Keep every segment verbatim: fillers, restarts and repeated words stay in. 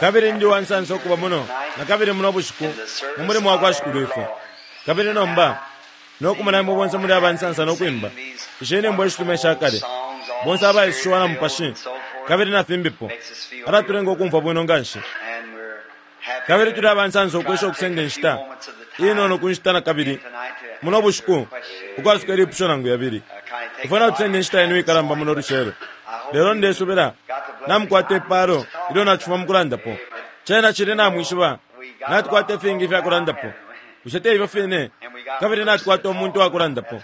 Kabili ndi uwansansa ukuba muno nakabili muno bushiku mu mulimo wakwa Shikulwifwe. Kabili nomba nokumona imwe bonse muli abansansa nokwimba ishi nyimbo ishitume ishakale, bonse abaisushiwa na Mupashi kabili na fimbipo, alatulenga ukumfwa bwino nganshi. Kabili tuli abansansa ukwesha ukusenda inshita inono ku nshita nakabili muno bushiku ukwasuka ilipusho nangu yabili. Ifwe natusenda inshita yenu ikalamba muno lucelo, lelo ndesubila namukwata ipalo ilyo nacifuma mukulandapo. Cena cili namwishiba natukwata ifingi ifyakulandapo. Bushe te ifyo fine? Kabili natukwata umuntu wakulandapo.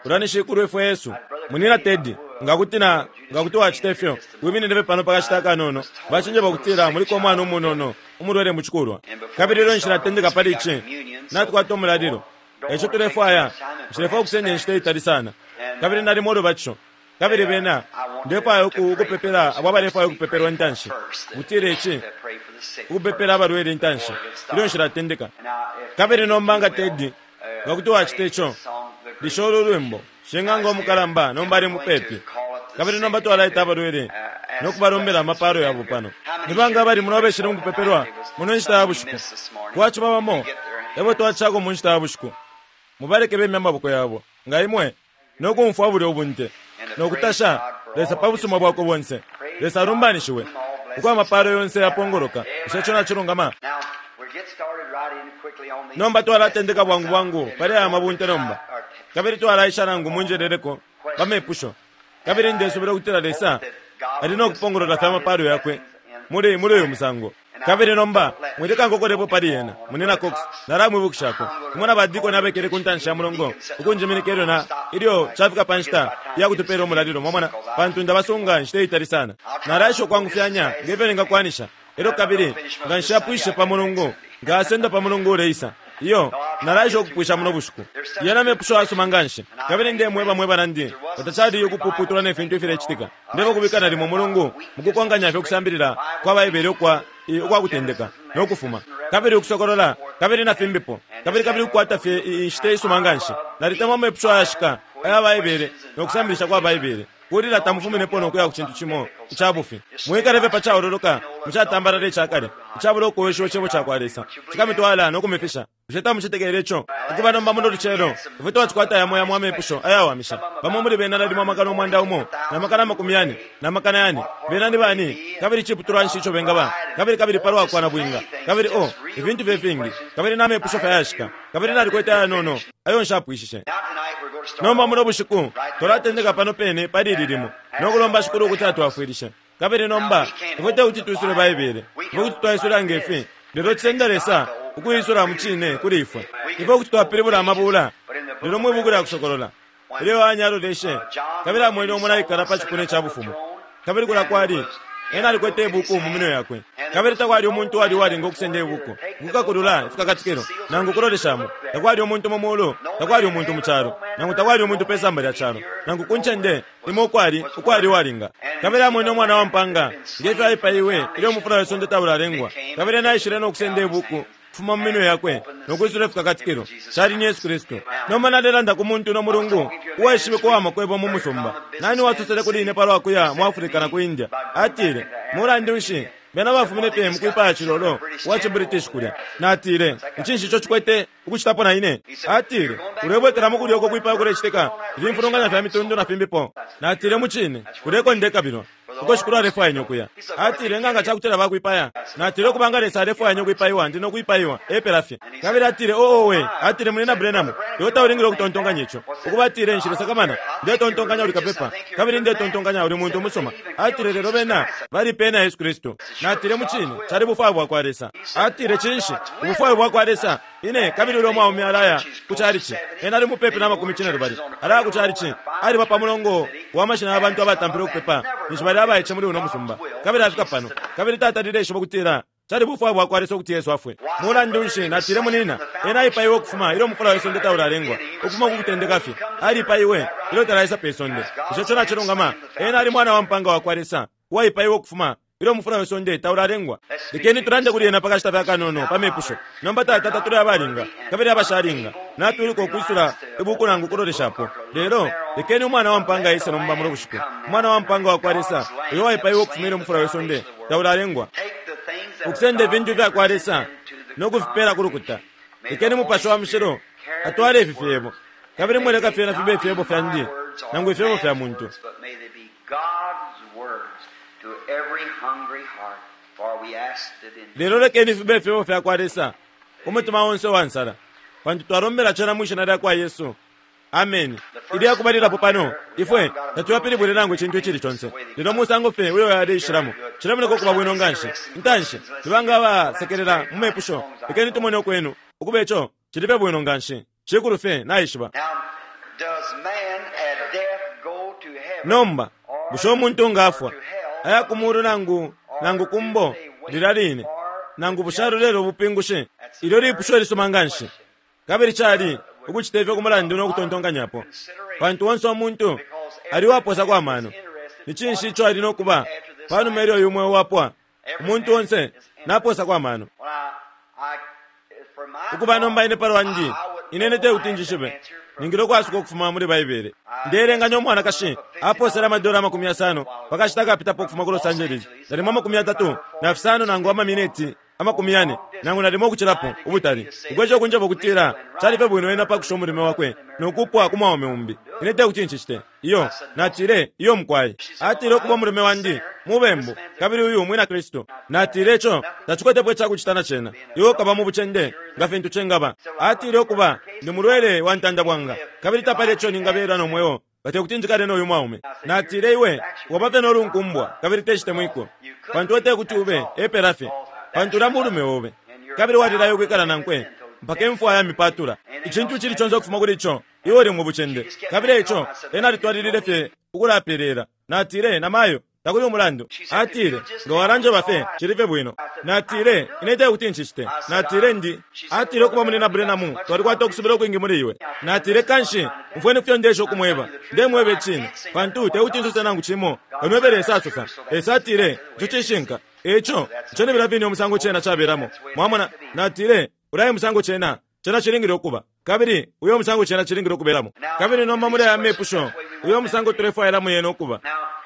Ulya ni Shikulwifwe Yesu. Munyina Teddy, nga kuti na, nga kuti wacita ifyo, wiminine fye pano pakashita akanono. Bacinjeba ukutila muliko umwana umunono umulwele mucikulwa. Kabili ilyo nshilatendeka pali ici, natukwata umulalilo. Eico tulefwaya, nshilefwaya ukusenda inshita itali sana. Kabili nalimo ulubatisho. Kabili bena, ndefwaya uku, ukupepela abo abalefwaya ukupepelwa intanshi. Ukutila ici, ukupepela abalwele intanshi, ilyo nshilatendeka. Kabili nomba nga Teddy, nga kuti wacita ico, lisha ulu lwimbo, Shing'anga umukalamba nomba ali mupepi. Kabili nomba twalaita abalwele no kubalombela amapalo yabo pano. Ni banga abali muno abeshile mukupepelwa muno nshita ya bushiku? Kwaciba bamo ebo twacishako mu nshita ya bushiku. Mubaleke bemye amaboko yabo, nga imwe, no kumfwa bulya ubunte, no kutasha Lesa pa busuma bwakwe bonse. Lesa alumbanishiwe, uko amapalo yonse yapongoloka. Bushe ico nacilungama? Nomba twalatendeka bwangu bwangu pali aya mabunte nomba, kabili twalaisha nangu munjeleleko pa mepusho. Kabili ndesubila ukutila Lesa ali no kupongolola fye amapalo yakwe muli, muli uyu musango. Kabili nomba mwileka nkokolepo pali yena, Munyina Cox. Nalamwibukishako imwe na ba dikoni abekele ku ntanshi ya mulongo ukunjiminika ilyo na, ilyo cafika pa nshita iya kutupela umulalilo, mwamona, pantu ndabasunga inshita itali sana. Nalaesha ukwangufyanya nge fyo ningakwanisha. Elyo kabili nga nshapwishe pa Mulungu, nkasenda pa Mulungu uleisa. Iyo, nalaesha ukupwisha muno bushiku. Yena mepusho ayasuma nganshi. Kabili ndemweba mwe banandi, nga tacali ukupuputula ne fintu ifilecitika, ndeba kubika nalimo Mulungu mukukonkanya fye ukusambilila kwa Baibele ukwa, ukwa Kutendeka no Kufuma, kabili Ukusokolola, kabili na fimbipo, kabili, kabili ukukwata fye inshita isuma nganshi. Nalitemwa amepusho ayashika aya Baibele no kusambilisha kwa Baibele. Kulila tamufuminepo no kuya ku cintu cimo ica bufi. Mwikale fye pa caololoka mu catambalala ica kale, icabula ukoweshiwa Icebo cakwa Lesa. Cikamitwala no kumifisha. Bushe tamucetekele ico? Ukuba nomba muno lucelo, ifwe twacikwata yamo yamo amepusho ayawamisha. Bamo muli bena nalimo amakana umwanda umo, na makana amakumi yane, na makana yane. Bena ni bani? Kabili ciputulwa nshi ico bengaba? Kabili, kabili palwa kwa nabwinga. Kabili, oh, ifintu fye fingi. Kabili na mepusho fye ayashika. Kabili nalikwete ayanono ayo nshapwishishe. Nomba muno bushiku twalatendeka pano pene pali ili limo, no kulomba Shikulu ukuti atwafwilishe. Kabili nomba ifwe tekuti twisule Baibele, ifwe kuti twaisula nge fi, lelo cisenda Lesa ukuisula mucine kuli ifwe. Ifwe kuti twapilibula amabula, lelo mwi Buku lya Kusokolola, ilyo Yohane aloleshe kabili amwene umo naikala pa cipuna ca bufumu, kabili kulya kwali Ena alikwete ibuku mu minwe yakwe, kabili takwali umuntu uwali uwalinga ukusenda ibuku, ukukakulula ifikakatikilo, nangu ukuloleshamo. Takwali umuntu mu mulu, takwali umuntu mu calo, nangu takwali umuntu pe samba lya calo, nangu ku ncende imo ukwali, ukwali uwalinga. Kabili amwene Umwana wa mpaanga, nge fyo aipaiwe ilyo umufula we sonde taulalengwa, kabili Ena aishile no kusenda ibuku ukufuma mu minwe yakwe no kwisula ifikakatikilo. Cali ni Yesu Kristu. Nomba nalelanda ku muntu no mulungu uwaishibikwa uwa makwebo mu musumba. Nani uwasosele kuli ine palwa kuya mu Africa na ku India? Atile, Mulandu nshi, bena bafumine fye mukwipaya cilolo wa ci British kulya. Natile, Ni cinshi ico cikwete ukucitapo na ine? Atile, Ulebwekelamo kulya uko kwipaya kulecitika, ifimfulunganya fya mitundu na fimbipo. Natile, Mucine, kulya eko ndekabilwa. Uko Shikulu alefwaya ine ukuya. Atile, Nga nga cakutila bakwipaya? Natile, Ukuba nga Lesa alefwaya ine ukwipaiwa, ndi no kwipaiwa. Epela fye. Kabili atile, Oh, owe! Atile, Munyina Branham, iwe taulingile ukutontonkanya ico. Ukuba, atile, Nshilesakamana. Ndetontonkanya uli kapepa, kabili ndetontonkanya uli muntu umusuma. Atile, Lelo bena balipeye na Yesu Kristu. Natile, Mucine, cali bufwayo bwakwa Lesa. Atile, Cinshi? Ubufwayo bwakwa Lesa? Ine, kabili ulyo mwaume alaya ku chalichi. Ena ali mupepi na makumi cinelubali. Alaya ku chalichi. Aliba pa mulongo wa mashina ya bantu abatampile ukupepa ninshi bali abaice muli uno musumba. Kabili afika pano, kabili tatalile ishiba ukutila cali bufwayo bwakwa Lesa ukuti Yesu afwe. Mulandu nshi, natile, munina, ena aipaiwe ukufuma ilyo umufula we sonde taulalengwa, ukufuma ku kutendeka fye. Alipaiwe ilyo talaisa pe sonde. Bushe ico nacilungama? Ena ali Mwana wa mpaanga wakwa Lesa, uwaipaiwe ukufuma ilyo umufula we sonde taulalengwa. Lekeni tulande kuli ena pakashita fye akanono pa mepusho. Nomba, Tata, tatuli abalinga kabili abashalinga, natwiluka ukwisula ibuku nangu ukuloleshapo. Lelo lekeni Umwana wa mpaanga aise nomba muno bushiku, Umwana wa mpaanga wakwa Lesa, uyo waipaiwe ukufuma ilyo umufula we sonde taulalengwa. Ukusenda ifintu fya kwa Lesa no kufipela ku lukuta. Lekeni Mupashi wa Mushilo atwale ifi fyebo, kabili mwileka fyena fibe ifyebo fyandi nangu ifyebo fya muntu. Lelo lekeni fibe ifyebo fya kwa Lesa ku mutima onse wa nsala, pantu twalombela cena mwi shina lya kwa Yesu. Ameni. Ilya kubalilapo pano, ifwe tatuyapilibwile nangu icintu icili conse, lelo musango fye uyo yaleishilamo cilemoneka ukuba bwino nganshi. Intanshi tubanga abasekelela mu mepusho, lekeni tumone ukwenu ukuba ico cili fye bwino nganshi. Shikulu fye naishiba. Nomba bushe umuntu nga afwa aya ku mulu nangu nangu kumbo lilya line, nangu bushe alolele ubupingushi? Ilyo lipusho lisuma nganshi, kabili cali ukucita ifyo ku mulandu no kutontonkanyapo, pantu onse umuntu ali waposa kwa mano. Ni cinshi ico ali no kuba panuma ilyo uyu mweo wapwa? Umuntu onse naposa kwa mano. Ukuba nomba ine palwandi, ine tekuti njishibe, ningile ukwasuka ukufuma muli Baibele. Ndeelenganya umwanakashi aposele amadola amakumi yasano pakashita kapitapo ukufuma ku Los Angeles, nalimo amakumi yatatu na fisano nangu amamineti amakumi yane nangu nalimo ukucilapo ubutali, ukwesha ukunjeba ukutila cali fye bwino ena pakusha umulume wakwe nokupwa ku mwaume umbi. Ine tekuti ncicite. Iyo, natile, iyo mukwai. Atile ukuba umulume wandi mubembu, kabili uyu mwina Kristu. Natile ico tacikwetepo icakucita na cena, iwe ukaba mu bucende nga fintu cengaba. Atile ukuba ndi mulwele wa ntanda bwanga, kabili tapali ico ningabela no mweo nga tekuti njikale noyu mwaume. Natile iwe waba fye nolunkumbwa kabili tecitemwiko, pantu iwe tekuti ube epela fye, pantu ulya mulume obe, kabili walilayo ukwikala nankwe mpaka imfwa ya mipatula. Icintu cili conse ukufuma kuli ico, iwe uli mu bucende. Kabili ico ena alitwalilile fye ukulapelela. Natile, namayo, takuli umulandu. Atile, nga walanjeba fye cili fye bwino. Natile, ine tekuti ncicite. Natile ndi. Atile ukuba muli na Branham, twalikwata ukusubila ukwingi muli iwe. Natile kanshi umfweni kufyo ndesha ukumweba. Ndemweba icine, pantu tekuti nsose nangu cimo kano Lesa asosa. Lesa atile ico cishinka. Eco ico ni bilafini umusango cena cabelamo. Mwamona? Natile ulaye musango cena cena cilingile ukuba, kabili uyo musango cena cilingile ukubelamo. Kabili nomba muli aya mepusho, uyo musango tulefwailamo yena ukuba.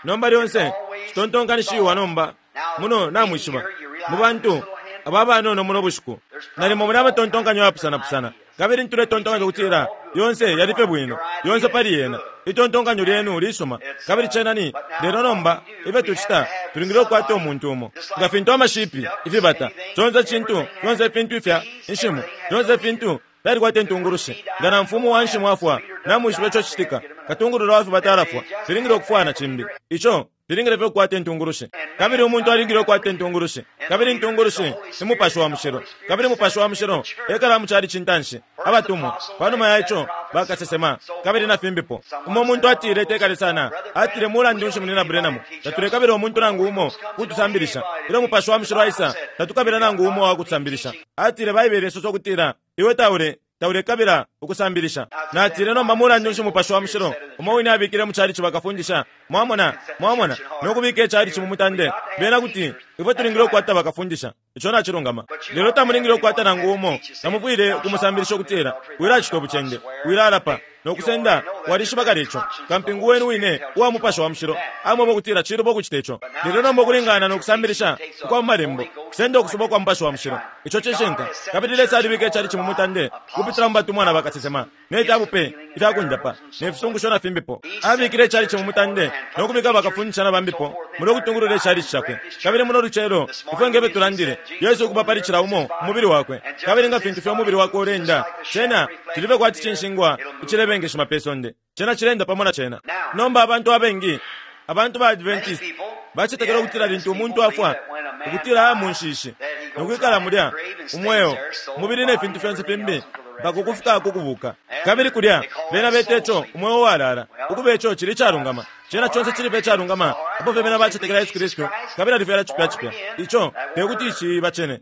Nomba lyonse citontonkanishiwa nomba muno namwishiba mu bantu aba banono muno bushiku nalimo muli amatontonkanyo yapusanapusana, kabili ntuletontonkanya ukutila yonse yali fye bwino, yonse pali yena. Itontonkanyo lyenu lisuma, kabili cena ni lelo. Nomba ifyo tucita, tulingile ukukwata umuntu umo nga fintu amashipi ifibata conse cintu fyonse ifintu ifya inshimu fyonse ifintu fyalikwata intungulushi. Nga na mfumu wa nshimu afwa, namwishiba ico citika, katungulula wa fibata alafwa, filingile ukufwana cimbi. Ico filingile fye ukukwata intungulushi, kabili umuntu alingile ukukwata intungulushi, kabili intungulushi ni Mupashi wa Mushilo, kabili Mupashi wa Mushilo ekala mu cali cintanshi abatumwa, panuma ya ico bakasesema, kabili na fimbipo. Umo muntu atile tekale sana, atile mulandu nshi munina Branham, tatulekabila umuntu nangu umo kutusambilisha. Ilyo Mupashi wa Mushilo aisa, tatukabila nangu umo wa kutusambilisha. Atile Baibele isosa ukutila iwe taule taulekabila ukusambilisha. Natile nomba mulandu nshi Mupashi wa Mushilo umo wine abikile mu calici bakafundisha? Mwamona, mwamona, nokubika icalici mu mutande. Bena kuti ifwe tulingile ukukwata bakafundisha, ico nacilungama, lelo tamulingile ukukwata nangu umo. Tamufwile ukumusambilisha ukutila wilacita ubucende, wilalapa nokusenda. Walishiba kale ico. Kampingu wenu wine uwa Mupashi wa Mushilo amweba ukutila cilubo ukucita ico. Lelo nomba ukulingana nokusambilisha ukwa mu malembo kusenda ukusuba kwa Mupashi wa Mushilo, ico cishinka. Kabili Lesa alibika icalici mu mutande kupitila mu batumwa na bakasesema ne fyabupe ifyakundapa ne fisungusho na fimbipo. Abikile icalici mu mutande nokubika bakafundisha na bambipo muno kutungulula icalici cakwe. Kabili muno lucelo ifwe ngefyo tulandile, Yesu ukuba pali cila umo umubili wakwe, kabili nga fintu fye umubili wakwe ulenda, cena cilife kwati cinshingwa icilebengeshima pe sonde, cena cilenda pamo na cena. Nomba abantu abengi, abantu ba Adventist bacetekela ukutila lintu umuntu afwa ukutila aya mu nshishi nokwikala mulya umweo umubili ne fintu fyonse fimbi mpaka ukufika kukubuka. Kabili kulya bena beta ico umweo walala, ukuba ico cili icalungama, cena conse cili fye icalungama apo fye bena bacetekela Yesu Kristu kabili alifyala cipya cipya. Ico tekuti ciba cene.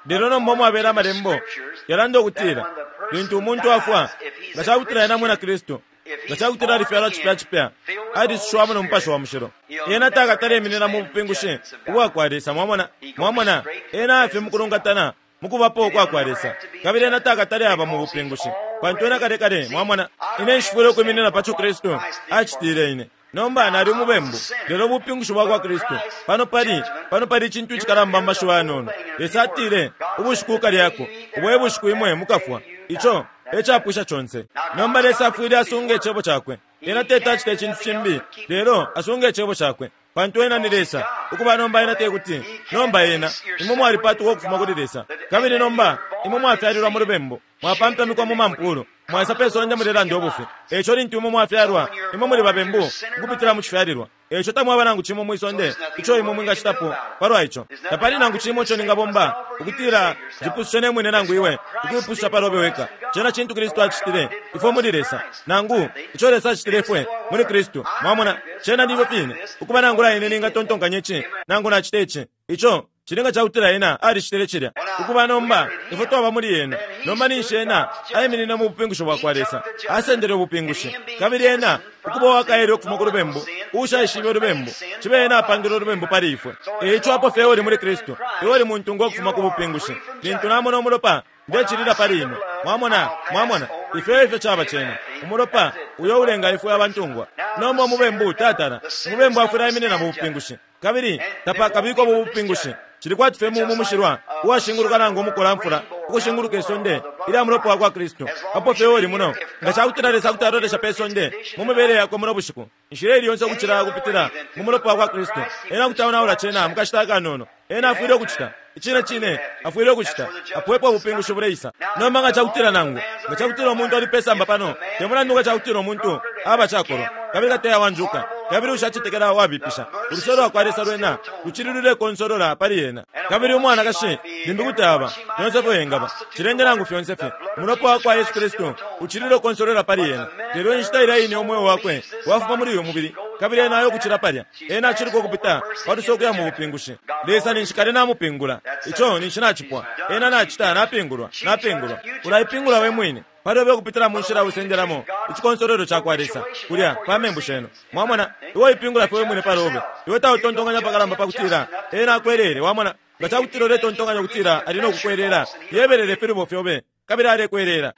Lelo nomba umwabela amalembo yalanda ukutila lintu umuntu afwa, nga cakutila ena mwina Kristu, nga cakutila alifyalwa cipya cipya, alisushiwamo no Mupashi wa Mushilo, ena takataleminina mu bupingushi ubwa kwa Lesa. Mwamona, mwamona, ena afye mukulungatana mukubapo ukwa kwa Lesa, kabili ena takatale aba mu bupingushi, pantu ena kale kale. Mwamona, ine nshifwile ukwiminina paco Kristu acitile ine, Nomba nali umubembu, lelo ubupingushi bwakwa Kristu pano pali pano pali icintu icikalamba mu mashiwi ayanono. Lesa atile, ubushiku ukalyako, ubo e bushiku imwe mukafwa. Ico ecapwisha conse. Nomba Lesa afwile asunga icebo cakwe. Ena teti acite icintu cimbi, lelo asunga icebo cakwe, pantu ena ni Lesa. Ukuba nomba ena tekuti, nomba ena, imwe mwalipatuka ukufuma kuli Lesa, kabili nomba imwe mwafyalilwa mu lubembu, mwapampamikwa mu mampulu, mwaisa pe sonde mulelanda ubufi. Eico lintu imwe mwafyalwa, imwe muli babembu ukupitila mu cifyalilwa. Eico tamwaba nangu cimo mwi sonde ico imwe mwingacitapo palwa ico. Tapali nangu cimo ico ningabomba ukutila njipusushe ne mwine nangu iwe ukuipususha palobe weka. Cena cintu Kristu acitile ifwe muli Lesa, nangu ico Lesa acitile ifwe muli Kristu. Mwamona, cena ni ifyo fine. Ukuba nangula ine ningatontonkanya ici nangu nacita ici, ico cilinga cakutila ena alicitile cilya. Ukuba nomba ifwe twaba muli ena, nomba ninshi ena aiminina mu bupingushi bwakwa Lesa, asendele ubupingushi. Kabili ena ukuba uwakaele ukufuma ku lubembu, uushaishibe ulubembu, cibe ena apangile ulubembu pali ifwe. Eico apo fye uli muli Kristu, iwe uli muntungwa ukufuma ku bupingushi. Lintu namona umulopa, ndecilila pali imwe. Mwamona, mwamona, ifyo ifyo caba cena. Umulopa uyo ulenga ifwe abantungwa. Nomba umubembu tatala, umubembu afwile aiminina mu bupingushi, kabili tapakabikwa mu bupingushi. Cili kwati fye mu mushilwa uwashinguluka nangu umukolamfula ukushinguluka isonde ilya mulopa wakwa Kristu. Apo fye uli muno, nga cakutila Lesa kuti alolesha pe sonde mu mibele yakwe muno bushiku, inshila ili yonse ukucila kupitila mu mulopa wakwa Kristu, ena kuti aonaula cena mu kashita akanono. Ena afwile ukucita icine cine, afwile ukucita apo epo ubupingushi buleisa. Nomba nga cakutila nangu nga cakutila umuntu ali pesamba pano, te mulandu nga cakutila umuntu aba cakolwa kabili kateya wanjuka kabili ushacetekela wabipisha, uluse lwakwa Lesa lwena lucili lulekonsolola pali ena. Kabili umwanakashi limbi kuti aba fyonse fyo engaba cilende nangu fyonse fye, umulopa wakwa Yesu Kristu ucili ulekonsolola pali ena. Lelo inshita ilya ine umweo wakwe wafuma muli uyu mubili, kabili ena ayo kucila palya, ena aciluka ukupita paluse ukuya mu bupingushi. Lesa ninshi kale namupingula, ico ninshi nacipwa. Ena nacita napingulwa, napingulwa. Ulaipingula we mwine palobe ukupitila mu nshila usendelamo icikonsolelo cakwa Lesa kulya pa membu shenu. Mwamona, iwe ipingula fye we mwine palobe. Iwe tautontonkanya pakalamba pakutila ena akwelele. Wamona, nga cakutila uletontonkanya ukutila ali no kukwelela, yebelele filubo fyobe kabili alekwelela.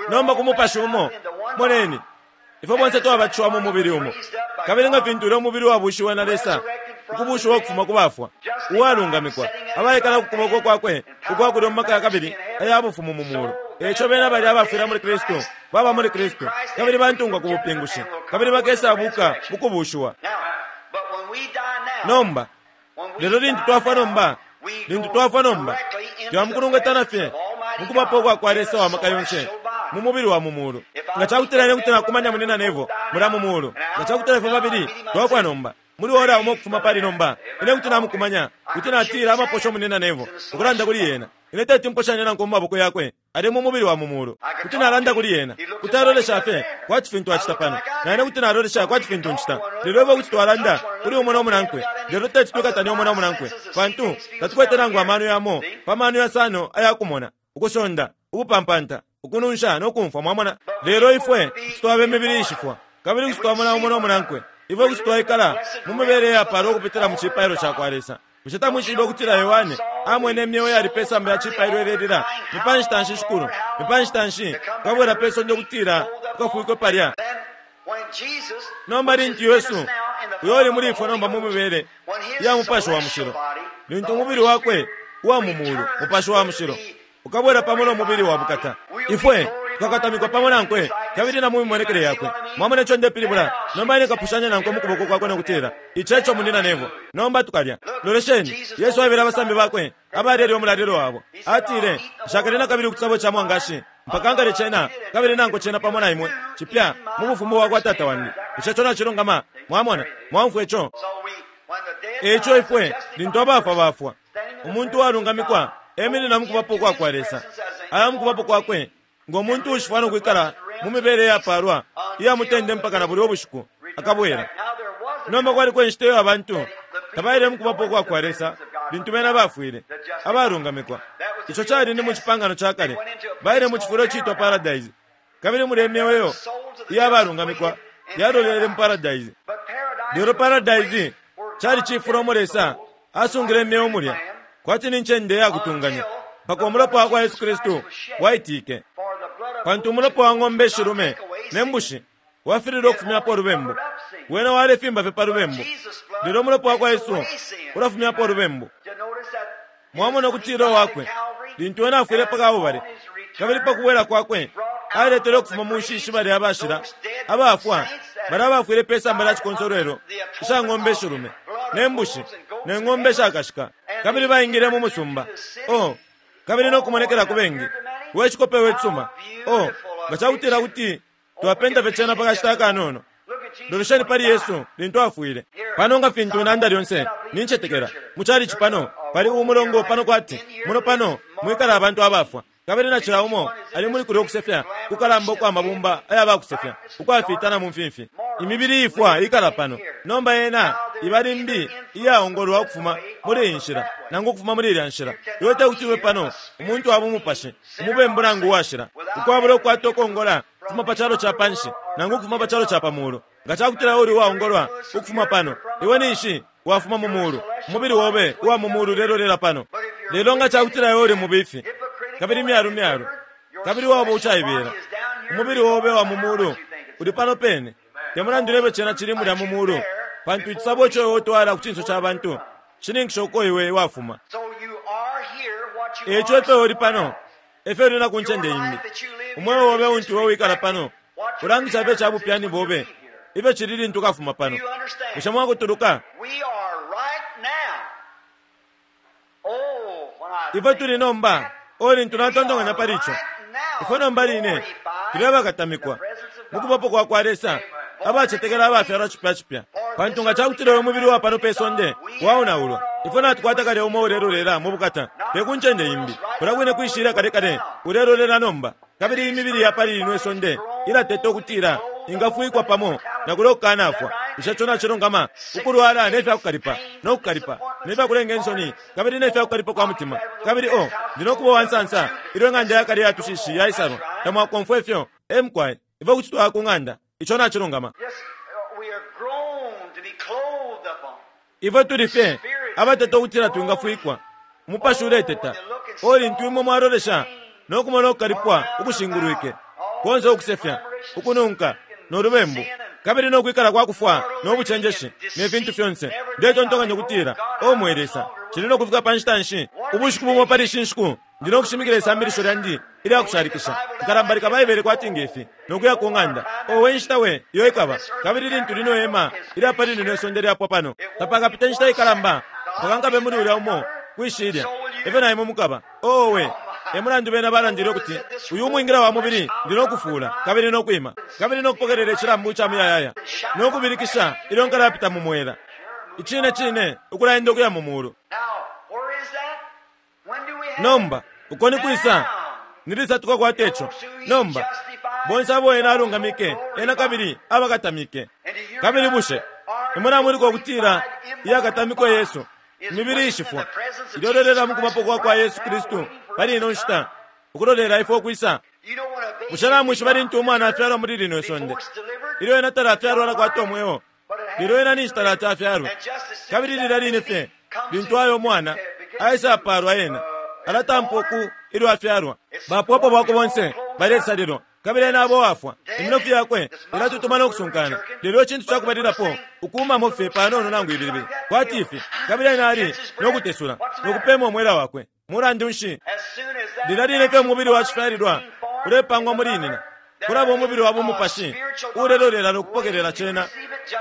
Nomba ku mupashi umo, moneni, ifwe bonse twabatishiwa mu mubili umo, kabili nga fintu ulya umubili wabushiwe na Lesa ukubushiwa ukufuma ku bafwa, uwalungamikwa, abaikala ku kuboko kwakwe ukwa kulyo mu maka kabili aya bufumu mu mulu. Eico bena bali abafwila muli Kristu baba muli Kristu, kabili bantungwa ku bupingushi, kabili bakesabuka mu kubushiwa. Nomba lelo lintu twafwa nomba, lintu twafwa nomba, twamukulungatana fye mu kubapo kwakwa Lesa wa maka yonse mu mubili wa mu mulu. Nga cakutila ine kuti nakumanya munina nevo mula mu mulu, nga cakutila ifwe babili twafwa nomba muli ora umo kufuma pali nomba, ine kuti namukumanya, kuti natila amaposho munina nevo ukulanda kuli yena. Ine teti mposhanye nanku mu maboko yakwe ali mu mubili wa mu mulu. Kuti nalanda kuli yena, kuti alolesha fye kwati fintu acita pano, na ine kuti nalolesha kwati fintu ncita. Lelo ifwe kuti twalanda kuli umo no munankwe, lelo teti twikatane umo no munankwe, pantu tatukwete nangu amano yamo pa mano yasano ayakumona, ukusonda, ukupampanta, ukununsha no kumfwa. Mwamona, lelo ifwe kuti twaba imibili ishifwa, kabili kuti twamona umo no munankwe. Ifwe kuti twaikala mu mibele yapalwa ukupitila mu cipailo cakwa Lesa. Bushe tamwishibe ukutila Yohane amwene imyeo yali pe samba ya cipailo ilelila, ni pa nshita nshi Shikulu, ni pa nshita nshi ukabwela pe sonde ukutila ukafwikwe palya? Nomba lintu Yesu uyo uli muli ifwe nomba mu mibele ya mupashi wa mushilo, lintu umubili wakwe uwa mu mulu, mupashi wa mushilo, ukabwela pamo no mubili wa bukata, ifwe tukakatamikwa pamo nankwe kabili na mu mimonekele yakwe. Mwamona ico ndepilibula? Nomba ine kapushanya nankwe mu kuboko kwakwe no kutila, ico eco munina nevo. Nomba tukalya. Lolesheni, Yesu aebele abasambi bakwe abalelya umulalilo wabo, atile, nshakalye na kabili ku cisabo ca mwangashi mpaka nkalye cena kabili nankwe cena pamo na imwe cipya mu bufumu bwakwa Tata wandi. Bushe ico nacilungama? Mwamona, mwaumfwa ico? Eico ifwe lintu abafwa bafwa, umuntu uwalungamikwa eminina mu kubapo kwakwa Lesa, aya mu kubapo kwakwe ngo muntu uushifwa no kwikala mu mibele iyapalwa iya mutende mpaka na bulya ubushiku akabwela. Nomba kwaliko inshita iyo abantu tabaile mu kubapo kwakwa Lesa lintu bena bafwile abalungamikwa. Ico cali ni mu cipangano ca kale, baile mu cifulo iciitwa paradise, kabili mulya imyeo iya balungamikwa yalolele mu paradise. Lelo paradise cali cifulo umo Lesa asungile imyeo mulya, kwati ni ncende ya kutunganya, mpaka umulopa wakwa Yesu Kristu waitike. Pantu umulopa wa ng'ombe ishilume ne mbushi Wafililwe ukufumyapo ulubembu. Wena walefimba fye pa lubembu. Lelo umulopa wa kwa Yesu ulafumyapo ulubembu. Mwamona ukutila wakwe lintu wena afwile pa Kalbale, kabili pa kubwela kwakwe aletele ukufuma mu nshishi balya abashila abafwa balya abafwile pe samba lya cikonsolwelo isha ng'ombe ishilume ne mbushi ne ng'ombe ishakashika, kabili baingile mu musumba. Oh, kabili no kumonekela ku bengi. We cikope we cisuma. Oh, nga cakutila kuti twapenta fye cena pa kashita akanono. Lolesheni pali Yesu lintu afwile. Pano nga fintu nanda lyonse nincetekela mu chalichi pano pali umulongo pano kwati muno pano mwikala abantu abafwa, kabili na cila umo ali muli kulya ukusefya kukalamba ukwa mabumba ayabakusefya ukwafitana mu mfimfi. Imibili ifwa ikala pano nomba yena iba limbi iyaongolwa ukufuma muli iyi nshila nangu ukufuma muli ilya nshila. Iwe tekuti ube pano umuntu wa bumupashi umubembu nangu uwashila ukwabula ukukwata ukongola ukufuma pa calo ca panshi nangu ukufuma pa calo ca pa mulu. Nga cakutila uli uwaongolwa ukufuma pano, iwe ninshi wafuma mu mulu, umubili obe uwa mu mulu ulelolela pano. Lelo nga cakutila iwe uli mubifi kabili myalu myalu kabili waba ucaibela, umubili obe wa mu mulu uli pano pene. Te mulandu lebe cena cili mulya mu mulu, pantu icisabo ico iwe utwala ku cinso ca bantu shininkisha uko iwe wafuma. Eico ifyo uli pano efyo uli na ku ncende imbi. Umweo obe untu iwe wikala pano ulangisha ifyo ca bupyani bobe ifyo cili lintu ukafuma pano. Bushe mwakutuluka? Ifwe tuli nomba o lintu natontonkanya pali ico, ifwe nomba line tuli abakatamikwa mu kubapo kwa kwa Lesa, abacetekela abafyalwa cipya cipya. Pantu nga cakutila uyu mubili wa pano pe sonde waonaulwa, ifwe natukwata kale umo ulelolela mu bukata, te ku ncende imbi. Kulya kwine kwishilya kale kale ulelolela nomba. Kabili imibili ya pali lino isonde ilateta ukutila ingafwikwa pamo na kulya ukukanafwa. Bushe ico nacilungama? Ukulwala ne fya kukalipa no kukalipa ne fya kulenga insoni kabili ne fya kukalipa kwa mutima. Kabili o ndi no kuba uwansansa ilyo ing'anda ya kale ya tushishi yaisalwa. Tamwakomfwe ifyo emkwai ifyo kuti twaya ku ng'anda. Ico nacilungama. Ifwe tuli fye abateta ukutila twingafwikwa. Umupashi uleteta. O lintu imwe mwalolesha no kumona ukukalipwa ukushingulwike konse, ukusefya, ukununka no lubembu, kabili no kwikala kwa kufwa no bucenjeshi ne fintu fyonse, ndetontonkanya ukutila o mwe Lesa, cili no kufika pa nshita nshi? Ubushiku bumo pali ishi nshiku ndi no kushimikila isambilisho lyandi ilya kushalikisha. Nkalambalika Baibele kwati ngefi no kuya ku ng'anda. Owe nshita we iyo ikaba! Kabili lintu lino hema ilya pali lino isonde lyapwa pano, tapakapite nshita ikalamba mpaka nkabe muli ulya umo kwishilya. Efyo na imwe mukaba. Owe e mulandu bena balandile ukuti uyu umwingila wa mubili ndi no kufuula kabili no kwima kabili no kupokelela icilambu ca muyayaya no kubilikisha ilyo nkalapita mu mwela. Icine cine ukulaenda ukuya mu mulu. Nomba uko ni kwisa? Ni lisa tukakwata ico? Nomba bonse abo ena alungamike ena kabili abakatamike. Kabili bushe imwe namuliko ukutila iyakatamikwe Yesu imibili ishifwa ilolelela mu kubapo kwa kwa Yesu Kristu pali ino nshita ukulolela ifwe ukwisa? Bushe namwishiba lintu umwana afyalwa muli lino isonde, ilyo ena talafyalwa alakwata umweo, lelo ena ninshi talati afyalwe? Kabili lilya line fye lintu ayo umwana aisa apalwa, ena alatampa uku ilyo afyalwa. Bapwopo bwakwe bonse balesalilwa, kabili ena abo wafwa. Iminofu yakwe ilatutuma no kusunkana. Lelo icintu cakubalilapo ukuumamo fye panono nangu ibilibili kwati ifi, kabili ena ali no kutesula no kupema umwela wakwe. Mulandu nshi? Lilya line fye umubili wa cifyalilwa ulepangwa muli nina, kulaba umubili wa bumupashi ulelolela no kupokelela cena.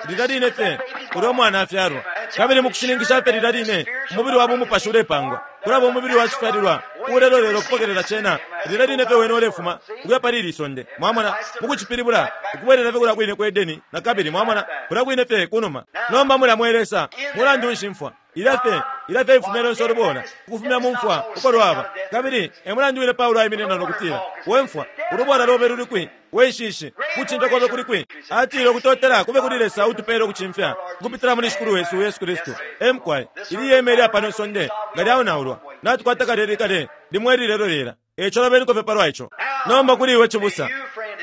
Lilya line fye ulya umwana afyalwa, kabili mu kushininkisha fye lilya line umubili wa bumupashi ulepangwa, kulaba umubili wa cifyalilwa ulelolela ukupokelela cena. Lilya line fye wene ulefuma ukuya pali ili sonde. Mwamona, mukucipilibula ukubwelela fye kulya kwine ku Edeni na kabili. Mwamona, kulya kwine fye kunuma. Nomba mulya mwe Lesa, mulandu nshi mfwa ilya fye ilya fye ifumya lyonse ulubola ukufumya mu mfwa uko lwaba? Kabili e mulandu wine Paulo aiminina no kutila, we mfwa, ulubola lobe luli kwi? We nshishi, kucimfya kobe kuli kwi? Atile, ukutotela kube kuli Lesa utupele ukucimfya ukupitila muli Shikulu wesu Yesu Kristu. Emkwai ili yeme ilya pano isonde nga lyaonaulwa, natukwata kale kale limwe lilelolela. Eico lobeniko fye palwa ico. Nomba kuli iwe cibusa,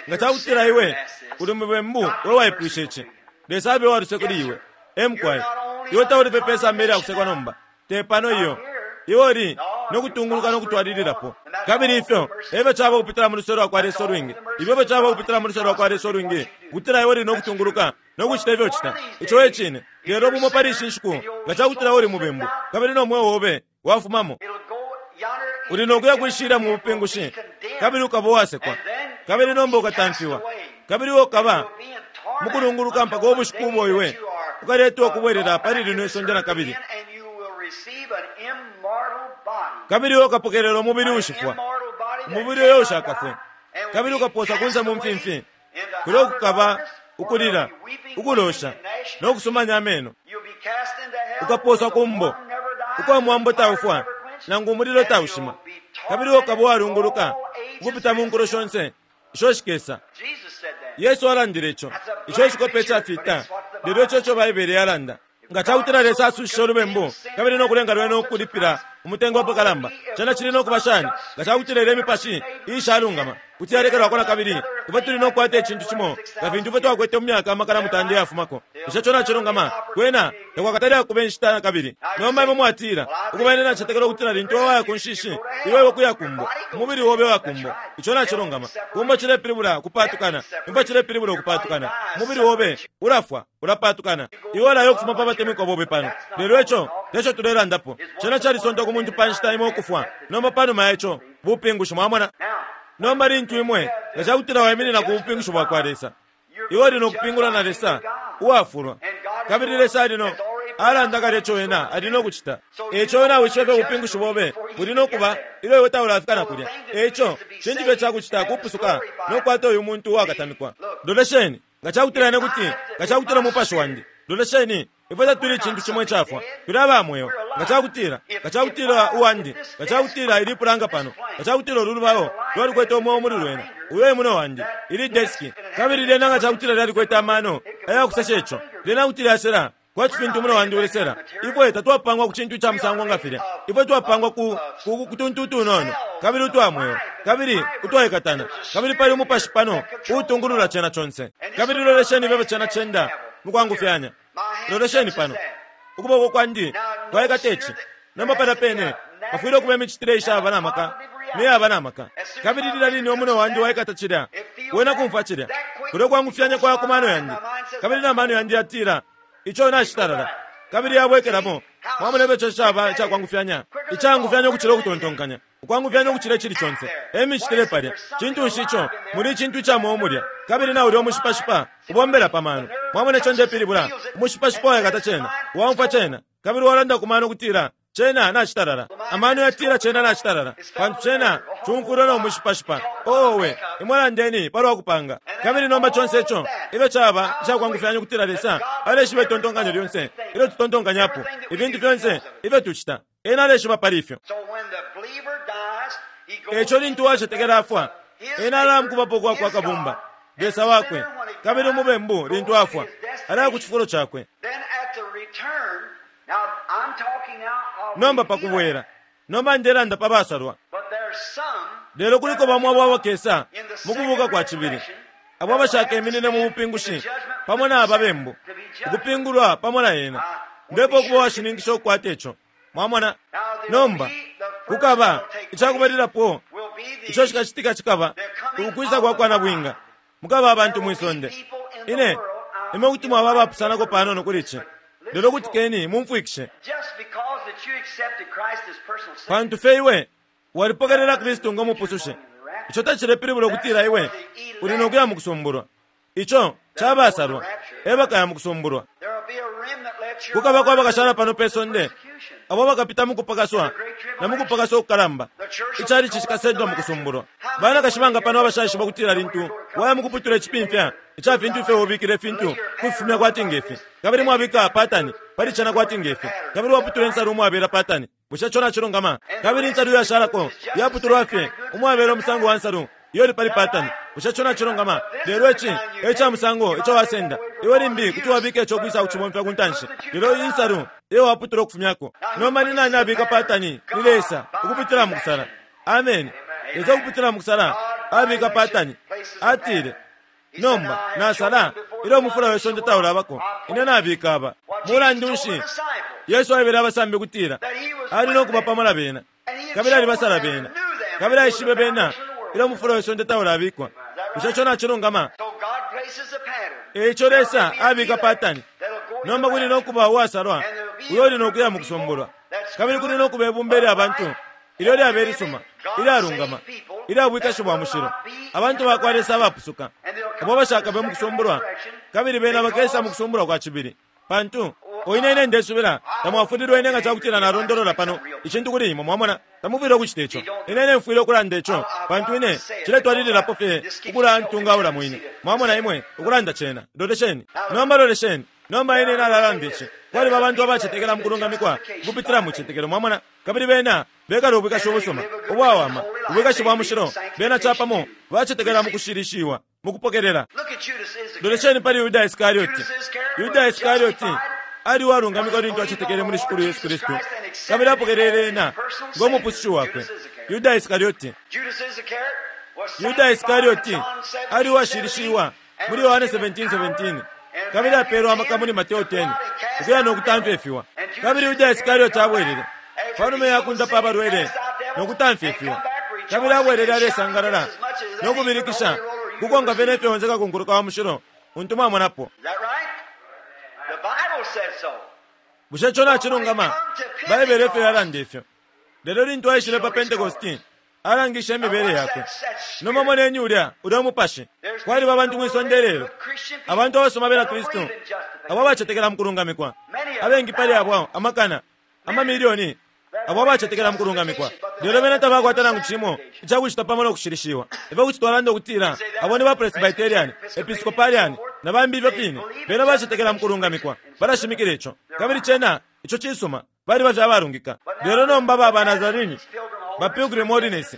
nga cakutila iwe uli mubembu we waipwisha ici, Lesa abe uwaluse kuli iwe. Emkwai iwe tauli fye pe samba ilya kusekwa nomba, te pano iyo. Iwe uli no kutunguluka no kutwalililapo. Kabili ifyo efyo caba ukupitila mu luse lwa kwa Lesa ulwingi. Ifyo efyo caba ukupitila mu luse lwa kwa Lesa ulwingi, kutila iwe uli no kutunguluka no kucita ifyo ucita. Ico e cine. Lelo bumo pali ishi nshiku, nga cakutila uli mubembu kabili no mweo obe wafumamo, uli no kuya kwishila mu bupingushi, kabili ukaba uwasekwa, kabili nomba ukatamfiwa, kabili iwe ukaba mukulunguluka mpaka ubushiku ubo iwe ukaletwa ukubwelela pali lino isonde na kabili, kabili iwe ukapokelela umubili ushifwa, umubili uyo ushakafwe, kabili ukaposa kunse mu mfimfi, kulyo kukaba ukulila, ukulosha no kusumanya ameno. Ukaposwa kumbo ukwa mwambo taufwa nangu umulilo taushima, kabili ukaba uwalunguluka ukupita mu nkulo shonse isho shikesa. Yesu alandile ico. Ico icikope icafita, lelo ico ico Baibele yalanda. Nga cakutila Lesa asushishe ulubembu kabili no kulenga lwene ukulipila umutengo apakalamba, cena cili no kuba shani nga cakutila ile mipashi iishalungama kuti yalekelwako na kabili? Ifwe tuli no kukwata icintu cimo nga fintu ifwe twakwete mu myaka amakana mutanda iyafumako. Bushe co nacilungama? Kwena takwakatali akuba inshita na kabili. Nomba imwe mwatila, ukuba ine nacetekela ukutila lintu waya ku nshishi, iwe iwe kuya kumbo, umubili obe wa kumbo. Ico nacilungama. Kumbo cilepilibula kupatukana, imfwa cilepilibula ukupatukana. Umubili obe ulafwa, ulapatukana. Iwe ulayo ukufuma pa batemwikwa bobe pano. Lelo ico teco tulelandapo. Cena calisontwa ku muntu pa nshita imo ukufwa. Nomba panuma ya ico, bupingushi, mwamona. Nomba lintu imwe nga cakutila waiminina ku bupingushi bwa kwa Lesa, iwe uli no kupingula na Lesa uwafulwa, kabili Lesa ali no alanda kale ico wena ali no kucita. Eico wena wishibe fye ubupingushi bobe buli no kuba ilyo iwe taulafika na kulya. Eico cintu fye cakucita kupusuka no kukwata uyu muntu uwakatamikwa. Lolesheni, nga cakutila ine kuti nga cakutila umupashi wandi, lolesheni, ifwe tatuli icintu cimo icafwa, tuli aba mweo. Nga cakutila nga cakutila uwandi, nga cakutila ili pulanga pano, nga cakutila ulu lubao lwalikwete umweo muli lwena, uyo e muno wandi, ili deski, kabili lyena nga cakutila lyalikwete amano ayakusesha ico, lyena kuti lyasela kwati fintu umuno wandi ulesela. Ifwe tatwapangwa ku cintu ica musango nga filya. Ifwe twapangwa ku ku kutuntu utunono kabili utwa mweo kabili utwaikatana, kabili pali umupashi pano uutungulula cena conse. Kabili lolesheni ifyo cena cenda mukwangufyanya. Lolesheni pano, ukuboko kwandi kwaikata ici. Nomba palya pene pafwile ukuba imicitile ishaba na maka neyaba na maka. Kabili lilya line umuno wandi waikata cilya, wena kumfwa cilya, kulyo kwangufyanya kwaya ku mano yandi, kabili na mano yandi yatila ico nacitalala, kabili yabwekelamo. Mwamona ifyo ico caba icakwangufyanya, icangufyanya ukucila ukutontonkanya, ukwangufyanya ukucila icili conse. E micitile palya. Cintu nshi ico? Muli icintu ica mweo mulya, kabili na ulya umushipashipa ubombela pa mano. Mwamona ico ndepilibula? Umushipashipa waikata cena, waumfwa cena, kabili walanda ku mano kutila cena nacitalala. Amano yatila cena nacitalala, pantu cena cumfwilwe no mushipashipa. Owe, imwe landeni palwa kupanga. Kabili nomba conse ico ifyo caba icakwangufyanya ukutila Lesa aleshiba itontonkanyo lyonse ilyo tutontonkanyapo, ifintu fyonse ifyo tucita, ena aleshiba pali ifyo. Eico lintu wacetekela afwa, ena alamukubapo kwa kwa Kabumba, Lesa wakwe, kabili umubembu lintu afwa alaya ku cifulo cakwe. Nomba pakubwela, nomba ndelanda pa basalwa. Lelo kuliko bamo abo abakesa mukubuka kwa cibili, abo abashakeminine mu bupingushi pamo na ababembu, ukupingulwa pamo na ena. Ndepo ukuba washininkisha ukukwata ico. Mwamona? Nomba kukaba icakubalilapo ico cikacitika cikaba ukwisa kwa kwa nabwinga. Mukaba abantu mwisonde. Ine imwe kuti mwaba abapusanako panono kuli ici, lelo kutikeni mumfwikishe. Pantu fye iwe walipokelela Kristu ngo mupusushe, ico tacilepilibula ukutila iwe uli no kuya mukusumbulwa. Ico cabasalwa ebakaya mukusumbulwa. Kukabako abakashala pano pe sonde abo bakapita mukupakaswa na mukupakaswa ukukalamba. Icalici cikasendwa mukusumbulwa. Banakashi banga pano abashaishiba kutila lintu waya mukuputula icipimfya ica fintu ifyo ubikile ifintu kufifumya kwati ngefi, kabili mwabika patani pali cena kwati ngefi, kabili waputula insalu umwabela patani. Bushe ico nacilungama? Kabili insalu yashalako yaputulwa fye umwabela umusango wa nsalu iyo ili pali patani. Bushe ico nacilungama? Lelo ici e ca musango ico wasenda. Iwe limbi kuti wabika ico kwisa kucibomfya ku ntanshi, lelo iyi nsalu iyo waputula ukufumyako. Nomba ni nani abika patani? Ni Lesa ukupitila mu kusala. Amen. Lesa ukupitila mu kusala abika patani. Atile, nomba nasala ilyo umufula we sonde taulabako, ine nabika aba. Mulandu nshi Yesu aebele abasambi kutila ali no kuba pamo na bena, Kabili alibasala bena. Kabili aishibe bena ilyo umufulo wesonde taulabikwa. Bushe ico nacilungama? Eico Lesa abika patani. Nomba kuli nokuba uwasalwa uyo uli nokuya mu kusombolwa. Kabili kuli nokuba ibumba ilya bantu ilyo lyabe lisuma, ilyalungama, ilya bwikashi bwa mushilo, abantu bakwa Lesa abapusuka, abo bashakabe mu kusombolwa, kabili bena bakesa mu kusombolwa kwa cibili. Pantu oine ine ndesubila tamwafulilwe ine nga cakutila nalondolola pano icintu kuli imwe, mwamona, tamufwile ukucita ico. Ine ine mfwile ukulanda ico, pantu ine ciletwalililapo fye ukulantungaula mwine. Mwamona imwe ukulanda cena. Lolesheni nomba, lolesheni nomba, ine nalalanda ici. Kwaliba abantu abacetekela mu kulungamikwa kupitila mu citetekelo, mwamona, kabili bena bekala ubwikashi ubusuma ubwawama, ubwikashi bwa mushilo. Bena capamo bacetekela mu kushilishiwa, mu kupokelela. Lolesheni pali Yuda Iskarioti. Yuda Iskarioti ali uwalungamikwa lintu acetekele muli Shikulu Yesu Kristu, kabili apokelele ena ngo mupusushi wakwe. Yuda Iskarioti, Yuda Iskarioti ali uwashilishiwa muli Yohane seventeen seventeen, kabili apeelwa amaka muli Mateo ten ukuya no kutamfyefiwa. Kabili Yuda Iskarioti abwelele panuma ya kundapa abalwele no kutamfyefiwa, kabili abwelele alesangalala no kubilikisha kukonka fyene fyonse kakunkuluka wa mushilo untu mwamonapo. Bushe ico nacilungama? Baibele efyo yalanda ifyo. Lelo lintu aishile pa Pentecosti, alangishe imibele yakwe. Nomba moneni ulya ulya umupashi. Kwaliba abantu mwisonde lelo, abantu abasoma bena Kristu abo abacetekela mu kulungamikwa, abengi pali abo amakana amamilioni abo abacetekela mu kulungamikwa, lelo bena tabakwata nangu cimo icakucita pamo no kushilishiwa. Ifyo kuti twalanda ukutila abo ni ba Presbyterian, Episcopalian na bambi ifyo fine, bena bacetekela mu kulungamikwa, balashimikila ico, kabili cena ico cisuma, baliba fye abalungika. Lelo nomba ba Nazarini, ba Pilgrim Holiness,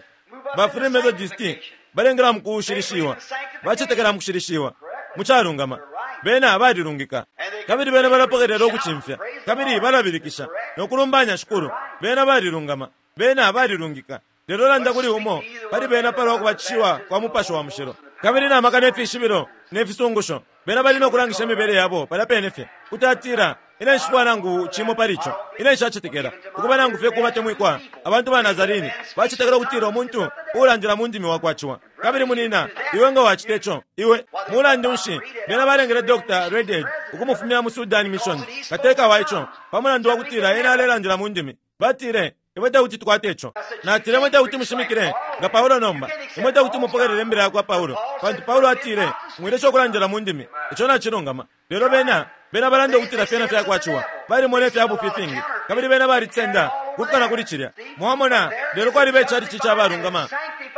ba Free Methodist balengela mu kushilishiwa, bacetekela mu kushilishiwa mu calungama, bena balilungika, kabili bena balapokelela ukucimfya, kabili balabilikisha no kulumbanya Shikulu. Bena balilungama, bena balilungika. Lelo landa kuli umo pali bena palwa kubatishiwa kwa Mupashi wa Mushilo, kabili na maka ne fishibilo ne fisungusho, bena bali no kulangisha imibele yabo palya pene fye. Kuti atila, ine nshifwa nangu cimo pali ico, ine nshacetekela ukuba nangu fye kubatemwikwa. Abantu ba Nazarini bacetekela ukutila umuntu uulandila mu ndimi wakwaciwa. Kabili munina, iwe nga wacita ico, iwe mulandu nshi bena balengele Doctor Redhead ukumufumya mu Sudan Mission, kateka wa ico, pa mulandu wa kutila ena alelandila mu ndimi. Batile, imwe tekuti tukwate ico. Natile, imwe tekuti mushimikile nga Paulo nomba, imwe tekuti mupokelele imbila yakwa Paulo, pantu Paulo atile mwilesha ukulandila mu ndimi. Ico nacilungama. Lelo bena bena balanda ukutila fyena fyakwaciwa, balimona ifya bufi ifingi, kabili bena balisenda kufika kuli cilya. Mwamona, lelo kwaliba icalici cabalungama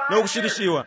no kushilishiwa,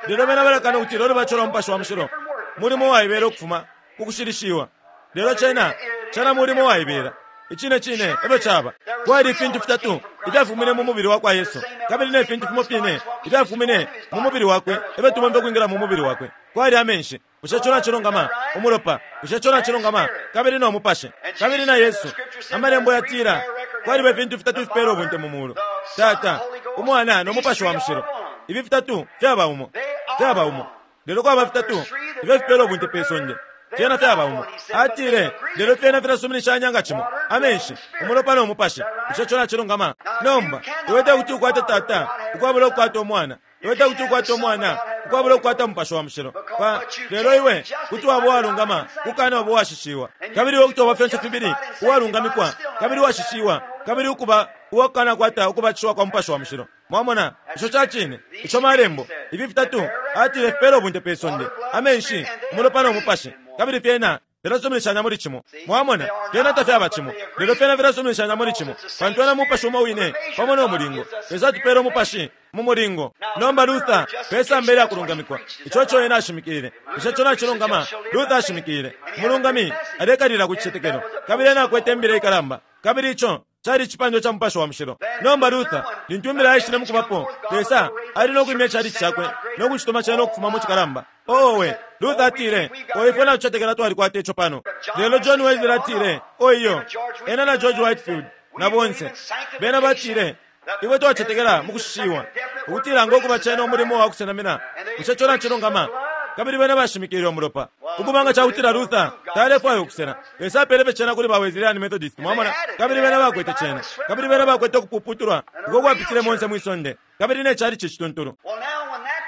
lelo bena balakana ukutila ulubatisho lwa Mupashi wa Mushilo mulimo uwaibela ukufuma ku kushilishiwa. Lelo cena cena mulimo uwaibela. Icine cine efyo caba. Kwali ifintu fitatu ifyafumine mu mubili wakwa Yesu, kabili ne fintu fimo fine ifyafumine mu mubili wakwe efyo tubomba ukwingila mu mubili wakwe. Kwali amenshi, bushe ico nacilungama? Umulopa, bushe ico nacilungama? Kabili no Mupashi, kabili na Yesu. Amalembo yatila kwaliba ifintu fitatu ifipela ubunte mu mulu: Tata, Umwana no Mupashi wa Mushilo. Ifi fitatu fyaba umo, fyaba umo. Lelo kwaba fitatu ifyo fipela ubunte pe sonde, fyena fyaba umo. Atile, lelo fyena filasuminishanya nga cimo: amenshi, umulopa no Mupashi. Bushe ico nacilungama? Nomba iwe tekuti ukwate Tata ukwabula ukukwata Umwana, iwe tekuti ukwate Umwana ukwabula ukukwata Mupashi wa Mushilo. Pa lelo iwe kuti waba uwalungama kukana waba uwashishiwa, kabili iwe kuti waba fyonse fibili uwalungamikwa kabili uwashishiwa, kabili ukuba uwakukana kwata ukubatishiwa kwa Mupashi wa Mushilo. Mwamona, ico ca cine, ico malembo. Ifi fitatu atile fipela ubunte pe sonde: amenshi, umulopa no Mupashi, kabili fyena filasuminishanya muli cimo. Mwamona, fyena tafyaba cimo, lelo fyena filasuminishanya muli cimo, pantu ena Mupashi umo wine pamo no mulingo. Lesa atupela Umupashi mu mulingo. Nomba Luther pesamba ilya kulungamikwa, ico co ena ashimikile. Bushe ico nacilungama? Luther ashimikile umulungami alekalila ku cicetekelo, kabili ena akwete imbila ikalamba, kabili ico cali icipandwa ca Mupashi wa Mushilo. Nomba Luther, lintu imbila yaishile mukubapo, Lesa ali no kwimya icalici cakwe no kucituma cena ukufuma mu cikalamba. Owe, Luther atile, o ifwe natucetekela twalikwata ico pano. Lelo John Wesley atile, o iyo, ena na George Whitefield na bonse bena batile, ifwe twacetekela mu kushishiwa, ukutila ngo kuba cena umulimo wa kusenamina. Bushe ico nacilungama? Kabili bena bashimikile umulopa. Ukubanga cakutila Luther talefwaya ukusela, Lesa apele cena kuli ba Wesleyan Methodist, mwamona, kabili bena bakwete cena, kabili bena bakwete ukupuputulwa uko kwapitile monse mwisonde, kabili ne chalichi cituntulu.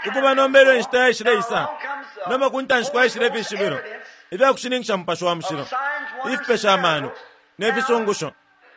Ukuba nombelo inshita yaishile isa, nomba kuntanshi kwaishile ifishibilo ifyakushininkisha Mupashi wa Mushilo, ifipesha amano ne fisungusho.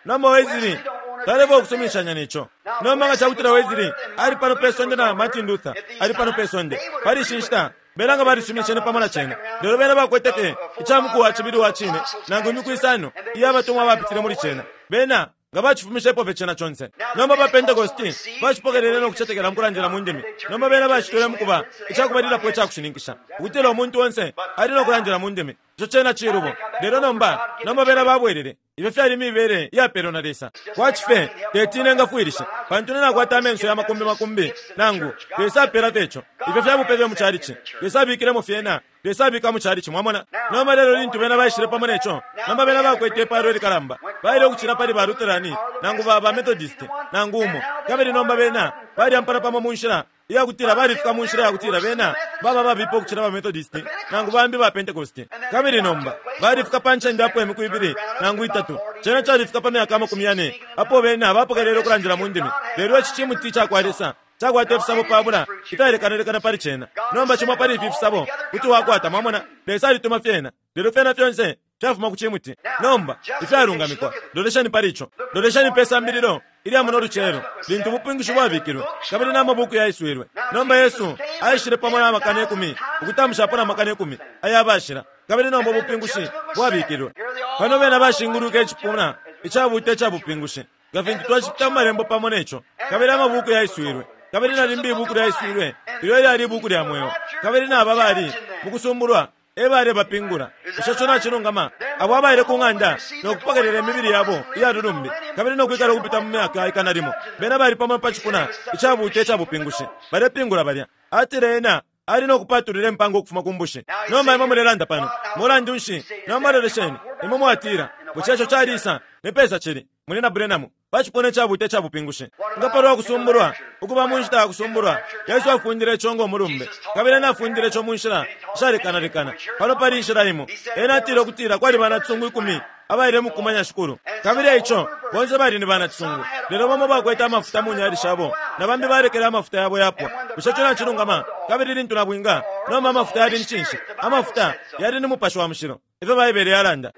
Nomba Wesley talefwaya ukusuminishanya neco. Nomba nga cakutila Wesley ali pano pe sonde na Martin Luther ali pano pe sonde pali ishi nshita, bena nga balisuminishene pamo na cena. Lelo bena bakwete fye ica muku wa cibili wa cine nangu imiku isano iya batumwa bapitile muli cena, bena nga bacifumishepo fye cena conse. Nomba ba Pentecosti bacipokelele no kucetekela mukulandila mu ndimi. Nomba bena bacitwele mukuba icakubalilapo icakushininkisha ukutila umuntu onse ali no kulandila mu ndimi. Ico cena cilubo. Lelo nomba nomba bena babwelele ifyo fyali mibele iyapelwa na Lesa. Kwati fye teti nengafwilisha, pantu nakwata amenso ya makumbi makumbi nangu Lesa apela fye ico. Ifyo fyabupe fye mu chalichi, Lesa abikilemo fyena, Lesa abika mu chalichi, mwamona. Nomba lelo lintu bena baishile pamo neco, nomba bena bakwete ipalo ilikalamba, baile ukucila pali ba Lutherani nangu ba ba Methodist nangu umo. Kabili nomba bena balyampana pamo mu nshila iyakutila balifika mu nshila yakutila bena baba babipa ukucila ba Methodist nangu bambi ba Pentecost. Kabili nomba balifika pa ncende apo imiku ibili nangu itatu, cena califika pa myaka amakumi yane apo bena bapokelele ukulandila mu ndimi. Lelo ici cimuti cakwa Lesa cakwata ifisabo pabula ifyalekanalekana pali cena. Nomba cimo pali ifi fisabo kuti wakwata, mwamona, Lesa alituma fyena, lelo fyena fyonse fyafuma ku cimuti. Nomba ifyalungamikwa, lolesheni pali ico, lolesheni pe sambililo ilya muno lucelo lintu ubupingushi bwabikilwe kabili n'amabuku yaiswilwe. Nomba Yesu aishile pamo n'amakana ikumi ukutamushapo n'amakana ikumi ayabashila, kabili nomba ubupingushi bwabikilwe. Pano bena bashinguluka icipuna icabuta icabupingushi nga fintu twacipita mu malembo pamo neco, kabili amabuku yaiswilwe, kabili na limbi ibuku lyaiswilwe ilyo ilyali ibuku lya mweo, kabili naba bali mukusumbulwa ebale bapingula. Bushe ico nacilungama? Abo abaile ku ng'anda no kupokelela imibili yabo iya lulumbi kabili no kwikala ukupita mu myaka ikana limo, bena bali pamo pa cipuna icabuta icabupingushi balepingula balya. Atile ena ali no kupatulila impanga ukufuma ku mbushi. Nomba imwe mulelanda pano, mulandu nshi? Nomba lolesheni, imwe mwatila, bushe ico calisa ni pesa cili muli na Branham pa cipuna icabuta icabupingushi? Nga palwa kusumbulwa, ukuba mu nshita ya kusumbulwa, Yesu afundile ico ngo mulumbe, kabili ena afundile ico mu nshila ishalekanalekana. Pano pali inshila imo. Ena atile ukutila kwali banacisungu ikumi abaile mukumanya Shikulu, kabili eico bonse bali ni banacisungu, lelo bamo bakwete amafuta mu nyali shabo na bambi balekele amafuta yabo yapwa. Bushe ico nacilungama? Kabili lintu nabwinga, nomba amafuta yali ni cinshi? Amafuta yali ni Mupashi wa Mushilo, ifyo Baibele yalanda.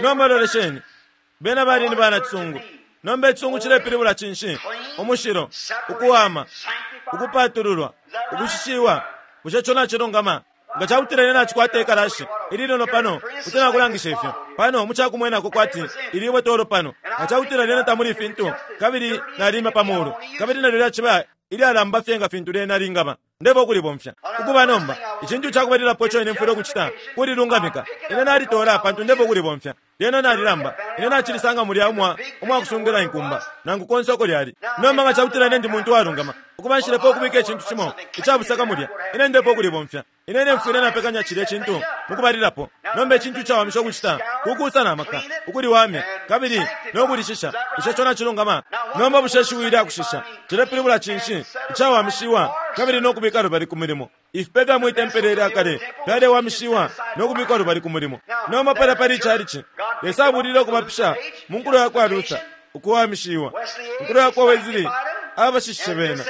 Nomba lolesheni, bena bali ni banacisungu. Nomba icisungu cilepilibula cinshi? Umushilo, ukuwama, ukupatululwa, ukushishiwa. Bushe ico nacilungama? Nga cakutila ine nacikwata ikalashi ilinono pano kuti nakulangisha ifyo pano mucakumwenako kwati ilibwe tolo pano. Nga cakutila lyena tamuli ifintu kabili nalima pa mulu kabili nalyo lyaciba ilyalamba fye nga fintu lyena lingaba, ndeba ukulibomfya. Ukuba nomba icintu cakubalilapo ico ine mfwile ukucita kulilungamika. Ine nalitola pantu ndeba ukulibomfya. Lyena nalilamba, ine nacilisanga mulya umwa umwakusungila inkumba nangu konse uko lyali. Nomba nga cakutila ine ndi muntu walungama, ukuba nshilepo ukubika icintu cimo icabusaka mulya, ine ndepo ukulibomfya. Ine ine mfwile napekanya cilya cintu mukubalilapo. Nomba icintu cawamisha ukucita kukusa na maka ukuliwamya kabili no kulishisha. Bushe ico nacilungama? Nomba bushe ishiwi lya kushisha cilepilibula cinshi? Icawamishiwa kabili no kubika lubali ku mulimo. Ifipe fya mwi tempele lya kale fyalewamishiwa no kubikwa lubali ku mulimo. Nomba palya pali icalici, Lesa abulile ukubapisha mu nkulo ya kwa Luther, ukuwamishiwa. Nkulo ya kwa Wesley abashishishe bena,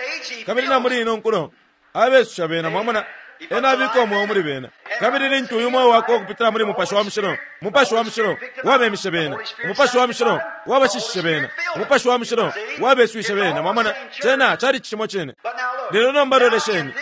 kabili na muli ino nkulo abesusha bena. Mwamona, ena abika umweo muli bena, kabili lintu uyu mweo wakwe ukupitila muli Mupashi wa Mushilo, Mupashi wa Mushilo wabemishe bena, Umupashi wa Mushilo wabashishishe bena, Umupashi wa Mushilo wabeswishe bena. Mwamona, cena cali cimo cine. Lelo nomba lolesheni,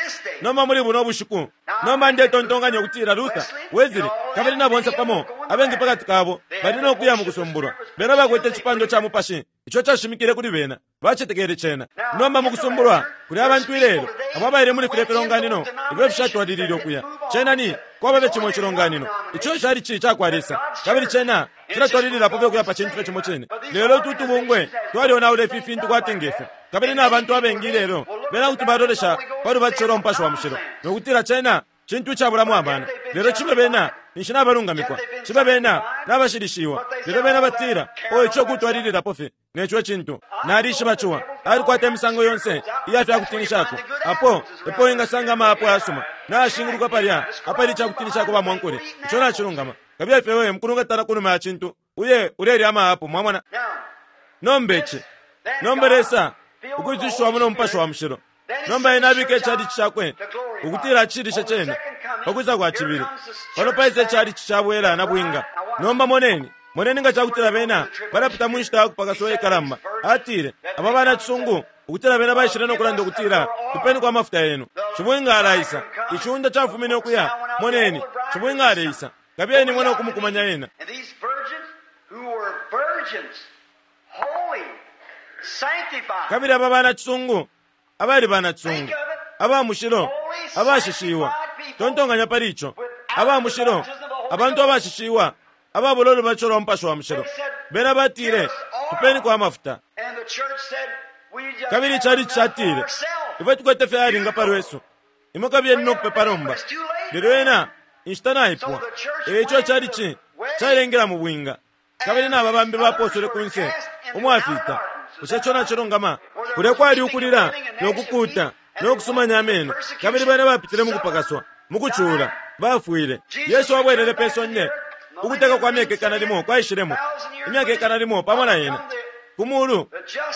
nomba muli buno bushiku, nomba ndetontonkanya ukutila Luther, Wesley kabili na bonse pamo abengi pakati kabo bali no kuya mukusumbulwa. Bena bakwete icipando ca Mupashi ico cashimikile kuli bena, bacetekele cena. Nomba mukusumbulwa kuli abantu ilelo abo abaile muli filya filonganino ifyo fishatwalilile ukuya. Cena ni kwaba fye cimo icilonganino ico cali ci cakwa Lesa, kabili cena cilatwalililapo fye ukuya pa cintu fye cimo cine. Lelo utu tubungwe twalionaula ifi fintu kwati ngefyo, kabili na bantu abengi ilelo bena kuti balolesha pa lubatisho lwa Mupashi wa Mushilo no kutila cena cintu icabulamo amano. Lelo cibe bena ninshi nabalungamikwa, cibe bena nabashilishiwa, lelo bena batila o ico kutwalililapo fye. Neco cintu nalishiba ciwa alikwata imisango yonse iya fyakutinishako apo epo wingasanga amaapo ayasuma nashinguluka palya apali icakutinishako bamwankole. Ico nacilungama. Kabili fye wewe mukulungatana kunuma ya cintu uye ulelya amaapo mwamona. Nomba ici nomba Lesa ukwisushiwamo no Mupashi wa Mushilo nomba ena abika icalici cakwe ukutila acilishe cene pakwisa kwa cibili. Pano paisa icalici cabwela na bwinga. Nomba moneni moneni nga cakutila bena balapita mu nshita yakupakaswa ikalamba. Atile aba bana cisungu ukutila bena baishile no kulanda ukutila tupeni kwa mafuta yenu. Cibwinga alaisa iciunda cafumine ukuya. Moneni cibwinga aleisa kabiyeni mwena okumukumanya ena. Kabili aba bana cisungu abali bana cisungu aba mushilo abashishiwa tontonganya pali ico aba mushilo abantu abashishiwa ababulo lubacho lwa Mupashi wa Mushilo bena batile tupeni kwa mafuta. Kabili cali chatile ifwe tukwete fyalinga palwesu imwe kabiyeni nokupepa nomba. Lelo ena inshita naipwa eco cali ci calengela mu bwinga. Kabili naba bambi baposole kunse umwafita. Bushe ico nacilungama? Kulya kwali ukulila nokukuta nokusumanya ameno. Kabili bena bapitile mukupakaswa mukucula bafwile. Yesu abwelele pe sonde ukuteka kwa myaka ikana limo kwaishilemo imyaka ikana limo pamo na ena kumulu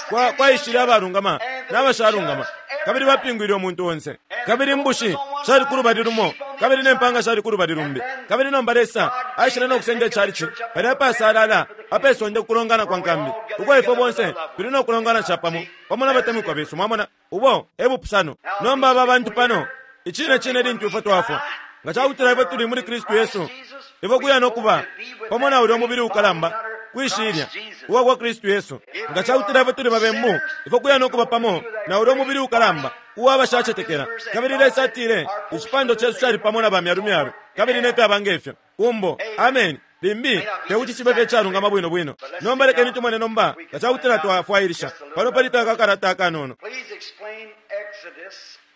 kwa kwaishile abalungama n'abashalungama. Kabili bapingwile umuntu onse. Kabili mbushi shali kulubali lumo kabili nempanga shali kulubali lumbi. Kabili nomba Lesa aishile nokusenda icalici palya apasalala apesonde kukulongana kwa nkambi uko ifwe bonse tuli nokulongana capamo pamo n'abatemwikwa besu. Mwamona ubo ebupusano. Nomba aba bantu pano icine cine lintu ifwe twafwa nga cakutila ifwe tuli muli Kristu Yesu ifwe kuya nokuba pamo na ulya umubili ukalamba kwishilya uwa kwa Kristu Yesu. Nga cakutila ifwe tuli babembu ifwe kuya nokuba pamo na ulya umubili ukalamba uwa bashacetekela. Kabili Lesa atile icipando cesu cali pamo na bamyalumyalu kabili nefyaba ngefyo kumbo. Amen. Limbi tekuti cibe fye calungama bwino bwino. Nomba lekeni tumone nomba nga cakutila twafwailisha pano pali takakalata akanono.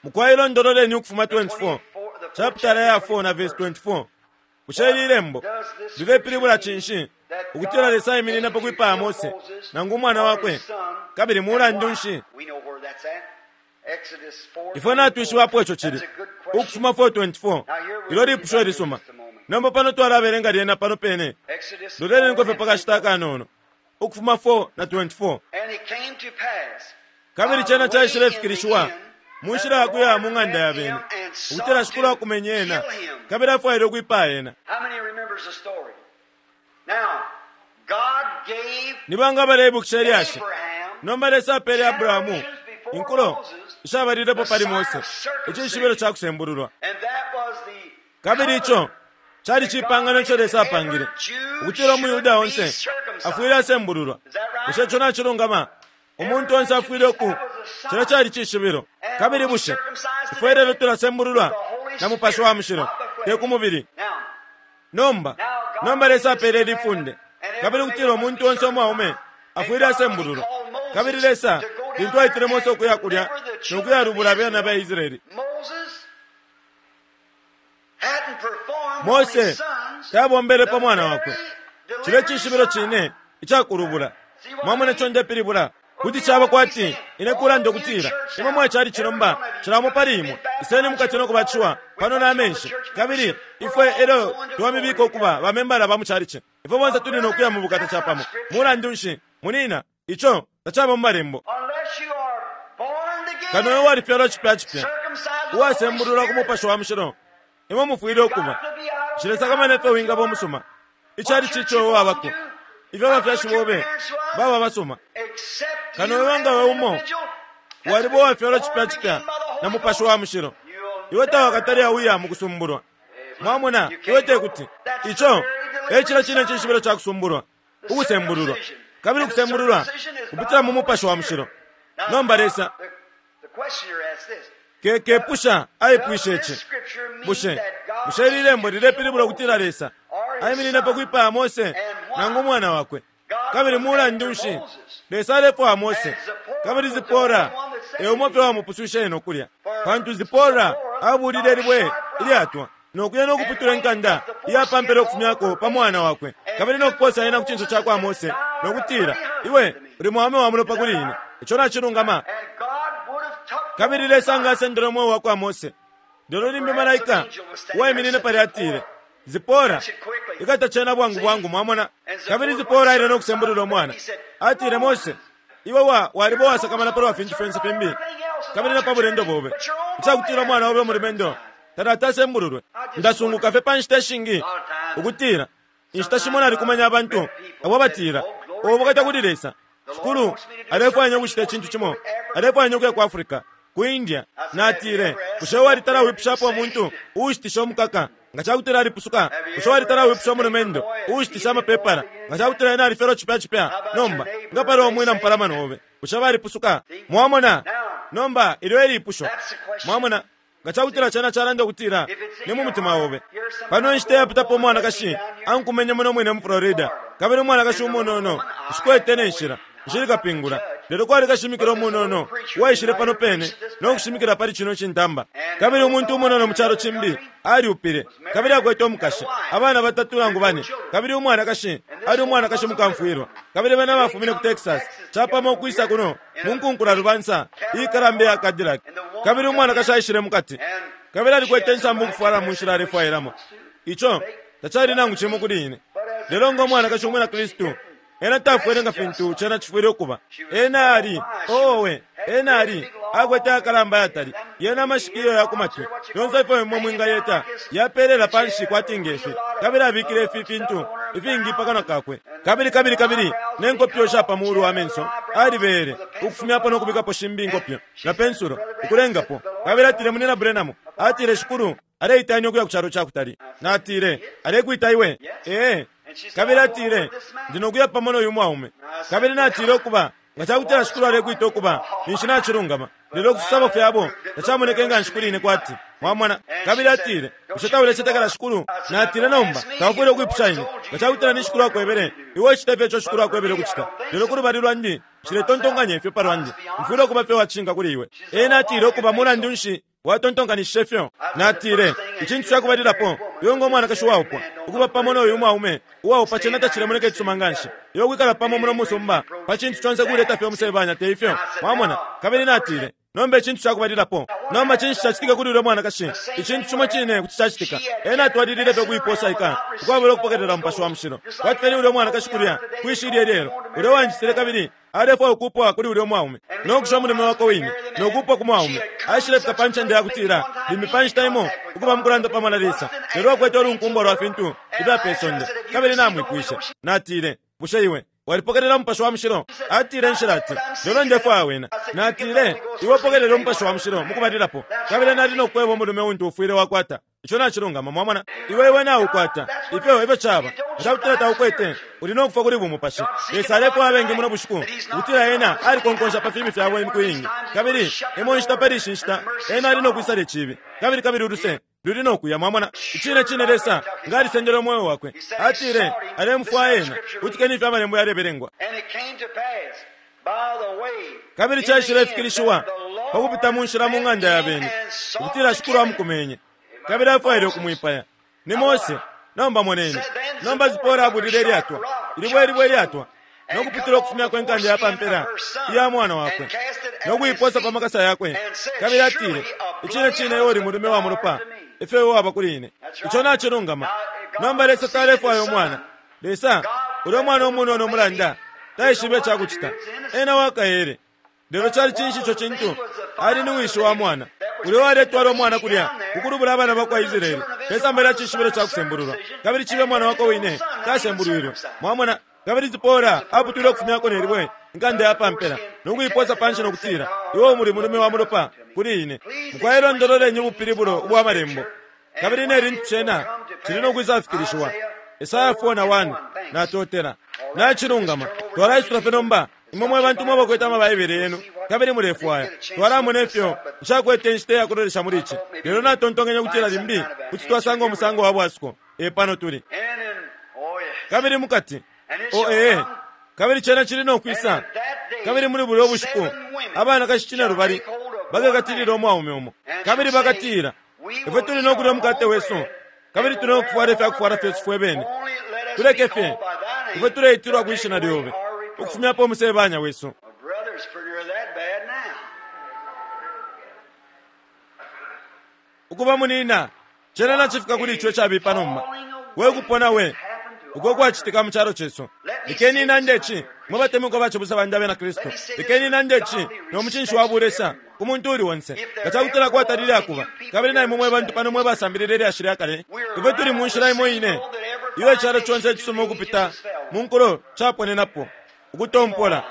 Mukwai londololeni Ukufuma twenty-four chapter ya four na verse twenty-four. Bushe ili lembo lilepilibula cinshi ukutila Lesa aiminina pa kwipaya Mose nangu umwana wakwe kabili mulandu nshi? Ifwe natwishiwapo ico cili Ukufuma four twenty-four. Ilo lipusho ilisuma. Nomba pano twalabelenga lyena pano pene. Loleni fye pakashita akanono. Ukufuma four na twenty-four. Kabili cena caishilefikilishiwa mu nshila yakuya mu ng'anda ya bene ukutila Shikulu akumenye ena kabili afwaile ukwipaya ena. Ni banga baleibukisha ilyashi? Nomba Lesa apele Abrahamu inkulo ishabalilepo pali Mose icishibilo ca kusembululwa. Kabili ico cali cipangano ico Lesa apangile ukutila umuyuda onse afwile asembululwa. Bushe ico nacilungama? Umuntu onse afwile oku cila cali cishibilo. Kabili bushe ifwe lelo tulasembululwa na Mupashi wa Mushilo te ku mubili? Nomba nomba Lesa apele lifunde kabili ukutila umuntu onse umwaume afwile asembululwa. Kabili Lesa lintu aitile Mose ukuya kulya nokuyalubula abana ba Israeli, Mose tabombele pa mwana wakwe. Cile cishibilo cine icakulubula. Mwamona ico ndepilibula? Kuti caba kwati ine kulanda ukutila imwe mwacali cilomba cilamo pali imwe iseni mukati nokubaciwa pano na amenshi. Kabili ifwe elyo twamibika ukuba bamembala ba mucalici ifwe bonse tuli nokuya mu bukata capamo. Mulandu nshi munina ico tacaba mu malembo. Kano iwe walifyalwa cipya cipya uwasembululwa ku Mupashi wa Mushilo imwe mufwile ukuba nshilesakamana ifyo wingaba umusuma icali cico wabako ifyo abafyashi bobe baba basuma. Kano iwe nga we umo waliba uwafyalwa cipya cipya na Mupashi wa Mushilo iwe tawakatali auya mu kusumbulwa. Mwamona iwe tekuti ico ecilo cine cishibilo ca kusumbulwa ukusembululwa. Kabili kusembululwa kupitila mu Mupashi wa Mushilo. Nomba Lesa kekepusha aipwishe ici bushe bushe ili lembo lilepilibula ukutila Lesa aiminina pa kwipaya Mose nangu umwana wakwe? Kabili mulandu nshi Lesa alefwaya Mose kabili Zipora eumo fye wamupuswishe eno kulya? Pantu Zipora abulile libwe ilyatwa nokuya nokuputula inkanda iyapampele okufumyako pa mwana wakwe kabili nokuposa ena ku cinso ca kwa Mose nokutila, iwe uli mwaume wa mulopa kuli ine. Ico nacilungama. Kabili Lesa nga asendele umweo wakwa Mose. Lelo limbi malaika uwaiminine palya atile, Zipora, ikata cena bwangu bwangu, mwamona. Kabili Zipora aile no kusembulula umwana. Atile, Mose, iwe wa walibo wasakamana palwa fintu fyonse fimbi kabili na pa bulendo bobe, icakutila umwana obe umulumendo tatatasembululwe. Ndasunguka fye pa nshita ishingi ukutila inshita shimo nalikumanya abantu abo batila, ubukata kuli Lesa, Shikulu alefwaya ukucita icintu cimo, alefwaya ukuya ku Africa, ku India. Natile, bushe walitala wipushapo umuntu uushitisha umukaka nga cakutila alipusuka? Bushe walitala wipusha umulumendo uushitisha amapepala nga cakutila ena alifyalwa cipya cipya? Nomba nga pali umwina mupalamano obe, bushe balipusuka? Mwamona? Nomba ilyo elipusho. Mwamona? Nga cakutila cena calanda ukutila ni mu mutima obe. Pano inshita yapitapo umwanakashi ankumenye muno mwine mu Florida, kabili umwanakashi umunono nshikwete ne nshila, nshili kapingula, lelo kwali kashimikila umunono uwaishile pano pene no kushimikila pali cino cintamba. Kabili umuntu umunono mu calo cimbi aliupile, kabili akwete umukashi, abana batatu nangu bane, kabili umwanakashi ali umwanakashi mukamfwilwa. Kabili bena bafumine ku Texas capamo ukwisa kuno mu nkunkula lubansa iikalamba ya Cadillac. Kabili umwanakashi aishile mukati, kabili alikwete insambu ukufwala mu nshila alefwailamo. Ico tacali nangu cimo kuli ine. Lelo ngo mwanakashi umwina Kristu, ena tafwele nga fintu cena cifwile ukuba. Ena ali, owe, ena ali akwete akalamba yatali, yena amashikiyo ya kumatwi yonse ifyo imwe mwingayeta yapelela panshi kwati ngefi, kabili abikile ifi fintu ifingi pakanwa kakwe, kabili kabili kabili ne nkopyo sha pa mulu wa menso alibele ukufumyapo no kubikapo shimbi inkopyo na pensulo ukulengapo. Kabili atile, Munina Branham, atile, Shikulu aleitanya ukuya ku calo cakutali. Natile, alekwita iwe? Ee. Kabili atile, ndi nokuya pamo noyu mwaume. Kabili natile, ukuba nga cakutila Shikulu alekwita ukuba, ninshi nacilungama. Lelo kususabo fyabo tacamoneke nga nshi kuli ine kwati. Mwamona? Kabili atile, bushe taulecetekela Shikulu? Natile, nomba taufwile ukwipusha ine. Nga cakutila ni Shikulu akwebele, iwe ucite fye ico Shikulu akwebele ukucita. Lelo ku lubali lwandi, nshiletontonkanya ifyo palwandi. Mfwile ukuba fye uwacishinka kuli iwe. Ena atile, ukuba mulandu nshi watontonkanishishe fyo? Natile, icintu cakubalilapo, iwe ngo mwanakashi waupwa, ukuba pamo noyu mwaume uwaupa cena tacilemoneka icisuma nganshi. Iwe kwikala pamo muno musumba pa cintu conse kuleta fye umusebanya, te ifyo? Mwamona? Kabili natile, nomba icintu cakubalilapo, nomba cinshi cacitika kuli ulya mwanakashi? Icintu cimo cine kuti cacitika. Ena atwalilile fye ukuiposaika ukwabula ukupokelela Mupashi wa Mushilo. Kwati fye ni ulya mwanakashi kulya kwishilya ilyelo, ulya wanjitile kabili alefwaya ukupwa kuli ulya mwaume no kusha umulume wakwe wine no kupwa ku mwaume. Aishilefika pa ncende yakutila limbi pa nshita imo ukuba mukulanda pamo na Lesa, lelo akwete ulunkumbwa lwa fintu ifya pe sonde. Kabili namwipwishe, natile, bushe iwe walipokelela Mupashi wa Mushilo? Atile, nshila ati, lelo ndefwaya wena. Natile, iwe upokelele Umupashi wa Mushilo mukubalilapo, kabili nali nokweba umulume untu ufwile wakwata. Ico nacilungama, mwamona? Iwe iwe naukwata ifyo efyo caba. Nga cakutila taukwete, uli nokufwa kuli bumupashi. Lesa alefwaya abengi muno bushiku ukutila ena alikonkonsha pa fimi fyabo imiku iingi, kabili imo nshita pali ishi nshita ena ali nokwisala icibi, kabili kabili uluse luli nokuya. Mwamona? Icine cine Lesa nga alisendele umweo wakwe. Atile alemufwaya ena. Kutikeni ifyo amalembo yalebelengwa. Kabili caishilefikilishiwa pakupita mu nshila mu ng'anda ya beni, ukutila Shikulu amukumenye, kabili afwaile ukumwipaya. Ni Mose. Nomba moneni. Nomba Zipora abulile ilyatwa, ilibwe ilibwe ilyatwa, no kuputula ukufumyako inkanda ya pampela iya mwana wakwe, no kuiposa pa makasa yakwe. Kabili atile, icine cine iwe uli mulume wa mulopa, ifyo iwe waba kuli ine. Ico nacilungama. Nomba Lesa talefwaya umwana. Lesa, ulya mwana umunono umulanda, taishibe icakucita. Ena wakaele. Lelo cali cinshi ico cintu? Ali ni wishi wa mwana ulya waletwala umwana kulya kukulubula abana bakwa Israeli pesamba lya cishibilo ca kusembululwa, kabili cibe mwana wakwe wine tasembulwilwe. Mwamona? Kabili Zipora aputwile ukufumyako nelibwe inkanda ya pampela no kuiposa panshi no kutila, iwe umuli mulume wa mulopa kuli ine. Mukwai ubupilibulo ubwa malembo, kabili ne lintu cena cili no kwisafikilishiwa. Esaya four na one. Natotela. Nacilungama. Twalaisula fye nomba. Imwe mwe bantu mwe bakwete amabaibele yenu kabili mulefwaya, twalamona ifyo nshakwete inshita ya kulolesha muli ici, lelo natontonkanya kutila limbi kuti twasanga umusango wa bwasuko. E pano tuli. Kabili mukati o ee, kabili cena cili no kwisa, kabili muli bulyo bushiku abanakashi cine lubali bakakatilila umwaume umo, kabili bakatila, ifwe tuli no kulya umukate wesu, kabili tuli no kufwala ifya kufwala fyesu fwe bene, tuleke fye ifwe tuleitilwa kwishina lyobe, ukufumyapo umusebanya wesu. Ukuba munina cena nacifika kuli ico icabipa nomba, we kupona we uko kwacitika mu calo cesu. Lekeni nande ici, mwe batemwikwa bacibusa bandi abena Kristu, lekeni nande ici no mucinshi wa bulesa ku muntu uli onse, nga cakutila kwatalile akuba. Kabili na imwe mwe bantu pano mwe basambilile ilyashi lya kale, ifwe tuli mu nshila imo ine iyo icalo conse icisuma ukupita mu nkulo caponenapo, ukutompola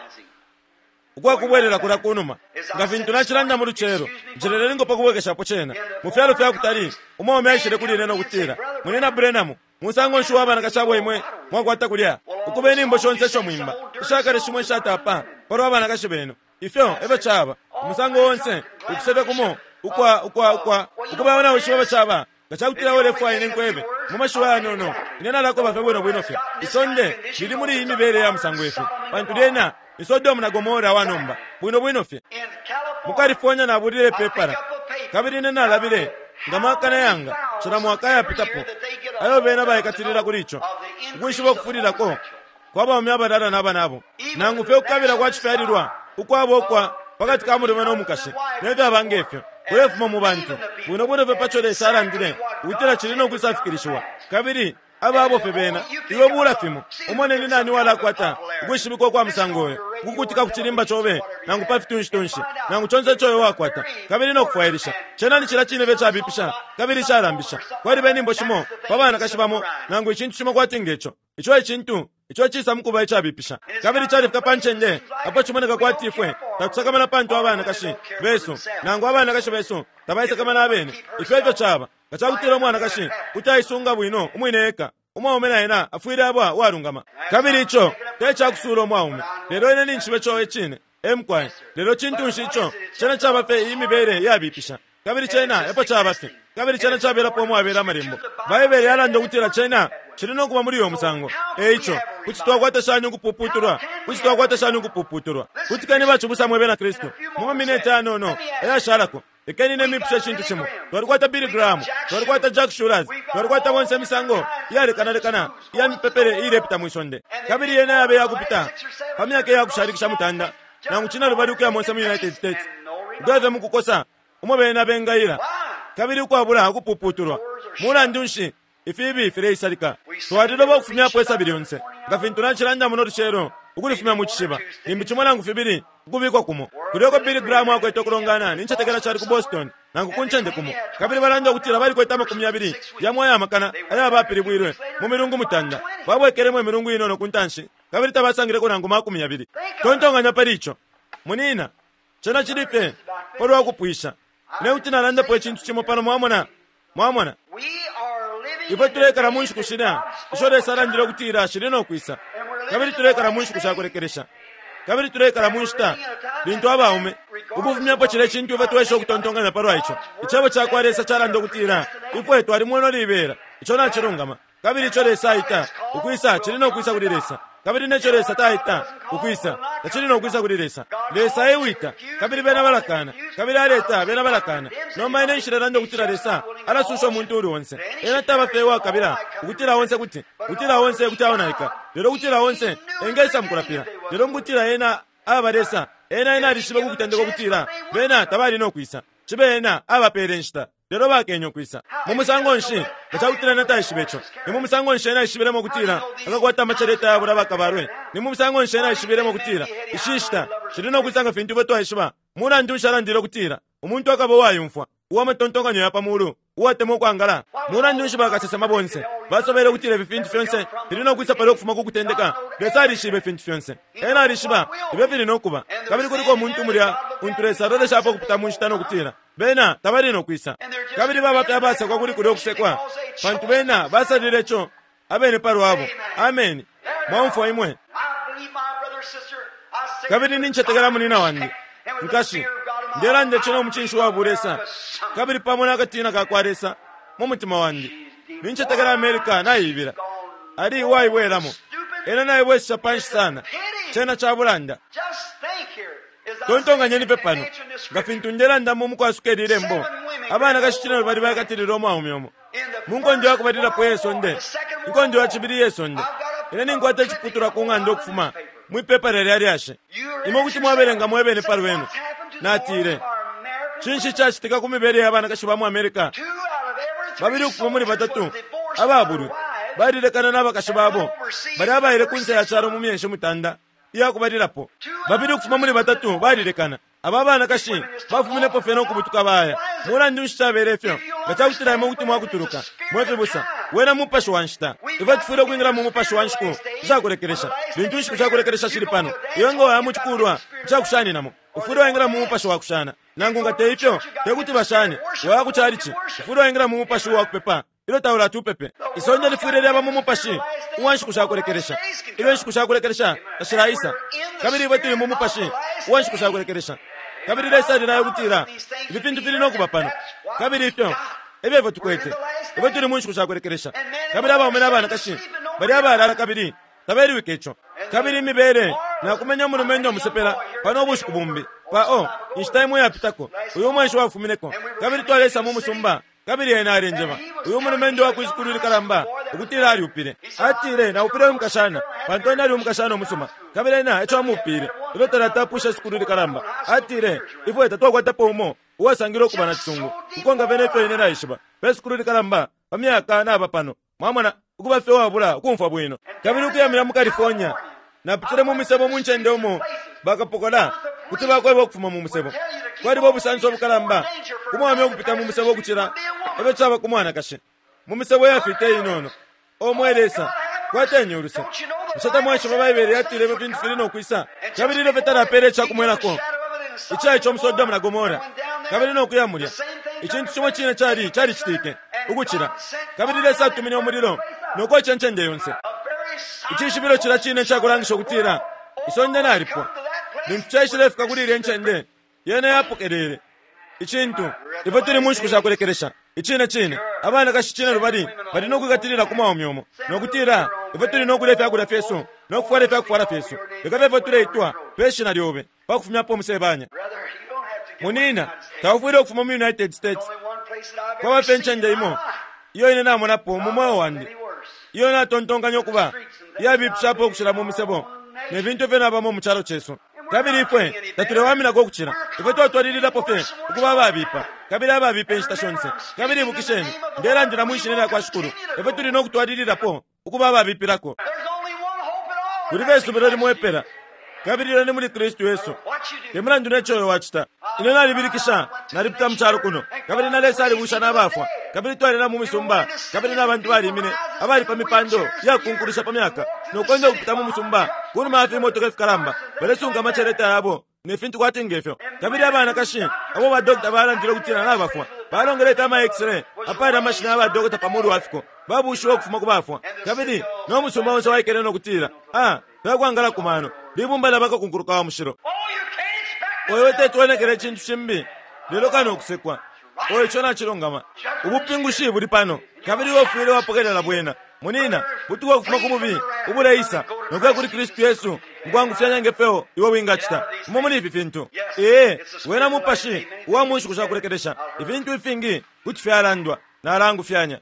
ukwakubwelela kulya kunuma. Nga fintu nacilanda mu lucelo, njeleleningo pakubwekeshapo cena mu fyalo fya kutali, umwaume aishile kuli ine no kutila, Munina Branham, musango nshi wa banakashi abo imwe mwakwata kulya, ukuba inyimbo shonse isho mwimba ishakale shimo ishatapa palwa banakashi benu. Ifyo efyo caba umusango onse ukusefya kumo ukwa ukwa ukwa ukuba nawishiba efyo caba. Nga cakutila ulefwaya ine nkwebe mu mashiwi ayanono, ine nalakweba fye bwino bwino fye. Isonde lili muli iyi mibele ya musango ifi, pantu lyena ni Sodomu na Gomora wa nomba, bwino bwino fye. Mu California nabulile ipepala, kabili ine nalabile nga mwakana yanga cila mwaka ayapitapo ayo bena baikatilila kuli ico, ukwishiba ukufulilako kwa baume abalala na banabo, nangu fye ukukabila kwa cifyalilwa ukwabo ukwa pakati ka mulume no mukashi nefyaba ngefyo kulefuma mu bantu bwino bwino fye paco Lesa alandile ukutila cili no kwisafikilishiwa. Kabili ababo fye bena iwe bula fimo umone ni nani walakwata ukwishibikwa kwa musango uyo, ukukutika ku cilimba cobe nangu pa fitunshi-tunshi nangu conse ico iwe wakwata, kabili no kufwailisha. Cena ni cila cine fye cabipisha kabili calambisha. Kwaliba inyimbo shimo pa banakashi bamo nangu icintu cimo kwati ngeco, ico icintu ico cisa mukuba icabipisha, kabili califika pa ncende apo cimoneka kwati ifwe tatusakamana pantu abanakashi besu nangu abanakashi besu tabaisakamana abene. Ifyo ifyo caba. Nga cakutila umwanakashi kuti aisunga bwino umwine eka, umwaume na ena afwile aba uwalungama. Kabili ico te cakusuula umwaume, lelo ine ninjishiba ico icine emukwaye. Lelo cintu nshi ico? Cena caba fye iyi mibele yabipisha, kabili cena epo caba fye, kabili cena cabelapo umwabela amalembo. Baibele yalanda ukutila cena cili no kuba muli uyo musango. Eico kuti twakwata shani ukupuputulwa? Kuti twakwata shani ukupuputulwa? Kuti keni bacibusa mwe bena Kristu mu mamineti ayanono ayashalako, lekeni ine mipushe icintu cimo. Twalikwata Billy Graham, twalikwata Jack Shulers, twalikwata bonse imisango iyalekanalekana iya mipepele iilepita mwi sonde, kabili yena yabe yakupita pa myaka iyakushalikisha mutanda nangu cina lubali ukuya monse mu United States, ukuya mu kukosa umo bena bengaila kabili ukwabula ukupuputulwa. Mulandu nshi ifibi fileisalika? Twaliloba ukufumyapo isabi lyonse, nga fintu nacilanda muno lucelo, ukulifumya mu cishiba, limbi cimo nangu fibili ukubikwa kumo. Kulyoko Billy Graham akwete ukulongana nincetekela cali ku Boston nangu ku ncende kumo, kabili balanda ukutila balikwete amakumi yabili yamo ayamakana ayabapilibwilwe mu milungu mutanda. Babwekelemo imilungu inono ku ntanshi, kabili tabasangileko nangu makumi yabili. Tontonganya pali ico, munina, cena cili fye palwa kupwisha. Ine kuti nalandapo icintu cimo pano, mwamona, mwamona. Ifwe tulekala mu nshiku shilya isho Lesa alandile ukutila shili no kwisa, kabili tulekala mu nshiku shakulekelesha, kabili tulekala mu nshita lintu abaume ukufumyapo cile cintu ifwe twesha ukutontonkanya palwa ico. Icebo cakwa Lesa calanda ukutila ifwe twalimweno libela, ico nacilungama, kabili ico Lesa aita ukwisa cili no kwisa kuli Lesa, kabili neco Lesa taita ukwisa tacili no kwisa kuli Lesa. Lesa ewita, kabili bena balakana, kabili aleta bena balakana. Nomba ine nshilelanda ukutila Lesa alasusha umuntu uli onse. Ena taba fye uwakabila ukutila onse kuti ukutila onse kuti aonaika, lelo ukutila onse engesa mukulapila. Lelo mukutila ena aba Lesa, ena ena alishibe kukutendeka ukutila bena tabali no kwisa, cibe ena abapele inshita, lelo bakenye ukwisa. Mu musango nshi nga cakutila ena taishibe ico? Ni mu musango nshi ena aishibilemo ukutila akakwata amaceleta yabula bakabalwe? Ni mu musango nshi ena aishibilemo ukutila ishi nshita shili no kwisa nga fintu ifwe twaishiba? Mulandu nshi alandile ukutila umuntu akaba uwayumfwa, uwamatontonkanyo ya pa mulu, uwatemwa ukwangala? Mulandu nshi bakasesema bonse basobele ukutila ifi fintu fyonse fili no kwisa pali ukufuma ku kutendeka? Lesa alishiba ifintu fyonse, ena alishiba ifyo fili no kuba. Kabili kuliko umuntu mulya untu Lesa aloleshapo ukupita mu nshita no kutila bena tabali no kwisa, kabili baba fye abasekwa kuli kulya ukusekwa, pantu bena basalile ico abene palwabo. Ameni. Mwaumfwa imwe. Kabili nincetekela munina wandi nkashi, ndelanda ico no mucinshi wa bulesa, kabili pamo nakatina ka kwa Lesa mu mutima wandi. Nincetekela America naibila, ali uwaibwelamo, ena naibwesesha panshi sana. Cena cabulanda. Tontonganyeni pe pano, nga fintu ndelandamo mukwasuka ili lembo, abanakashi cine lubali baikatilila umwaume umo mu nkondo yakubalilapo ye sonde, inkondo ya cibili ye sonde. Ine ninkwata iciputulwa ku ng'anda ukufuma Mwipepala lya lyashi. Imwe kuti mwabelenga mwebene pa lwenu. Natile, cinshi cacitika ku mibele ya banakashi ba mu America? Babili ukufuma muli batatu ababulwi balilekana n'abakashi babo bali abaile ku nse ya calo mu myeshi mutanda iyakubalilapo. Babili ukufuma muli batatu balilekana. Aba banakashi bafuminepo fye no kubutuka baya. Mulandu nshi cabele ifyo? Nga cakutila imwe kuti mwakutuluka mwe fibusa, wena mupashi wa nshita. Ifwe tufwile ukwingila mu mupashi wa nshiku ishakulekelesha. Lintu inshiku shakulekelesha shili pano, iwe nga waya mu cikulwa icakushaninamo, ufwile waingila mu mupashi wa kushana. Nangu nga te ifyo, te kuti bashane. Waya ku chalichi, ufwile waingila mu mupashi wa kupepa ilyo taulati upepe. Isonde lifwile lyaba mu mupashi uwa nshiku shakulekelesha ilyo inshiku shakulekelesha tashilaisa. Kabili ifwe tuli mu mupashi uwa nshiku shakulekelesha. Kabili Lesa alilaya ukutila ifi fintu fili no kuba pano. Kabili ifyo efyo ifwe tukwete. Ifwe tuli mu nshiku shakulekelesha. Kabili abaume n'abanakashi bali abalala kabili tabeliwike ico. Kabili imibele nakumenya umulumendo umusepela pano ubushiku bumbi pa o inshita imwe yapitako, uyu mwenshi wafumineko. Kabili twalesa mu musumba. Kabili ena alenjeba uyu mulumendo wa kwisukulu likalamba ukutila aliupile. Atile, naupile umukashana pantu ena ali umukashana umusuma. Kabili ena eco amuupile ilyo talatapwisha isukulu likalamba. Atile, ifwe tatwakwatapo umo uwasangile ukuba na cisungu kukonka fye nefyo ine naishiba pe sukulu likalamba pa myaka naba pano. Mwamona, ukuba fye wabula ukumfwa bwino. Kabili ukuyamina mu California, napitile mu misebo mu ncende umo bakapokola kuti bakweba ukufuma mu musebo. Kwaliba ubusanso obukalamba kumwame ukupita mu musebo ukucila efyo caba ku mwanakashi mu misebo yafita inono. O mwe Lesa, kwateni uluse. Bushe tamwaishiba Baibele yatile ifyo fintu fili no kwisa? Kabili ilyo fye talapele icakumwenako icaico mu Sodomu na Gomora, kabili no kuya mulya, icintu cimo cine cali calicitike ukucila. Kabili Lesa atumine umulilo no koca incende yonse. Icishibilo cila cine cakulangisha ukutila isonde nalipwa. Lintu caishilefika kuli ilya ncende, yena yapokelele icintu. Ifwe tuli mu nshiku shakulekelesha. Icine cine abanakashi cine lubali bali no kwikatilila ku mwaume umo no kutila, ifwe tuli no kulya ifyakulya fyesu no kufwala ifyakufwala fyesu, leka fye ifwe tuleitwa pe shina lyobe pa kufumyapo umusebanya. Munina, taufwile ukufuma mu United States. Kwaba fye ncende imo iyo ine namonapo mu mweo wandi iyo natontonkanya ukuba iyabipishapo ukucila mu misebo ne fintu ifyo nabamo mu calo cesu. Kabili ifwe tatulewaminako ukucila. Ifwe twatwalililapo fye ukuba ababipa kabili ababipa inshita shonse. Kabili ibukisheni, ndelandila mwi shina lya kwa Shikulu, ifwe tuli no kutwalililapo ukuba ababipilako. Kuli besubilo limo epela, kabili ilyo ni muli Kristu Yesu. Te mulandu neco uyo wacita. Ine nalibilikisha, nalipita mu calo kuno, kabili na Lesa alibusha n'abafwa. Kabili twalina mu misumba, kabili n'abantu balimine abali pa mipando iyakunkulisha pa myaka no kwenda ukupita mu musumba kunuma ya fimotoka ifikalamba, balesunga amaceleta yabo ne fintu kwati ngefyo. Kabili abanakashi abo badokota balandile ukutila nabafwa balongele fye ama x-ray apali amashina ya badokota pa mulu wa fiko, babushiwe ukufuma ku bafwa. Kabili no musumba onse waikele no kutila, ah, fyakwangala ku mano libumba lya bakakunkuluka wa mushilo. Oyo tetwenekele icintu cimbi lelo kano ukusekwa. Oyo ico nacilungama. Ubupingushi buli pano, kabili iwe ufwile wapokelela bwena. Munina, butuka ukufuma ku bubi ubuleisa no kuya kuli Kristu Yesu mukwangufyanya ngefyo iwe wingacita umo muli ifi fintu. Ee, wena mupashi uwa mu nshiku shakulekelesha. Ifintu ifingi kuti fyalandwa nalangufyanya.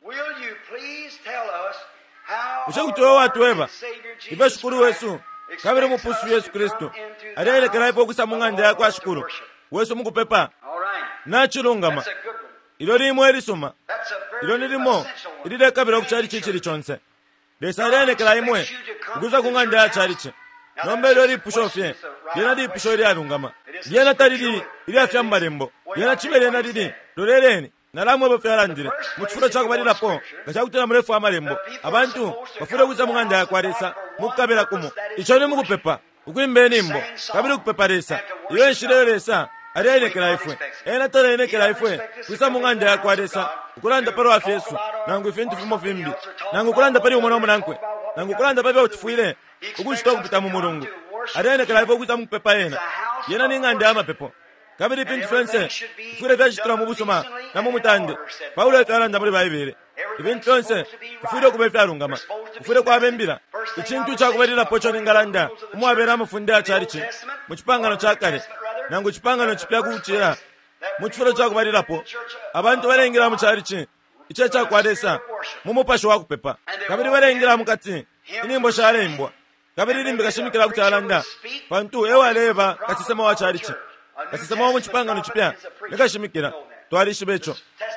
Bushe kuti iwe watweba ifyo Shikulu wesu kabili Umupusushi Yesu Kristu alielekela ifwe ukwisa mu ng'anda ya kwa Shikulu wesu mukupepa? Nacilungama. Ilyo limo ilisuma. Ilyo ni limo ililekabila ku chalichi icili conse. Lesa alienekela imwe ukwisa ku ng'anda ya chalichi. Nomba ilyo lipusho fye, lyena lipusho ilyalungama. Lyena talili ilyafya mu malembo. Lyena cibe lyena lili, loleleni, nalamweba fyalandile. Mu cifulo ca kubalilapo, nga cakutila mulefwa amalembo, abantu bafwile ukwisa mu ng'anda ya kwa Lesa mukukabila kumo. Ico ni mukupepa, ukwimba inyimbo, kabili ukupepa Lesa. Iyo enshila iyo Lesa alienekela ifwe. Ena talaenekela ifwe kwisa mu ng'anda ya kwa Lesa ukulanda palwa fyesu nangu ifintu fimo fimbi, nangu ukulanda pali umo no munankwe, nangu ukulanda pa fyo tufwile ukucita ukupita mu mulungu. Alienekela ifwe ukwisa mu kupepa ena. Yena ni ng'anda ya mapepo, kabili ifintu fyonse fifwile fyacitilwa mu busuma na mu mutande. Paulo efyo alanda muli Baibele, ifintu fyonse fifwile ukuba ifyalungama, kufwile kwaba imbila. Icintu icakubalilapo ico ningalanda umwabela amafunde ya chalichi mu cipangano ca kale nangu cipangano cipya kucila mu cifulo ca kubalilapo, abantu balengela mu chalichi ico ca kwa Lesa mu mupashi wa kupepa, kabili balengela mukati inyimbo shaleimbwa Kabili limbi kashimikila kuti alanda, pantu e waleba kasesema wa chalichi, kasesema wa mu Cipangano Cipya ni kashimikila. Twalishiba ico.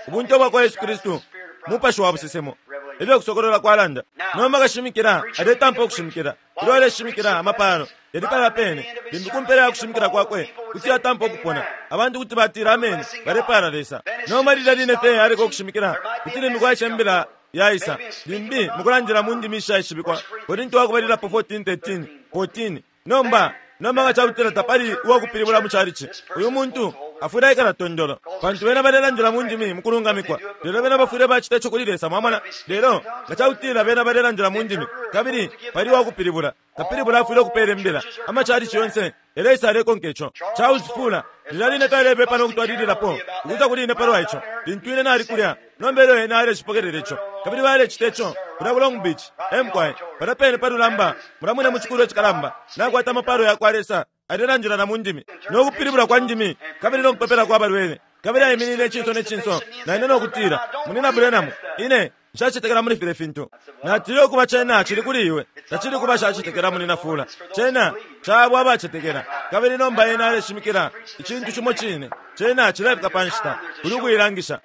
Ubunte bwa kwa Yesu Kristu mupashi wa busesemo, efyo kusokolola kwalanda. Nomba kashimikila aletampa ukushimikila. Ilyo aleshimikila amapalo yali pala pene, limbi kumpela ya kushimikila kwakwe kuti yatampa ukupona, abantu kuti batila ameni, balepala Lesa. Nomba lilya line fye aleka ukushimikila, kuti limbi kwaisha imbila yaisa, limbi mukulandila mu ndimi ishaishibikwa. Korinto wakubalilapo fourteen thirteen fourteen. Nomba nomba nga cakutila tapali uwakupilibula mu chalichi, uyu muntu afwile aikala tondolo, pantu bena balelandila mu ndimi mukulungamikwa, lelo bena bafwile bacita ico kuli Lesa, mwamona. Lelo nga cakutila bena balelandila mu ndimi kabili pali uwakupilibula, kapilibula afwile ukupeela imbila. Amachalichi yonse yaleisa alekonka ico. Charles Fuller lilya line talebepa no kutwalililapo ukuza kuli ine palwa ico lintu ine nali kulya. Nomba elyo ena alecipokelela ico, kabili balecita ico kulya ku Long Beach, emkwai palya pene pa lulamba mulamwine mu cikulu icikalamba. Nakwata amapalo yakwa Lesa, alelandila na mu ndimi no kupilibula kwa ndimi kabili no kupepela kwa balwele, kabili aiminine icinso ne cinso na ine no kutila, Munina Branham, ine nshacetekela muli filya fintu. Natile, ukuba cena cili kuli iwe, tacili kuba shacetekela munina Fula, cena cabo abacetekela. Kabili nomba ena aleshimikila icintu cimo cine, cena cilefika pa nshita kuli ukuilangisha.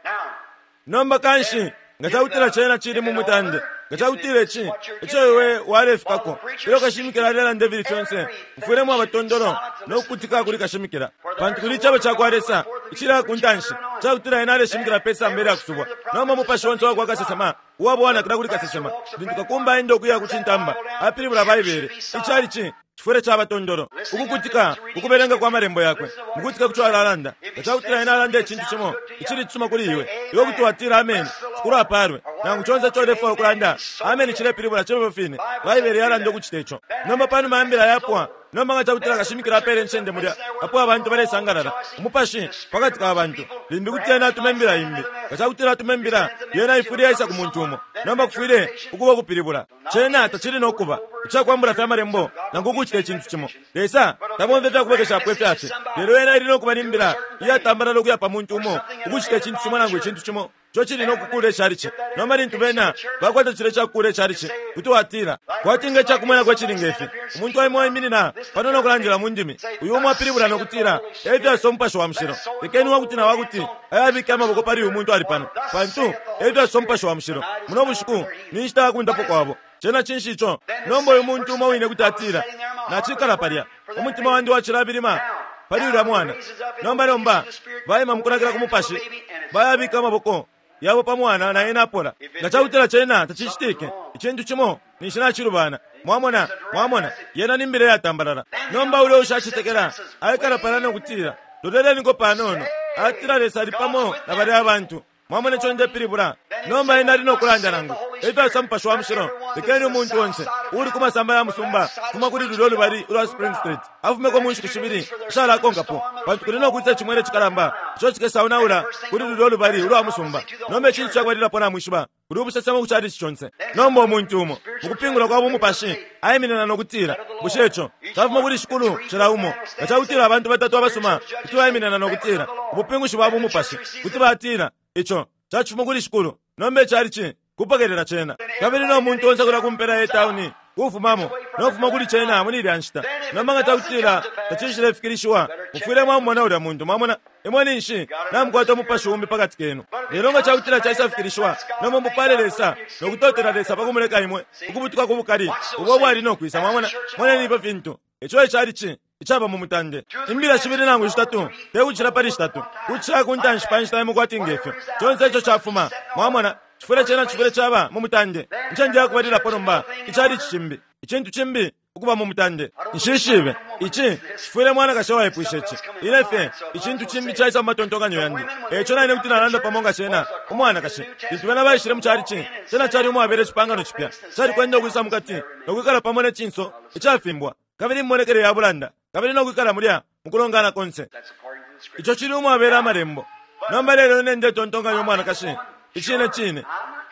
Nomba kanshi nga cakutila cena cili mu mutande, nga cakutila ici ico iwe walefikako, ilyo kashimikila alelanda ifili fyonse, mufwile mwaba tondolo no kukutika kuli kashimikila, pantu kuli icebo cakwa Lesa icili ku ntanshi cakutila ena aleshimikila pe samba ilya kusubwa. Nomba umupashi onse wakwa kasesema uwabwanakila kuli kasesema, lintu kakumba aenda ukuya ku cintamba apilibula Baibele, icalichi cifwile caba tondolo ukukutika ukubelenga kwa malembo yakwe, mukutika kuco alalanda. Nga cakutila ena alanda icintu cimo icili cisuma kuli iwe, iwe kuti watila ameni, Shikulu apalwe, nangu conse ico ulefwaya ukulanda ameni cilepilibula cebo fine. Baibele yalanda ukucita ico. Nomba panuma ya mbila yapwa, nomba nga cakutila kashimikila apele incende mulya apo abantu balesangalala umupashi pakati ka bantu, limbi kuti ena atume imbila imbi. Nga cakutila atume imbila, yena ifwile yaisa ku muntu umo. Nomba kufwile ukuba ukupilibula. Cena tacili no kuba icakwambula fya malembo nangu ukucita icintu cimo. Lesa tabomfya fyakubwekeshapo ifyafye, lelo yena ili no kuba ni mbila iyatambalala ukuya pa muntu umo ukucita icintu cimo nangu icintu cimo ico cili no kukula icalichi. Nomba lintu bena bakwata cile cakukula icalichi, kuti watila kwati nga icakumwenako icili ngefi, umuntu aimo aiminina pano no kulandila mu ndimi, uyu umo apilibula no kutila efyo asosa umupashi wa mushilo. Lekeni wakuti na wakuti ayabike amaboko pali uyu muntu ali pano, pantu efyo asosa umupashi wa mushilo. Muno bushiku ni nshita yakundapo kwabo. Cena cinshi ico? Nomba uyu muntu umo wine kuti atila, nacikala palya, umutima wandi wacilabilima pali ulya mwana. Nomba nomba baima mukunakila ku mupashi, bayabika amaboko yabo pa mwana na ena apola. Nga cakutila cena tacicitike, icintu cimo ninshi nacilubana. Mwamona, mwamona, yena ni mbila yatambalala. Nomba ulya ushacetekela aikala palya no kutila, loleleniko panono, atila Lesa ali pamo na balya abantu. Mwamona ico ndepilibula? Nomba ena ali no kulanda nangu efyo asosa umupashi wa mushilo, lekeni umuntu onse uuli ku masamba ya musumba fuma kuli lulya lubali ulwa Spring Street afumeko mu nshiku shibili ishalakonkapo, pantu kuli no kwisa icimwele cikalamba ico cikesaonaula kuli lulya lubali ulwa musumba. Nomba icintu cakubalilapo namwishiba, kuli ubusesemo ku chalichi conse. Nomba umuntu umo mukupingula kwa bumupashi aiminina no kutila, bushe ico cafuma kuli Shikulu cila umo? Nga cakutila abantu batatu abasuma kuti baiminina no kutila ubupingushi bwa bumupashi, kuti batila ico cacifuma kuli Shikulu. Nomba icalichi kupokelela cena, kabili no muntu onse kulya kumpela ye tauni kufumamo no kufuma kuli cena muli ilya nshita. Nomba nga cakutila tacishilefikilishiwa, mufwile mwamumona ulya muntu. Mwamona, imwe ninshi namukwata umupashi umbi pakati kenu. Lelo nga cakutila caisafikilishiwa, nomba mupale Lesa no kutotela Lesa pa kumuleka imwe ukubutuka ku bukali ubo bwali no kwisa. Mwamona, moneni ifyo fintu ico icalichi icaba mu mutande. Imbila shibili nangu shitatu, te kucila pali shitatu, kucila ku ntanshi pa nshita imo kwati ngefyo. Conse ico cafuma, mwamona, cifwile cena cifwile caba mu mutande. Incende yakubalilapo nomba icalichi cimbi, icintu cimbi ukuba mu mutande. Nshishibe ici cifwile mwanakashe waipwisha ici. Ine fye icintu cimbi caisa mu matontonkanyo yandi, eco naine kuti nalanda pamo nga cena umwanakashe. Lintu bena baishile mu calichi, cena cali umwabele icipangano cipya, cali kwenda ukwisa mukati no kwikala pamo ne cinso icafimbwa, kabili immonekele ya bulanda, kabili no kwikala mulya mukulongana konse. Ico cili umwabela amalembo. Nomba lelo ine ndetontonkanya umwanakashi icine cine.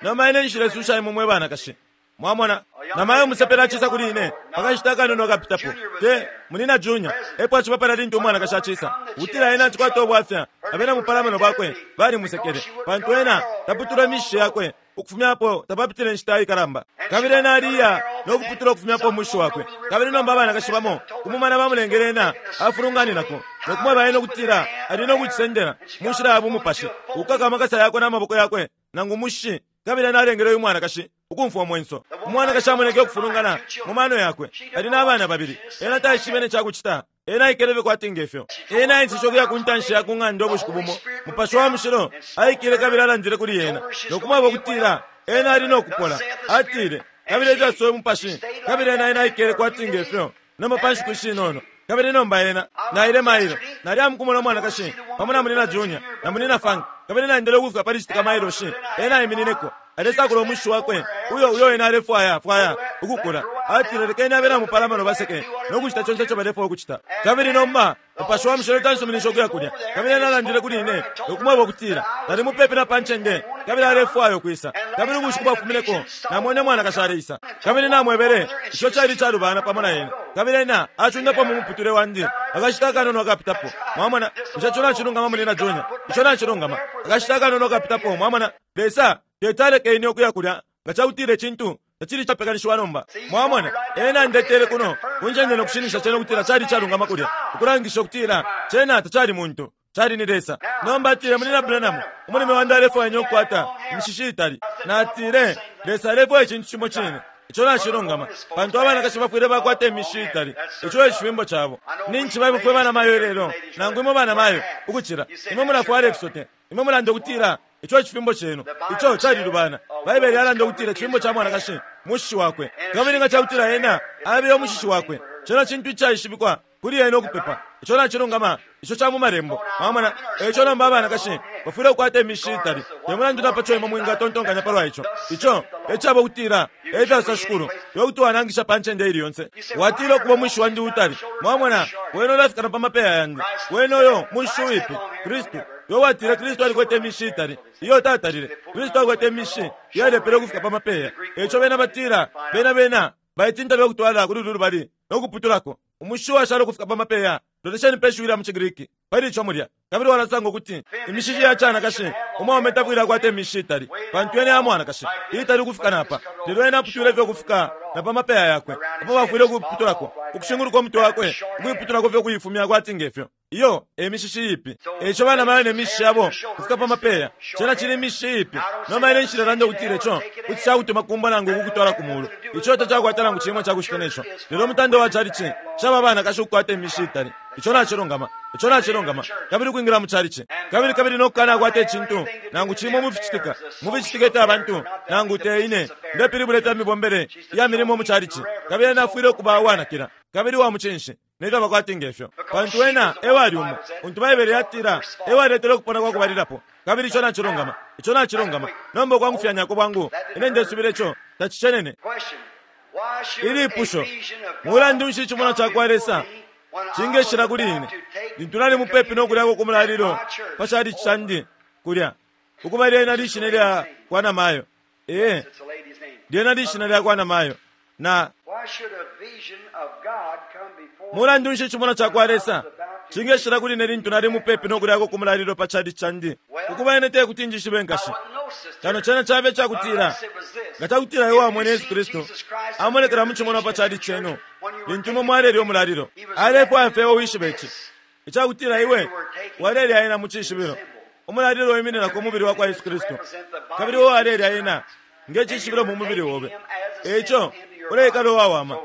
Nomba ine nshilesusha imwe mwe banakashi. Mwamona, namayo umusepela acisa kuli ine pakashita akanono kapitapo, te munina Junior epo aciba palya lintu umwanakashi acisa ukutila ena acikwata ubwafya. Abena mupalamano bakwe balimusekele pantu ena taputula imishishe yakwe Ukufumyapo tapapitile inshita ikalamba. Kabili ena aliya no kuputula ukufumyapo umushi wakwe. Kabili nomba abanakashi bamo kumumana bamulengele ena afulunganinako no kumweba ena ukutila ali no kucisendela mu nshila ya bumupashi, ukukaka amakasa yakwe n'amaboko yakwe nangu umushi. Kabili ena alengele uyu mwanakashi ukumfwa umwenso. Umwanakashi amoneke ukufulungana mu mano yakwe. Ali n'abana babili. Ena taishibe ne cakucita. Ena aikelebe kwati ngefyo. Ena aenseshe ukuya ku ntanshi ya ku ng'anda ubushiku bumo. Mupashi wa mushilo aikile kabili alandile kuli ena no kumweba ukutila ena ali no kupola. Atile, kabili efyo mupashi. Kabili ena ena aikele kwati ngefyo nomba pa nshiku ishinono. Kabili nomba ena naile mailo nali amukumona umwanakashi pamo na munina Junior na munina Frank. Kabili naendele ukufika pali citika mailo shi. Ena aiminineko alesakula umushi wakwe uyo uyo ena alefwaya fwaya ukukula. Atile, lekeni abena mupalamano baseke no kucita conse ico balefwaya ukucita. Kabili nomba mupashi wa mushilo tansuminisha ukuya kulya. Kabili ena alandile kuli ine no kumweba ukutila nali mupepi na pa ncende, kabili alefwaya ukwisa. Kabili ubushiku bwafumineko namwene mwanakashi aleisa. Kabili namwebele ico cali calubana pamo na ena. Kabili ena acundapo mu muputule wandi akashita akanono akapitapo. Mwamona, ico co nacilungama munina Junior, ico nacilungama. Akashita akanono akapitapo. Mwamona, Lesa tetaleke ine ukuya kulya nga cakutila icintu tacili capekanishiwa nomba. Mwamona, ena ndetele kuno kuncende no kushinisha cena ukutila cali calungama kulya, ukulangisha ukutila cena tacali muntu, cali ni Lesa. Nomba atile, munina Branham, umulime wandi alefwaya ukukwata imishishi itali. Natile, Lesa alefwaya icintu cimo cine. Ico nacilungama, pantu abanakashi bafwile bakwata imishishi itali. Ico e cifimbo cabo. Ninci baimwe bana mayo ilelo, nangu imwe bana mayo ukucila imwe mulafwala ifisote. Imwe mulanda ukutila ico cifimbo cenu. Ico calilubana. Baibele yalanda ukutila icifimbo ca mwanakashi mushishi wakwe. Kabili nga cakutila ena abeya umushishi wakwe, cena cintu icaishibikwa kuli ena ukupepa. Ico nacilungama. Ico ca mu malembo. Mwamona, ico nomba abanakashi bafwile ukukwata imishishi itali. Te mulandu na paco imwe mwingatontonkanya palwa ico. Ico ecaba ukutila efyasosa Shikulu, iwe kuti wanangisha pa ncende ili yonse. Watila ukuba umushishi wandi utali. Mwamona, wena ulafika na pa mapeya yandi. Wena uyo mushishi uipi Kristu. Iwe watile Kristu alikwete imishishi itali. Iyo tatalile. Kristu alikwete imishishi iyalepele ukufika pa mapeya. Eco bena batila bena bena baitinta bekutwala kuli ulu lubali no kuputulako umushishi washala ukufika pa mapeya. Lolesheni pe shiwi lya mu ciGriki pali ico mulya. Kabili walasanga ukuti imishishi ya canakashi umwaume tafwile akwata imishishi itali, pantu ena ya mwanakashi itali ukufika napa. Lelo ena aputwile fye ukufika na pa mapeya yakwe, apo bafwile ukuputulako ukushinguluka umutwe wakwe, ukuiputulako fye ukuifumya kwati ngefyo. Iyo e mishishi iipi. Eco bana mayo ne mishishi yabo kufika pa mapeya, cena cili imishishi iipi. Nomba ine nshilelanda ukutila ico kuti cakutuma kumba nangu ukukutwala ku mulu. Ico tacakwata nangu cimwe cakucita neco. Lelo umutande wa calici caba abanakashi ukukwata imishishi itali. Ico nacilungama. Ico nacilungama. Kabili ukwingila mu calici. Kabili kabili no kukanakwata icintu nangu cimwe mu ficitika. Mu ficitika ifya abantu nangu te ine ndepilibula ifya mibombele ya milimo mu calici. Kabili ena afwile ukuba uwanakila kabili wa mucinshi nefyo bakwati ngefyo, pantu ena ewali umo untu Baibele yatila ewaletele ukupona kwa kubalilapo. Kabili ico nacilungama. Ico nacilungama. Nomba ukwangufyanyako bwangu ine ndesubila ico tacicenene. Ilipusho, mulandu nshi icimonwa cakwa Lesa cingeshila kuli ine lintu nali mupepi no kulyako ku mulalilo pa calici candi kulya, ukuba lyena lishina lya kwa namayo. Ee, lyena lishina lya kwa namayo. Na mulandu nshi icimonwa cakwa Lesa cingeshila kuli ine lintu nali mupepi no kulyako ku mulalilo pa calici candi, ukuba ine tekuti njishibe nkashi. Kano cena cabe cakutila nga cakutila iwe wamwene Yesu Kristu amonekela mu cimonwa pa calici cenu lintu imwe mwalelya umulalilo. Alefwaya fye wishibe ici, icakutila iwe walelya ena mu cishibilo. Umulalilo wimininako umubili wa kwa Yesu Kristu, kabili iwe walelya ena nge cishibilo mu mubili obe. Eco uleikala uwawama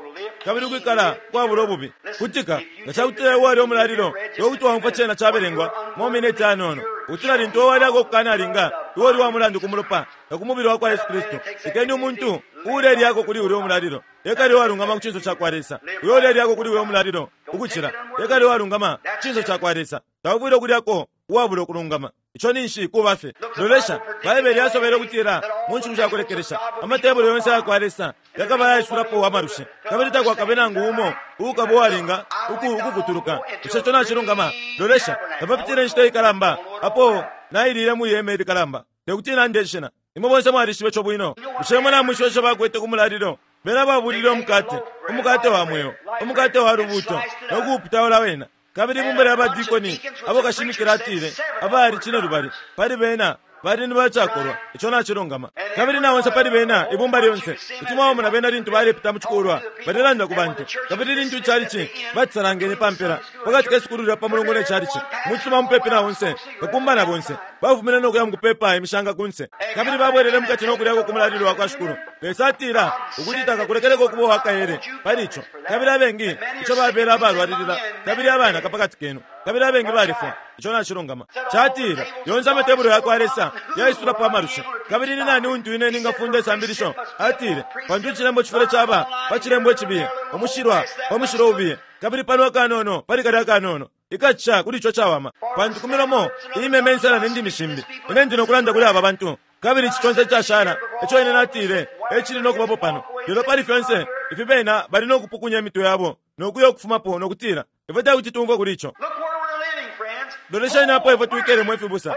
kabili ukwikala kwabula ububi. Kutika nga cakutila iwe walya umulalilo iwe kuti waumfwa cena cabelengwa mu mineti anono, ukutila lintu iwe walyako ukukanalinga iwe uli wa mulandu ku mulopa na ku mubili wa kwa Yesu Kristu. Lekeni umuntu uulelyako kuli ulya umulalilo ekali uwalungama ku cinso cakwa Lesa. Uyo ulelyako kuli uyo umulalilo ukucila ekali uwalungama ku cinso cakwa Lesa. Taufwile ukulyako uwabula ukulungama. Ico ninshi kuba fye. Lolesha, Baibele yasobele ukutila mu nshiku sha kulekelesha amatebulo yonse ayakwa Lesa yakaba yaisulapo amalushi, kabili takwakabe nangu umo uukaba uwalinga ukukutuluka. Ico co nacilungama. Lolesha, tapapitile inshita ikalamba apo nailile mwi hema ilikalamba. Tekuti nande ishina. Imwe bonse mwalishibe ico bwino. Bushe imwe namwishiba ico bakwete ku mulalilo? Bena babulile umukate, umukate wa mweo, umukate wa lubuto, no kuuputaula wena. Kabili ibumba lya badikoni abo kashimikila atile abali cine lubali pali bena Bali ni bacakolwa, ico nacilungama. Kabili na onse pali bena, ibumba lyonse, kuti mwabamona bena lintu balepita mu cikulwa, balelanda ku bantu. Kabili lintu icalici bacisalangene pa mpela, pakati ke sukulu lya pa Mulungu ne calici, mucisuma mupepi na onse, kakumba na bonse, bafumine no kuya mu kupepa imishanga kunse. Kabili babwelele mukati no kulyako ku mulalilo wa kwa Shikulu. Lesa atila ukuti takakulekeleko kuba uwakaele pali ico. Kabili abengi ico babela abalwalilila, kabili abana kapakati kenu, kabili abengi balifwa. Ico nacilungama. Catila yonse amatebulo ya kwa Lesa yaisulapo amalusha. Kabili ni nani untu ine ningafunda isambilisho? Atile, pantu icilembo cifwile caba pa cilembo icibiye, umushilwa pa mushilo ubiye, kabili pano akanono pali kalya akanono ikaca kuli ico cawama. Pantu ku milomo iimeme insala ne ndimi shimbi, ine ndi nokulanda kuli aba bantu. Kabili ici conse icashala ico ine natile ecili nokubapo pano. Lelo pali fyonse ifi bena bali nokupukunya imitwe yabo nokuya ukufumapo nokutila, ifwe tekuti tumfwe kuli ico. Look where we're living, friends. Lolesheni apo ifwe twikelemo ifibusa.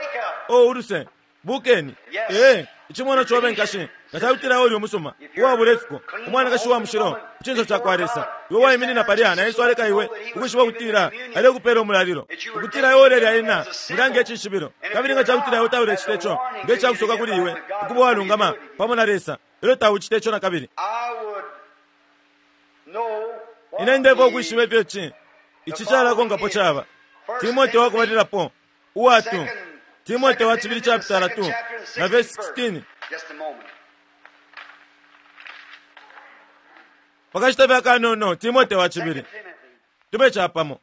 O uluse, bukeni. Ee, icimono cobe nkashi, nga cakutila uli umusuma, uwabula ifiko, umwanakashi wa mushilo, ku cinso ca kwa Lesa. Iwe waiminina palya na Yesu aleka iwe ukwishiba ukutila alekupela umulalilo, ukutila iwe ulelya ena mulya nge cishibilo. Kabili nga cakutila iwe taulecita ico nge cakusoka kuli iwe ukuba uwalungama pamo na Lesa, elyo taucita ico na kabili. I would know what Ine ndefwa ukwishiba the ifyo ici ici calakonkapo caba. Timote wakubalilapo uwatu Timote wa chibili chapitala two na verse sixteen. Just a moment. Pakashita fye akanono Timote wa chibili Second Timothy. tube chapamo.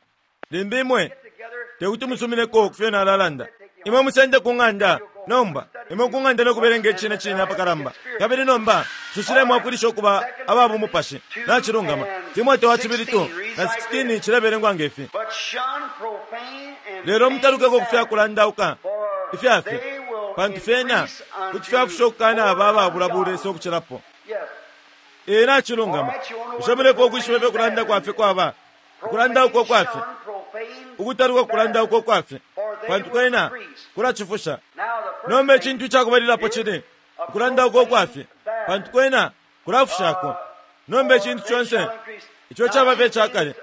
Limbi imwe Get together. tekuti musumineko kufyo nalalanda. Imwe musende ku ng'anda nomba, imwe ku ng'anda nokubelenga icine cine apakalamba. Kabili nomba tushile mwafwilisha ukuba aba bumupashi. Nacilungama. Timote wa chibili two na sixteen cilebelengwa ngefi. But shun profane and Lelo mutalukeko vain kufya kulandauka for ifyafi, they will pantu fyena increase kuti unto fyafusha ukukana aba ababula more bulesa ukucilapo. Yes. Ee, nacilungama. Bushe mulefwa ukwishiba ifyo kulanda kwafe kwaba? Ukulanda uko kwafe, Shun profane ukutaluka kulanda uko kwafe, pantu kwena kulacifusha. Now the first Nomba thing icintu icakubalilapo cili ukulanda uko kwafe, pantu kwena kulafushako. Nomba icintu conse ico caba fye cakale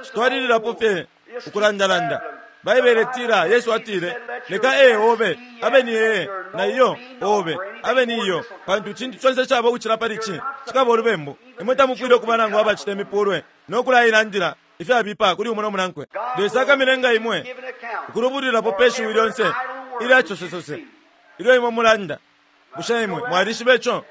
citwalililapo fye ukulandalanda. Baibele itila Yesu atile, leka ee obe abe ni ee, na iyo obe abe ni iyo, pantu icintu conse caba ukucila pali ici cikaba ulubembu. Imwe tamufwile ukuba nangu abacita imipulwe no kulailandila ifyabipa kuli umo no munankwe. Lesa akamilenga imwe give an account ukulubulwilapo pe shiwi lyonse ilya cosesose ilyo imwe mulanda. Bushe imwe mwalishiba ico?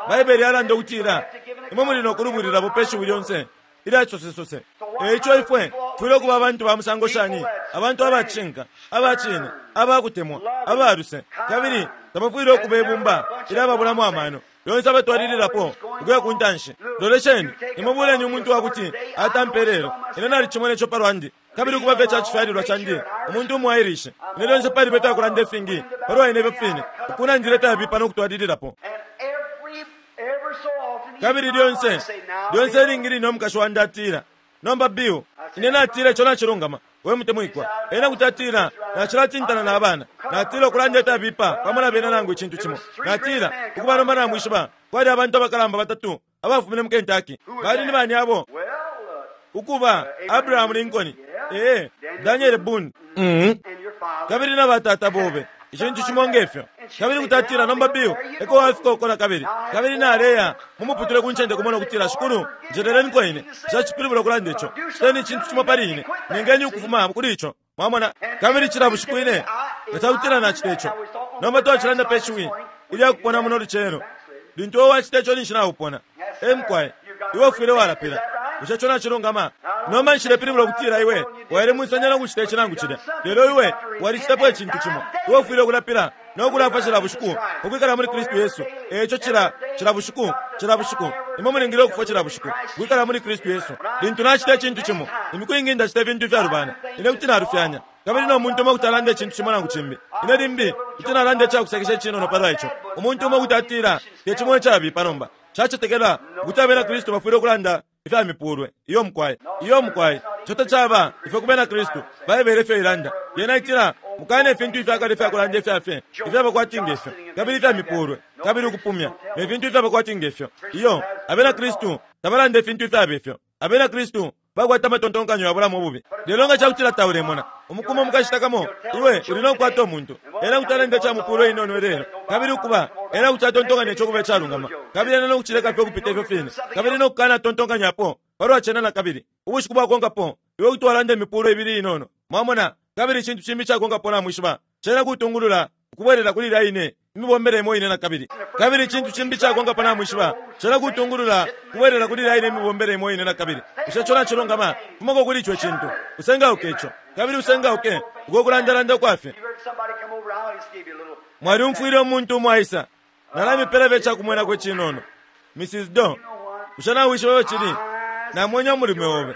Baibele yalanda ukutila imwe muli nokulubulwilapo pe shiwi lyonse ilya cosesose. Eico ifwe tufwile ukuba abantu ba musango shani? Abantu abacinka, abacine, abakutemwa, abaluse, kabili tabafwile ukuba ibumba ilya babulamo amano lyonse abatwalililapo ukuya ku ntanshi. Lolesheni, imwe buleni umuntu wakuti atampe lelo. Ine nalicimona ico palwandi, kabili ukuba fye cacifyalilwa candi, umuntu umu Irish. Ine lyonse paliba ifyakulanda ifingi palwa ine ifyo fine, ukunandila ifyabipa no kutwalililapo. And every ever so often Kabili even my lyonse wife say, now lyonse ilingi line umukashi wandi atila, nomba Bill, ine natila ico nacilungama, we mutemwikwa. Ena kuti atila nacilatintana na abana, natila ukulanda ifyabipa pamo na bena nangu icintu cimo. Natila ukuba nomba namwishiba, kwali abantu abakalamba batatu abafumine mu Kentucky. Bali ni bani abo? Well, uh, Ukuba Abraham Lincoln, ee, Daniel Boone, mm and your father. kabili na batata bobe, icintu cimo ngefyo. Kabili kuti atila nomba Bill, eko wafika uko na kabili. Kabili naleya mumuputule ku ncende kumona ukutila, Shikulu, njeleleniko ine. Nshacipilibula ukulanda ico. Citeni icintu cimo pali ine. Nengeni ukufuma kuli ico. Mwamona? Kabili cila bushiku ine nga cakutila nacita ico. Nomba twacilanda pe shiwi ilya kupona muno lucelo. Lintu iwe wacita ico ninshi naupona. E mukwai, iwe ufwile walapila. Bushe ico nacilungama? Nomba nshilepilibula ukutila iwe waile mwisanya no kucita ici nangu cilya. Lelo iwe walicitapo icintu cimo. Iwe ufwile ukulapila no kulafwa cila bushiku ukwikala muli Kristu Yesu. Eco cila cila bushiku, cila bushiku. Imwe mulingile ukufwa cila bushiku ukwikala muli Kristu Yesu. Lintu nacita icintu cimo, imiku ingi ndacita ifintu ifyalubana. Ine kuti nalufyanya. Kabili no muntu umo kuti alanda icintu cimo nangu cimbi. Ine limbi kuti nalanda icakusekesha icinono palwa ico. Umuntu umo kuti atila te cimo icabipa nomba. Cacetekela ukuti abena Kristu bafwile ukulanda ifya mipulwe. Iyo mukwai, iyo mukwai. Ico tacaba ifyo ku bena Kristu. Baibele ifyo ilanda. Yena itila mukane ifintu ifyakale ifyakulanda ifyafye ifyaba kwati ngefyo, kabili ifya mipulwe, kabili ukupumya, ne fintu ifyaba kwati ngefyo. Iyo abena Kristu tabalanda ifintu ifyaba ifyo. Abena Kristu bakwata amatontonkanyo yabulamo ububi. Lelo nga cakutila taulemona Umukumo mukashita kamo iwe uli nokukwata umuntu ena kuti alenda icamupulo inono lelo, kabili ukuba ena kuti atontonkanya ico kuba icalungama, kabili ena nokucileka fye ukupita ifyo fine, kabili nokukana tontonkanyapo palwa cena na kabili. Ubushiku bwakonkapo iwe kuti walanda imipulo ibili inono, mwamona, kabili icintu cimbi icakonkapo namwishiba cena kutungulula ukubwelela kuli ilya ine imibombele imo ine na kabili, kabili icintu cimbi icakonkapo namwishiba cena kutungulula kubwelela kuli ilya ine imibombele imo ine na kabili. Bushe ico nacilungama? Fumako kuli ico cintu, usengauke ico, kabili usengauke uko kulandalanda kwafye. You heard somebody come over, I'll just give you a little. Mwaliumfwile umuntu umo aisa, nalamipela fye icakumwenako icinono. Missus Do, bushe nawishiba ifyo cili? Namwenye umulume obe,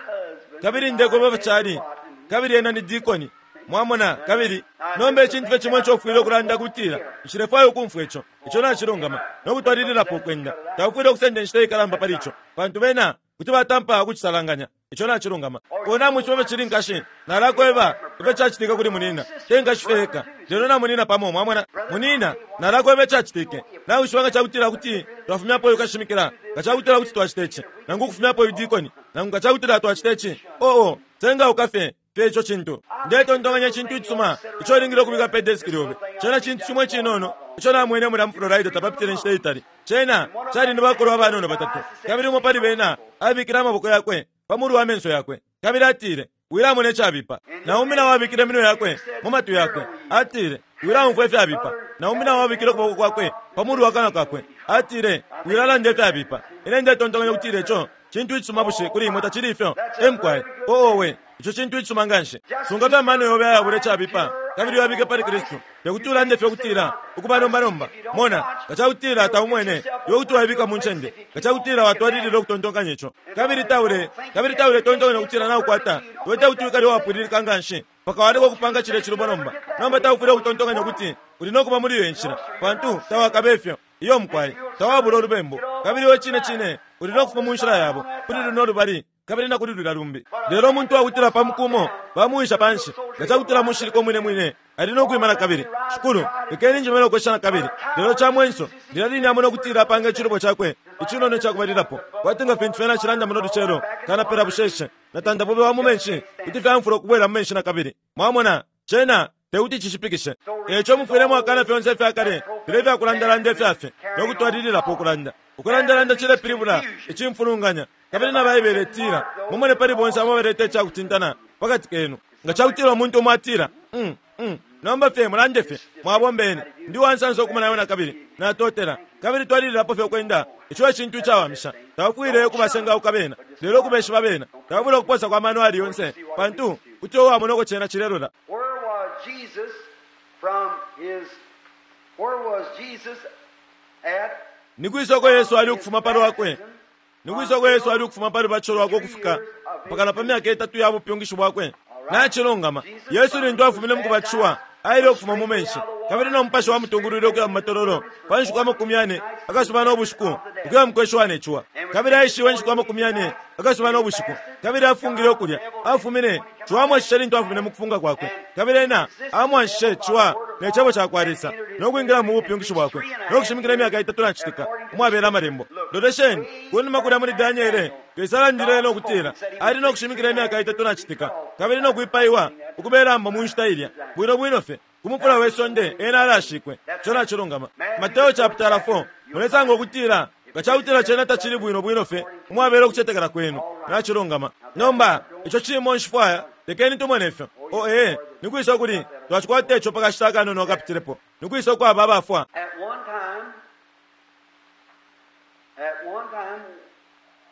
kabili ndekweba ifyo cali, kabili ena ni dikoni, mwamona. Kabili nomba icintu fye cimo ico ufwile ukulanda kutila nshilefwaya ukumfwa ico, ico nacilungama, nokutwalililapo ukwenda. Taufwile ukusenda inshita ikalamba pali ico, pantu bena kuti batampa ukucisalanganya. Ico nacilungama. Kona mwishiba ifyo cili, nkashi, nalakweba ifyo cacitika kuli munina, te nkashi fye eka lelo na munina pamo, mwamona. Munina, nalakweba icacitike. Nawishiba nga cakutila kuti twafumyapo uyu kashimikila, nga cakutila kuti twacita ici, nangu ukufumyapo uyu dikoni, nangu nga cakutila twacita ici, oo sengauka fye fye ico cintu. Ndetontonkanya icintu icisuma ico ulingile ukubika pe deski lyobe. Cena cintu cimo icinono ico namwene mulya mu Florida tapapitile inshita itali. Cena cali ni bakolwa abanono batatu, kabili umo pali bena abikile amaboko yakwe pa mulu wa menso yakwe, kabili atile, wilamona icabipa. Naumbi nawo abikile iminwe yakwe mu matwi yakwe, atile, wilaumfwa ifyabipa. Naumbi nawo abikile ukuboko kwakwe pa mulu wa kanwa kakwe, atile, wilalanda ifyabipa. Ine ndetontonkanya ukutila ico cintu icisuma bushe kuli imwe tacili ifyo? Emukwaye, oowe, ico cintu icisuma nganshi. Sunga fye amano yobe ayabula icabipa, kabili uyabike pali Kristu. Tekuti ulande fye ukutila ukuba nomba nomba, mona, nga cakutila taumwene iwe kuti waibika mu ncende, nga cakutila watwalilila ukutontonkanya ico, kabili taule kabili taule tontonkanya ukutila naukwata, iwe tekuti wikale uwapwililika nganshi mpaka waleka ukupanga cilya cilubo nomba. Nomba taufwile ukutontonkanya ukuti uli nokuba muli iyo inshila, pantu tawakabe ifyo. Iyo mukwaye, tawabula ulubembu, kabili iwe cine cine uli nokufuma mu nshila yabo kuli luno lubali kabili na kuli lulya lumbi. Lelo umuntu wakutila pa mukumo bamuwisha panshi, nga cakutila mushilika umwine mwine ali nokwima na kabili. Shikulu, lekeni njimene ukwesha na kabili. Lelo ca mwenso lilya line amona ukutila apanga icilubo cakwe icinono icakubalilapo, kwati nga fintu fyena cilanda muno lucelo, kanapela busheshe na tandabobe wa mu menshi kuti fyamfula ukubwela mu menshi na kabili. Mwamona, cena tekuti cishipikishe. Eco mufwile mwakana fyonse ifyakale filya ifyakulandalanda ifyafye nokutwalililapo ukulanda. Ukulandalanda cilepilibula icimfulunganya, kabili na Baibele itila mumone pali bonse abo baleta icakutintana pakati kenu. Nga cakutila umuntu umo atila, mm, mm, nomba fye mulande fye, mwabombeni, ndi wansansa ukumona iwe na kabili, natotela, kabili twalililapo fye ukwenda. Ico e cintu icawamisha. Taufwile ukubasengauka bena, lelo ukubeshiba bena. Taufwile ukuposa kwa mano ali yonse, pantu kuti uwamona uko cena cilelola. Where was Jesus from his, where was Jesus at? Ni kwisa uko Yesu ali ukufuma pali wakwe? Ni kwisa uko Yesu ali ukufuma pali baco lwakwe ukufika mpaka pa myaka itatu ya bupyungishi bwakwe? Nacilungama, Yesu lintu afumine mu kubatishiwa aile ukufuma mu menshi, kabili no mupashi wamutungulwile ukuya mu matololo pa nshiku amakumi yane akasuba no bushiku, ukuya mu kweshiwa ne ciwa. Kabili aishiwe inshiku amakumi yane akasuba no bushiku, kabili afungile ukulya. Afumine ciwa amwashishe lintu afumine mu kufunga kwakwe, kabili ena amwashishe ciwa ne cebo cakwa Lesa, no kwingila mu bupyungishi bwakwe, no kushimikila imyaka itatu na citika umwabela amalembo. Lolesheni kunuma kulya muli Daniele, Lesa alandile no kutila ali no kushimikila imyaka itatu na citika, kabili no kwipaiwa ukubelamba mu nshita ilya bwino bwino fye kumupula we sonde ena alashikwe. Ico nacilungama. Mateo chapter four, mulesanga ukutila nga cakutila cena tacili bwino bwino fye umwabela ukucetekela kwenu. Nacilungama. Nomba ico cimo nshifwaya, lekeni tumone ifyo. O ee, nikwisa ukuli twacikwata ico pakashita akanono akapitilepo. Nikwisa ukwaba abafwa. At one time, at one time,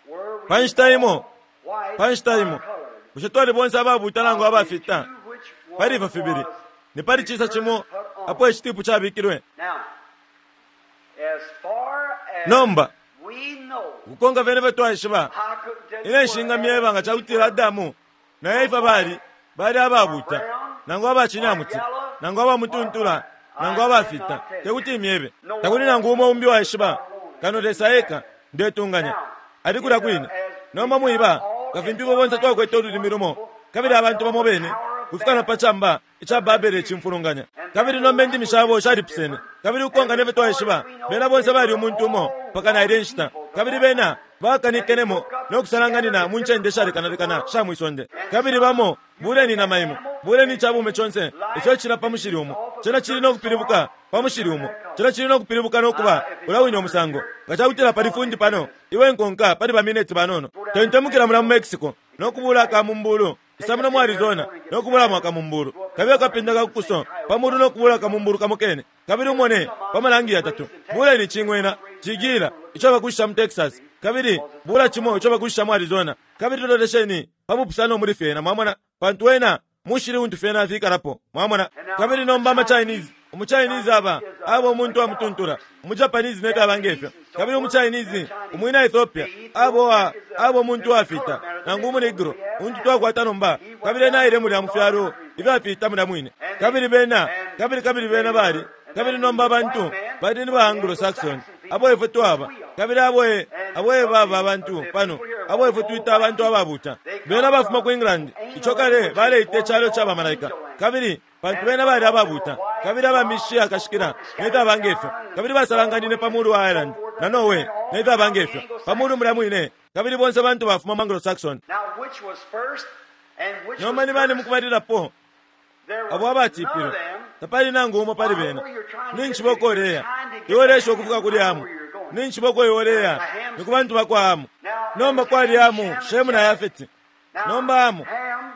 were we Pa nshita imo, white pa nshita imo, or colored? bushe twali bonse ababuta nangu abafita? Which one Pali ifyo fibili, was ni pali cisa cimo apo icitipu cabikilwe. Now, as far as Nomba we know, ukukonka fyene fye twaishiba, I couldn't tell you ine where nshingamyeba nga cakutila Adamu na Efa bali bali ababuta nangu abacinyamuti nangu abamutuntula nangu abafita, tekuti imyebe. Takuli nangu umo umbi waishiba kano Lesa eka, ndetunganya ali kulya kwine. Nomba mwiba nga fintu ifwe bonse twakwete ululimi lumo, kabili abantu bamo bene Kufika na pa camba ica Babele icimfulunganya. Kabili nomba indimi shabo shalipusene. Kabili ukonka nefyo twaishiba, bena bonse bali umuntu umo mpaka na ilya nshita. Kabili bena bakanikenemo no kusalanganina mu ncende shalekanalekana sha mwisonde. Kabili bamo buleni nama imo, buleni icabume conse ico cila pa mushili umo. Cena cili no kupilibuka pa mushili umo. Cena cili no kupilibuka no kuba ula wine umusango. Nga cakutila pali fundi pano, iwe nkonka pali ba mineti banono. Tentemukila mula mu Mexico no kubula akamumbulu. Isamuna mu Arizona no kubula mu akamumbulu. Kabili akapinda ka kukuso pamulu no kubula akamumbulu kamukene. Kabili umone pa malangi yatatu. Buleni chingwena, chigila ico bakushisha mu Texas. Kabili bula chimo ico bakushisha mu Arizona. Kabili lolesheni pamupusano muri fyena, mwamona, pantu wena mushili untu fyena afikalapo, mwamona. Kabili nomba ama Chinese, umu Chinese aba abo umuntu amutuntura, umu Japanese neka abangefyo. Kabili umu Chinese, umwina Ethiopia, abo wa abo umuntu afita, nangu umu Negro, untu twakwata nomba. Kabili ena aile mulya mu fyalo ibyafita mulya mwine. Kabili bena, kabili kabili bena bali, kabili nomba abantu bali ni ba Anglo-Saxon, abo ifwe twaba. Kabili abo e, abo e baba abantu pano, abo ifwe twita abantu ababuta. Bena bafuma ku England, ico kale baleita icalo ca bamalaika. Kabili pantu bena bali ababuta, kabili abamishi akashikila nefyo abangefyo. Kabili basalanganine pa mulu wa Ireland na Norway nefyo abangefyo, pa mulu mulya mwine. Kabili bonse bantu bafuma mu Anglo-Saxon. Now, which was first and which Nomba was ni bani first? mukubalilapo There was abo abatipilwe, none of them. tapali nangu umo pali bena. Ninshi bokoleya iwe ukufika kuli Hamu. Ninshi boko iwoleya ni ku bantu bakwa Hamu. Nomba kwali Hamu, Shemu na Yafeti. Nomba Hamu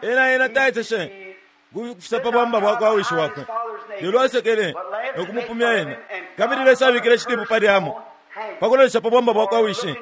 ena ena taiteshe kufisa pa bwamba bwakwa wishi wakwe. Lelo asekele no kumupumya ena. Kabili Lesa abikile icitipu pali Hamu pakulolesha pa bwamba bwakwa wishi,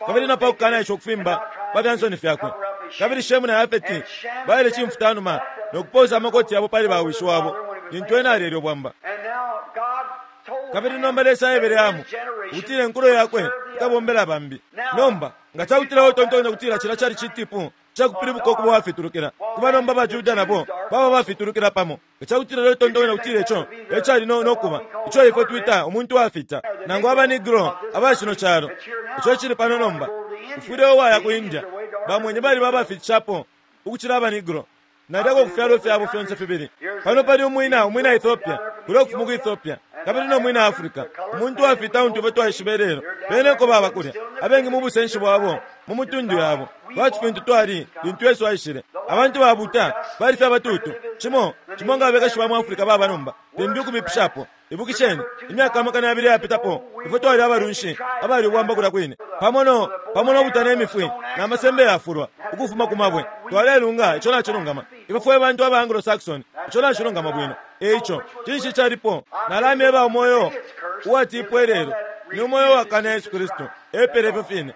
kabili na pakukana ico kufimba pa vyansoni fyakwe. Kabili Shemu na Yafeti baile chimfutanuma no kuposa amakoti yabo pali bawishi wabo lintu ena alelyo bwamba. And now God told Kabili Ham nomba Lesa aebele that Hamu his generation ukutila enkulo yakwe would serve the ikabombela bambi. Nomba nga cakutila utontonya kutila cila cali citipu cakupilibuka ukuba wafitulukila kuba nomba baJuda nabo baba bafitulukila pamo. Nga cakutila utontonya kutila ico ecali no nokuba ico ifwe twita umuntu wafita nangu abanegro abashino calo ico cili pano nomba ufwile uwaya ku India bamwenye bali babafitishapo ukucila abanegro nalyako kufyalo fyabo fyonse fibili. Pano pali umwina umwina Ethiopia kuli ukufuma ku Ethiopia, kabili no mwina Africa. Umuntu wafita untu ifwe twaishiba lelo beneko baba kulya abengi mu busenshi bwabo mu mutundu yabo lwaki fintu twali lintu Yesu aishile. Abantu babuta bali fye abatutu cimo cimo nga abekashi ba mu Africa baba nomba limbi ukubipishapo. Ibukisheni imyaka amakana yabili yapitapo ifwe twali abalunshi abali ubwamba kulya kwine pamo no pamo no butana imifwi na masembe yafulwa ukufuma ku mabwe twalelunga ico nacilungama. Ifwe fwe bantu aba Anglo-Saxon ico nacilungama bwino. Eico cinshi calipo nalamyeba umoyo uwatipwa lelo ni umoyo wakana Yesu Kristu epele ifyo fine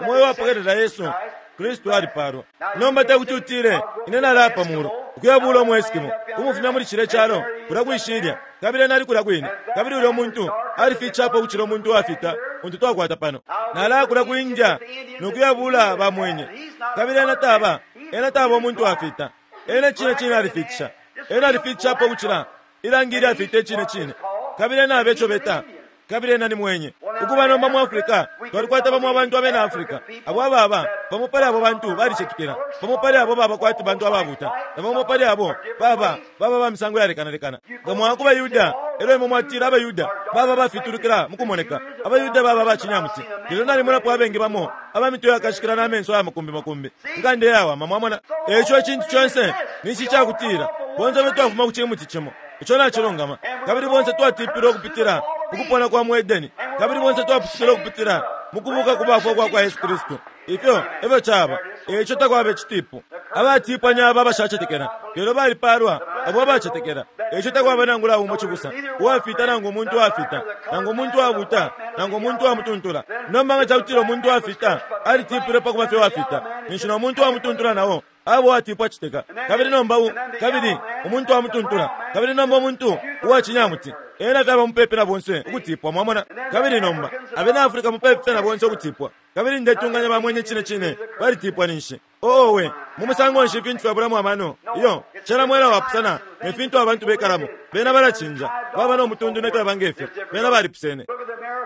umoyo wapokelela Yesu Kristu alipalwa. Nomba tekuti utile ine nalapa mulu ukuyabula umu Eskimo kumufumya muli cile calo kulya kwishilya kabili ena ali kulya kwine kabili ulya muntu alifichapo ukucila umuntu wafita untu twakwata pano. Nalaya kulya ku India nokuyabula bamwenye kabili ena taba ena taba umuntu wafita ena cine cine alifitisha ena alifichapo ukucila ilangi ilyafita icine cine kabili ena abeco beta kabili ena ni mwenye. Ukuba nomba mu Africa twalikwata bamo abantu abena Africa abo ababa pamo pali abo bantu balicetekela pamo pali abo baba kwati bantu ababuta na pamo pali abo baba baba ba misango yalekanalekana. Nga mwakuba Yuda elo imwe mwatila abayuda baba bafitulukila mukumoneka abayuda baba bachinyamuti lelo nalimunapo abengi bamo abamitwe yakashikila n'amenso aya makumbi makumbi nkande yawama mwamona. Eco ecintu conse ninshi cakutila bonse be twafuma ku cimuti cimo ico nacilungama kabili bonse twatipilwe ukupitila mukupona kwa mu Edeni kabili bonse twapusukile ukupitila mukubuka kubafwa kwa kwa Yesu Kristu. Ifyo efyo caba eco takwaba icitipu. Abatipwanya aba abashacetekela lelo balipalwa abo abacetekela. Eco takwaba nangula umo cibusa uwafita nangu umuntu wafita nangu umuntu wabuta nangu umuntu wamutuntula. Nomba nga cakutila umuntu wafita alitipilwe pakuba fye wafita ninshi no muntu wamutuntula nawo abo atipwa citeka kabili nomba kabili umuntu wamutuntula kabili nomba umuntu uwachinyamuti ena fyaba mupepe na bonse ukutipwa mwamona. Kabili nomba abena Africa mupepe na bonse ukutipwa kabili ndetunganya bamwenye cine cine balitipwa ninshi owe mu musango nshi ifintu fyabulamo amano iyo cena mwela wapusana ne fintu abantu bekalamo bena balacinja baba no mutundu nefyo bangefyo bena balipusene.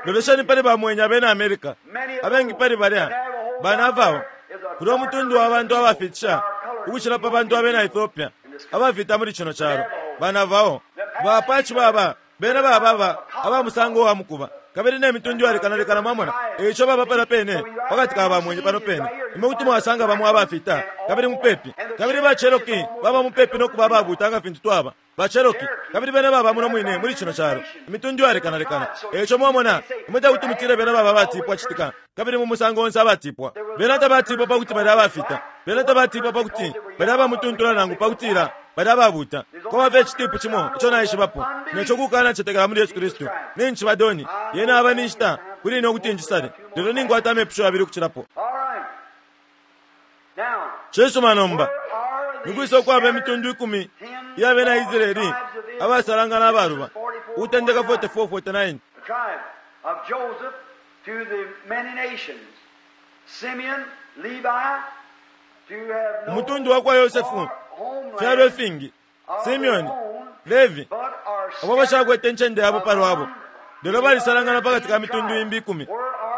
Lolesheni pali bamwenye abena America abengi pali balya banavawo kuli omutundu wa bantu abafitisha ukucila pa bantu abena Ethiopia abafita muli cino calo. Ba Navajo, ba Apache baba, bena baba aba musango wa mukuba. Kabili ne mitundu yalekanalekana mwamona. Eico baba pala pene, pakati ka bamwenye pano pene. Imwe kuti mwasanga bamo abafita, kabili mupepi. Kabili ba Cherokee baba mupepi nokuba ababuta nga fintu twaba. Ba Cherokee, kabili bena baba muno mwine muli cino calo. Imitundu yalekanalekana. Eico mwamona, imwe takuti mutile bena baba abatipwa citika. Kabili mu musango onse abatipwa. Bena tabatipwa pakuti bali abafita. Bena tabatipwa pakuti bali abamutuntula nangu pakutila bali ababuta. Kwaba icitipu cimo ico naishibapo. Neco kukana cetekela muli Yesu Kristu. Ninshi badoni, yena aba ninshita kuli ine ukuti njisale. Lelo ninkwata amepusho yabili ukucilapo. Cisuma nomba. Nikwisa ukwaba imitundu ikumi iya bena Israeli abasalangana abaluba. Ukutendeka forty-four forty-nine. Of Joseph to the many nations. Simeon, Levi, to have no Umutundu wa kwa Yosefu fyalo ifingi. Simeon, Levi, abo bashakwete incende yabo palwabo. Lelo balisalangana pakati ka mitundu imbi ikumi.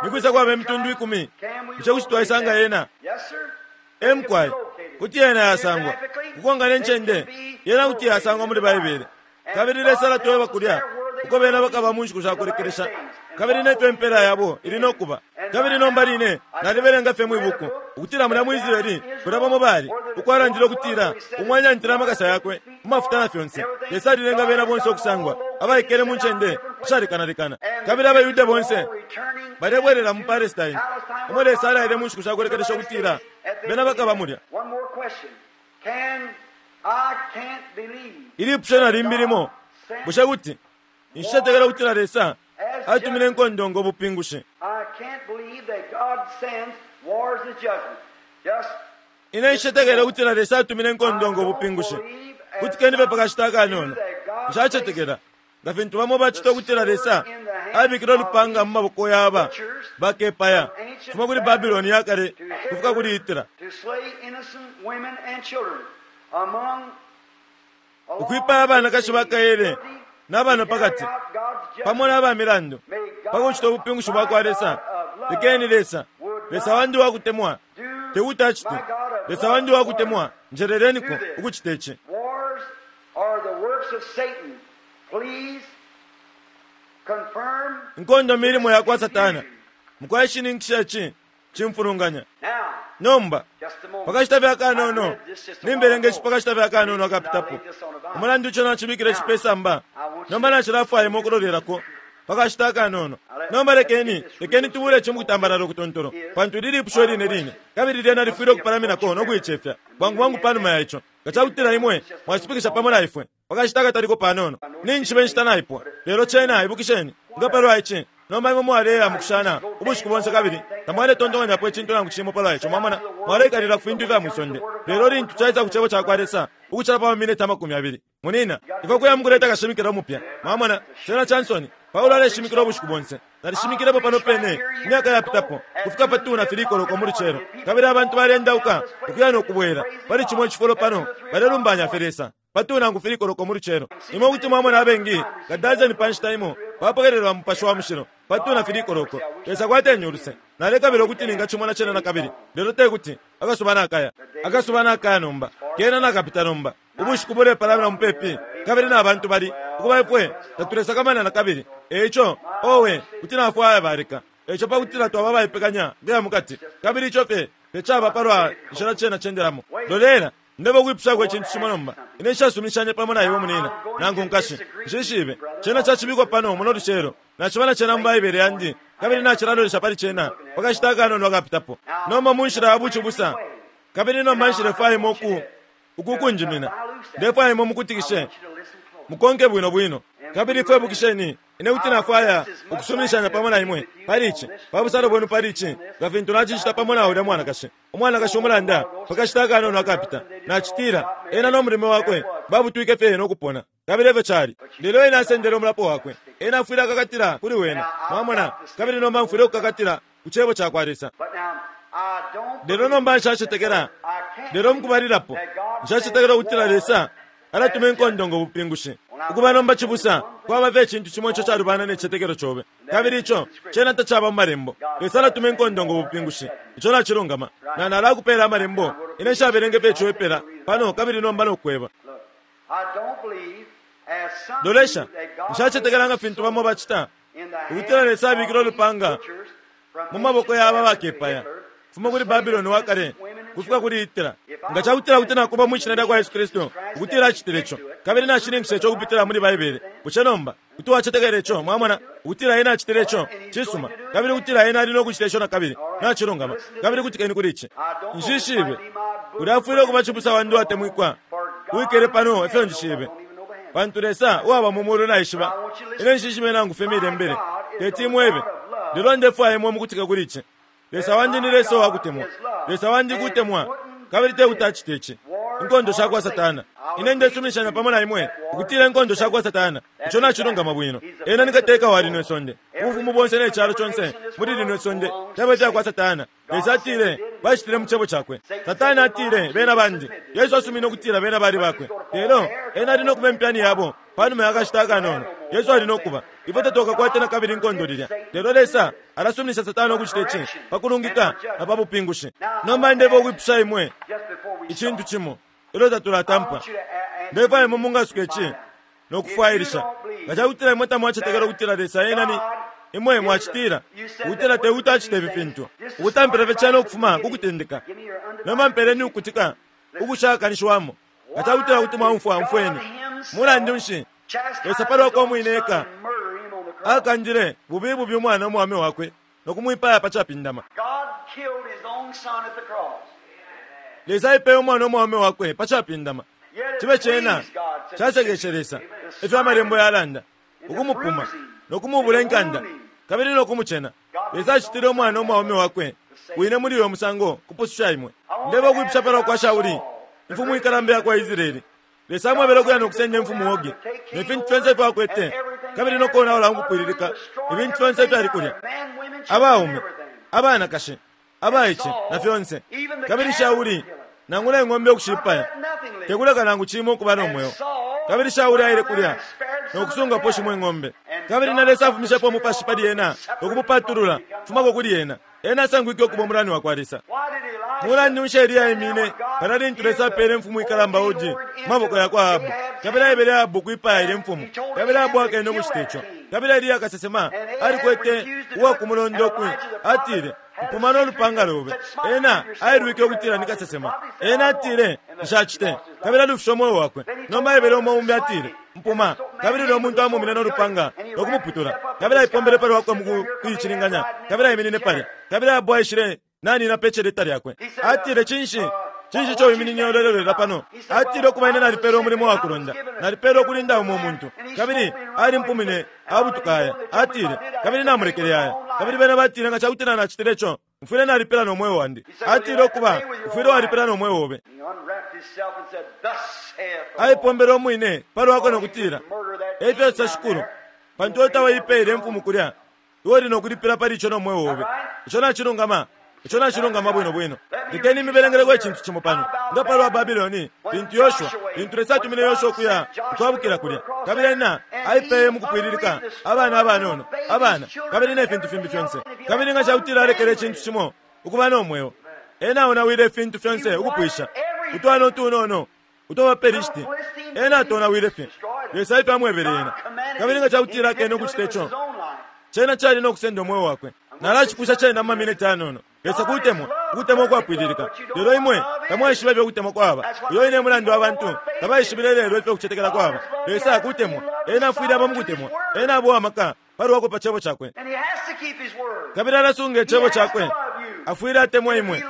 Nikwisa kwaba imitundu ikumi. Bushe kuti twaisanga yena? Emkwai, kuti yena yasangwa. Kukonga ne ncende, yena kuti yasangwa muli Baibele. Kabili Lesa alatweba kulya, uko bena bakaba mu nshiku shakulekelesha. Kabili nefyo impela yabo ili nokuba. Kabili nomba line, nalibelenga fye mwibuku, ukutila mulya mu Israeli, kulya bamo bali, ukwalandile ukutila, umwanyantila amakasa yakwe, mu mafuta na fyonse. Lesa alilenga bena bonse ukusangwa, abaikele mu ncende, ishalekanalekana. Kabili abayuda bonse, balebwelela mu Palestine. Umo Lesa alaile mu nshiku shakulekelesha ukutila, bena bakaba mulya. Ilipusho na limbi limo, bushe kuti, nshicetekela ukutila Lesa atumile inkondo ngo bupingushi. Ine nshicetekela ukutila Lesa atumile inkondo ngo bupingushi. Kuti kendibe pakashita akanono. Nshacetekela. Nga fintu bamo bacita ukutila Lesa abikile ulupanga mu maboko yaba bakepaya kufuma kuli Babiloni yakale kufika kuli Hitler. Ukwipaya abanakashi bakaele n'abana pakati pamo n'abamilandu pakucita ubupingushi bwa kwa Lesa. Lekeni Lesa, Lesa wandi wakutemwa, tekuti acite. Lesa wandi wakutemwa, njeleleniko ukucita ici. Inkondo milimo ya kwa Satana. Mukwashininkisha ici cimfulunganya. Nomba pakashita fye akanono, nimbelenga ici pakashita fye akanono akapitapo. Umulandu ico nacibikile cipesamba. Nomba nacilafwayemo ukulolelako pakashita akanono. Nomba lekeni, lekeni tubule ici mukutambalala ukutontolo, pantu lilipusho line line, kabili lyena lifwile ukupalaminako no kuicefya bwangu bwangu panuma ya ico. Nga cakutila imwe mwacipikisha pamo na ifwe pakashita akataliko panono, ninshi nshita naipwa. Lelo cena ibukisheni nga palwa ici. Nomba imwe mwaleya mukushana ubushiku bonse kabili tamwaletontonganyapo icintu nangu cimo palwa ico. Mwamona, mwaleikalila ku fintu ifya mwisonde. Lelo lintu caisa ku cebo ca kwa Lesa ukucila pa mamineti amakumi abili, munina ifwe kuya mukuleta kashimikila umupya. Mwamona, cena Chansoni Paulo aleshimikila ubushiku bonse. Nalishimikilepo pano pene imyaka yapitapo kufika pa two na three koloko mu lucelo, kabili abantu balendauka ukuya nokubwela pali cimo icifulo pano balelumbanya fye Lesa pa two nangu three koloko mu lucelo. Imwe kuti mwamona abengi nga dazeni pa nshita imo bapokelelwa Mupashi wa Mushilo pa two na three koloko. Lesa kwateni uluse. Nalekabila ukuti ningacimona cena na kabili, lelo tekuti. Akasuba nakaya, akasuba nakaya nomba, kena nakapita nomba. Ubushiku bulepalamina mupepi, kabili na bantu bali ukuba ifwe tatulesakamana na kabili. Eico owe kuti nafwaya baleka. Eico pakutila twaba baipekanya kuya mukati, kabili ico fye tecaba palwa nshila cena cendelamo. Lolela, ndeba ukwipushako icintu cimo nomba. Ine nshasuminishanye pamo na iwe munina nangu nkashi. Nshishibe cena cacibikwa pano muno lucelo. Naciba na cena mu Baibele yandi, kabili nacilalolesha pali cena pakashita akanono akapitapo. Nomba mu nshila ya bucibusa, kabili nomba nshilefwayemo uku ukukunjimina. Ndefwayemo mukutikishe, mukonke bwino bwino. Kabili ifwe ibukisheni, ine kuti nafwaya ukusuminishanya pamo na imwe pali ici, pa busalo bwenu pali ici, nga fintu nacicita pamo na ulya mwanakashi. Umwanakashi umulanda pakashita akanono akapita. Nacitila ena no mulimo wakwe babutwike fye no kupona. Kabili efyo cali. Lelo ena asendele umulapo wakwe. Ena afwile akakatila kuli wena. Mwamona, kabili nomba mfwile ukukakatila ku cebo ca kwa Lesa. Lelo nomba nshacetekela. Lelo mukubalilapo nshacetekela ukutila Lesa alatuma inkondo ngo bupingushi. Ukuba nomba cibusa kwaba fye icintu cimo ico calubana ne cicetekelo cobe, kabili ico cena tacaba mu malembo. Lesa alatuma inkondo ngo bupingushi. Ico nacilungama. Na nalakupela amalembo Ine nshabelenge pe ico pano kabili nomba nokweba. Lolesha, nshacetekela nga fintu bamo bacita ukutila Lesa abikile ulupanga mu maboko ya aba bakepaya fuma kuli Babiloni wa kale kufika kuli Hitler. Nga cakutila kuti nakuba mwi shina lya kwa Yesu Kristu ukutila acitile ico kabili nashininkisha ico ukupitila muli Baibele, bushe nomba kuti wacetekela ico? Mwamona ukutila ena acitile ico cisuma kabili ukutila ena ali no kucita ico na kabili nacilungama. Kabili kutikeni kuli ici, nshishibe uli afwile ukuba cibusa wandi uwatemwikwa wikele pano efyo njishibe, pantu Lesa uwaba mu mulu naishiba ine nshishibe nangu fye milembele teti imwebe, lelo ndefwaya imwe mukutika kuli ici. Lesa wandi ni Lesa uwakutemwa. Lesa wandi kutemwa kabili te kuti acite ici. Inkondo shakwa Satana, ine ndesuminishanya pamo na imwe ukutila inkondo shakwa Satana ico nacilungama bwino. Ena ni kateka wa lino isonde, ubufumu bonse ne calo conse muli lino isonde fyaba fyakwa Satana. Lesa atile bacitile mu cebo cakwe. Satana atile bena bandi. Yesu asumine ukutila bena bali bakwe, lelo ena ali nokuba impyani yabo panuma ya kashita akanono. Yesu ali nokuba ifwe tatukakwate na kabili inkondo lilya, lelo Lesa alasuminisha Satana ukucita ici pakulungika na pa bupingushi. Nomba ndeba ukwipusha imwe icintu cimo ilyo tatulatampa. Ndefwaya imwe mungasuke ici nokufwailisha. Nga cakutila imwe tamwacetekela ukutila Lesa ena ni imwe mwacitila ukutila te kuti acite ifi fintu, ukutampila fye cena ukufuma ku kutendeka. Nomba mpeleni ukutika ukushakanishiwamo. Nga cakutila kuti mwaumfwa, umfweni. Mulandu nshi Lesa palwakwe umwine eka akandile bubi bubi umwana umwame wakwe nokumwipaya pa capindama. Lesa aipeye umwana umwame wakwe pa capindama. Cibe cena casekeshe Lesa efyo amalembo yalanda, ukumupuma nokumubula inkanda kabili nokumucena. Lesa acitile umwana umwaume wakwe wine muli uyo musango kupususha imwe. Ndeba ukwipusha palwa kwa Shauli, imfumu ikalamba yakwa Israeli. Lesa amwebele ukuya nokusenda imfumu Ogi ne fintu fyonse ifyo akwete kabili nokonaula ukupwililika ibintu fyonse ifyali kulya, abaume, abanakashi, abaice na fyonse. Kabili Shauli nangula ing'ombe ukushipaya tekuleka nangu cimo ukuba nomweo. Kabili Shauli aile kulya nokusungapo shimo ing'ombe. Kabili na Lesa afumishepo umupashi pali ena nokumupatulula fumako kuli ena. Ena asangwike ukuba umulani wakwa Lesa. Mulandu nshi Eliya aimine palya lintu Lesa apele imfumu ikalamba Ogi mu maboko yakwa Ahabu, kabili aebele Ahabu ukwipaya ilya imfumu, kabili Ahabu akene ukucita ico. Kabili Eliya kasesema alikwete uwakumulonda ukwi, atile, mpuma nolupanga lobe. Ena ailwike ukutila ni kasesema. Ena atile nshacite, kabili alufishe umweo wakwe. Nomba aebele umo umbi atile mpuma, kabili uyo muntu amumine nolupanga nokumuputula, kabili aipombele pali wakwe mu kuicilinganya, kabili aiminine palya. Kabili Ahabu aishile nanina pe celeta lyakwe. Atile, cinshi cinshi ico wiminine ulelelera pano? Atile, ukuba ine nalipelwe umulimo wa kulonda, nalipelwe ukulinda umo muntu, kabili alimpumine abutuka aya. Atile, kabili namulekele aya. Kabili bena batile, nga cakutila nacitile ico, mfwile nalipela nomweo wandi. Atile, ukuba ufwile walipela nomweo obe. Aipombele umwine palwakwe nokutila, efyo sosa Shikulu, pantu tawaipele imfumu kulya, iwe uli nokulipila pali ico nomweo obe. Ico nacilungama. Ico nacilungama bwino bwino. Lekeni imibelengeleko icintu cimo pano. Nga palwa Babiloni, lintu Yoshua, lintu Lesa atumine Yoshua ukuya ukwabukila kulya, kabili ena aipeye mukupwililika abana abanono, abana, kabili ne fintu fimbi fyonse. Kabili nga cakutila alekele icintu cimo ukuba nomweo, ena aonawile ifintu fyonse ukupwisha utwana utunono utwa baPelishiti, ena atonawile fye. Lesa efyo amwebele ena. Kabili nga cakutila akene ukucita ico, cena cali nokusenda umweo wakwe. Nalacipusha cena mu maminiti anono. Lesa kutemwa, ukutemwa ukwapwililika. Lelo imwe tamwaishiba ifyo kutemwa kwaba. Uyo ine mulandu abantu tabaishibile lelo ifyo kucetekela kwaba. Lesa kutemwa, ena afwile aba mukutemwa, ena aba uwamaka palwakwe pa cebo cakwe. Kabili alasunga icebo cakwe. Afwile atemwa imwe.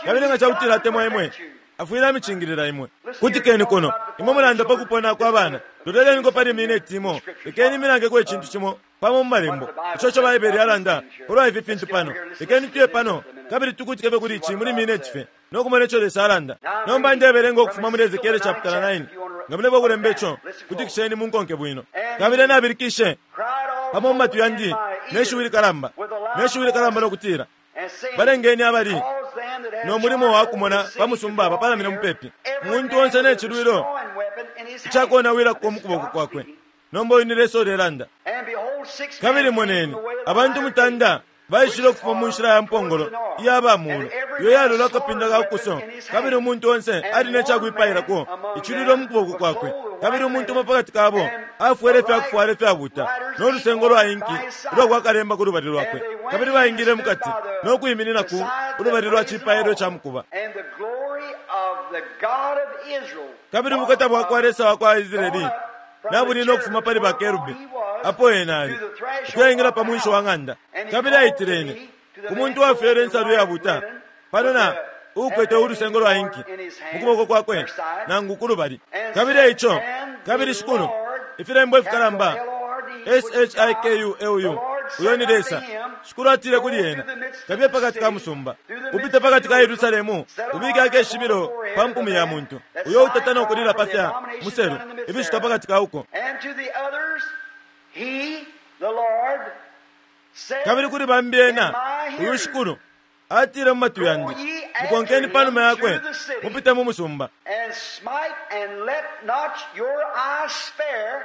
Kabili nga cakutila atemwa imwe, afwile amicingilila imwe. Kutikeni kuno, imwe mulanda pa kupona kwa bana. Loleleniko pali mineti imo, lekeni milangeko icintu cimo pamo mu malembo ico ico Baibele yalanda palwa ifi fintu pano. Lekeni tuye pano kabili tukutike kuli ici muli mineti fye nokumona ico Lesa alanda. Nomba ndebelenga ukufuma muli Ezekiele chapter nine. Nga muleba ukulemba ico, kutikisheni munkonke bwino. Kabili nabilikishe pamo mu matwi yandi neshiwi likalamba, neshiwi likalamba nokutila, balengeni abali no mulimo wa kumona pa musumba bapalamine mupepi, muntu onse ne cilwilo icakonawilako mu kuboko kwakwe. Nomba uyu ni Lesa ulelanda. Kabili moneni, abantu mutanda Baishile ukufuma mu nshila ya mpongolo iya bamulu iyo yalola akapinda ka kuso, kabili umuntu onse ali ne cakwipailako icilwilo mu kuboko kwakwe. Kabili umuntu umo pakati kabo afwele ifyakufwala ifyabuta no lusengo lwa inki ulwa kwa kalemba ku lubali lwakwe. Kabili baingile mukati no kwiminina ku ulubali lwa cipailo ca mukuba. Kabili ubukata bwa kwa Lesa wa kwa Israeli nabuli no kufuma pali bakerubi apo ena ali ukuyaingila pa mwinshi wa ng'anda. Kabili aitile ine ku muntu wafwele insalu yabuta pano na uukwete ulusengo lwa inki mu kuboko kwakwe nangu ku lubali. Kabili eico, kabili Shikulu, ifilembo ifikalamba S H I K U L U, uyo ni Lesa. Shikulu atile kuli ena, kabiye pakati ka musumba, upite pakati ka Yerusalemu, ubike akeshibilo pa mpumi ya muntu uyo utata no kulila pa fya muselu ibishitwa pakati ka uko. Kabili kuli bambi ena, uyu Shikulu atile mu matwi yandi, mukonkeni panuma yakwe, mupite mu musumba.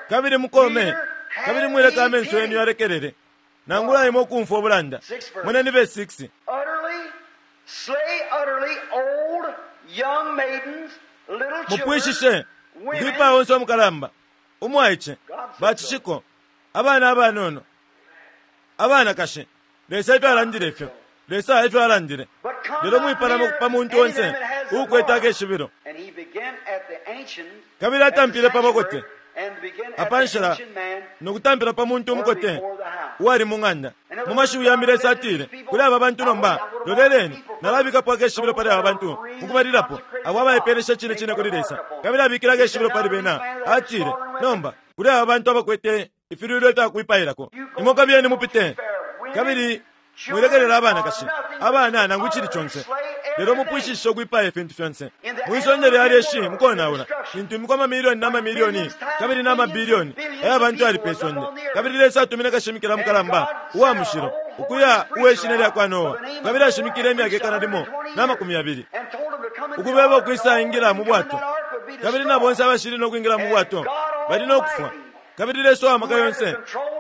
Kabili mukome, kabili mwileka amenso yenu yalekelele, nangula imwe ukumfwa ubulanda. Moneni verse six. Mupwishishe ukwipaya onse umukalamba, umwaice, bacishiko, abana abanono, abanakashi. Lesa ifyo alandile ifyo, Lesa ifyo alandile. Lelo mwipalama pa muntu onse uukwete akeshibilo. Kabili atampile pa bakote apanshila nokutampila pa muntu umukote uwali mu ng'anda. Mu mashiwi yambi Lesa atile kuli aba bantu, nomba loleleni, nalabikapo akeshibilo pali aba bantu mukubalilapo, abo abaipelesha cine cine kuli Lesa. Kabili abikile akeshibilo pali bena, atile nomba kuli aba bantu abakwete ifilwilo ifyakwipailako, imwe kabiyeni mupite, kabili mwilekelela abanakashi, abana nangu icili conse, lelo mupwishishe ukwipaya ifintu fyonse. Mwisonde lya lyeshi mukonaula lintu imiko amamilioni na mamilioni kabili na mabilioni aya bantu yali pe sonde. Kabili Lesa atumine kashimikila mukalamba uwa mushilo ukuya uwe shina lya kwa Noa, kabili ashimikile imyaka ikana limo na makumi yabili ukubeba ukwisa ingila mu bwato. Kabili na bonse abashili no kwingila mu bwato bali no kufwa. Kabili Lesa wa maka yonse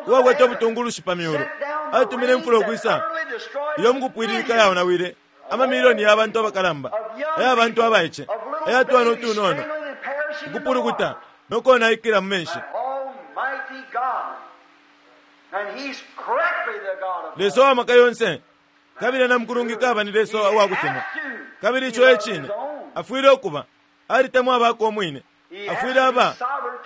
uwakwete ubutungulushi pa myulu atumine imfula ukwisa iyo mukupwililika yaonawile amamilioni ya bantu abakalamba, aya bantu abaice, aya twana utunono, ukupulukuta no konaikila mu menshi. Lesa wa maka yonse kabili na mukulungika aba ni Lesa wa kutemwa. Kabili ico ecine afwile ukuba alitemwa abako umwine, afwile aba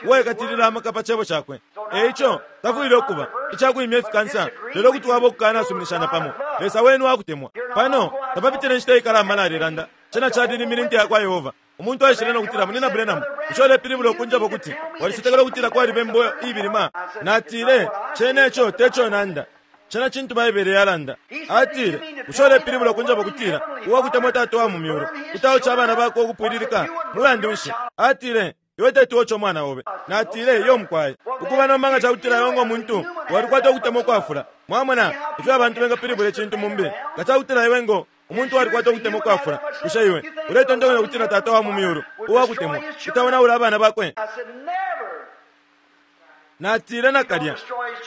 uwaikatilila amaka pa cebo cakwe. Eico tafwile ukuba icakwimya ifikansa, lelo kuti waba ukukanasuminishana pamo. Lesa wenu wakutemwa. Pano tapapitile inshita ikalamba nalilanda cena calilimile inte yakwa Yehova. Umuntu aishile no kutila, Munina Branham, ico ulepilibula ukunjaba ukuti walicetekela ukutila kwaliba imbo ibilima. Natile cene ico teco nanda, cena cintu Baibele yalanda. Atile usho ulepilibula ukunjaba ukutila uwakutemwa Tata wa mu myulu kutaoca abana bako ukupwililika mulandu nshi? Atile iwe teti mwana obe. Natile iyo mukwaye ukuba nomba nga cakutila iwe ngo muntu walikwata ukutemwa ukwafula. Mwamona ifyo abantu bengapilibula icintu mumbi. Nga cakutila iwe ngo umuntu walikwata ukutemwa ukwafula, bushe iwe uletontonkanya ukutila Tata wa mu myulu uwakutemwa kutaonaula abana bakwe? Natile nakalya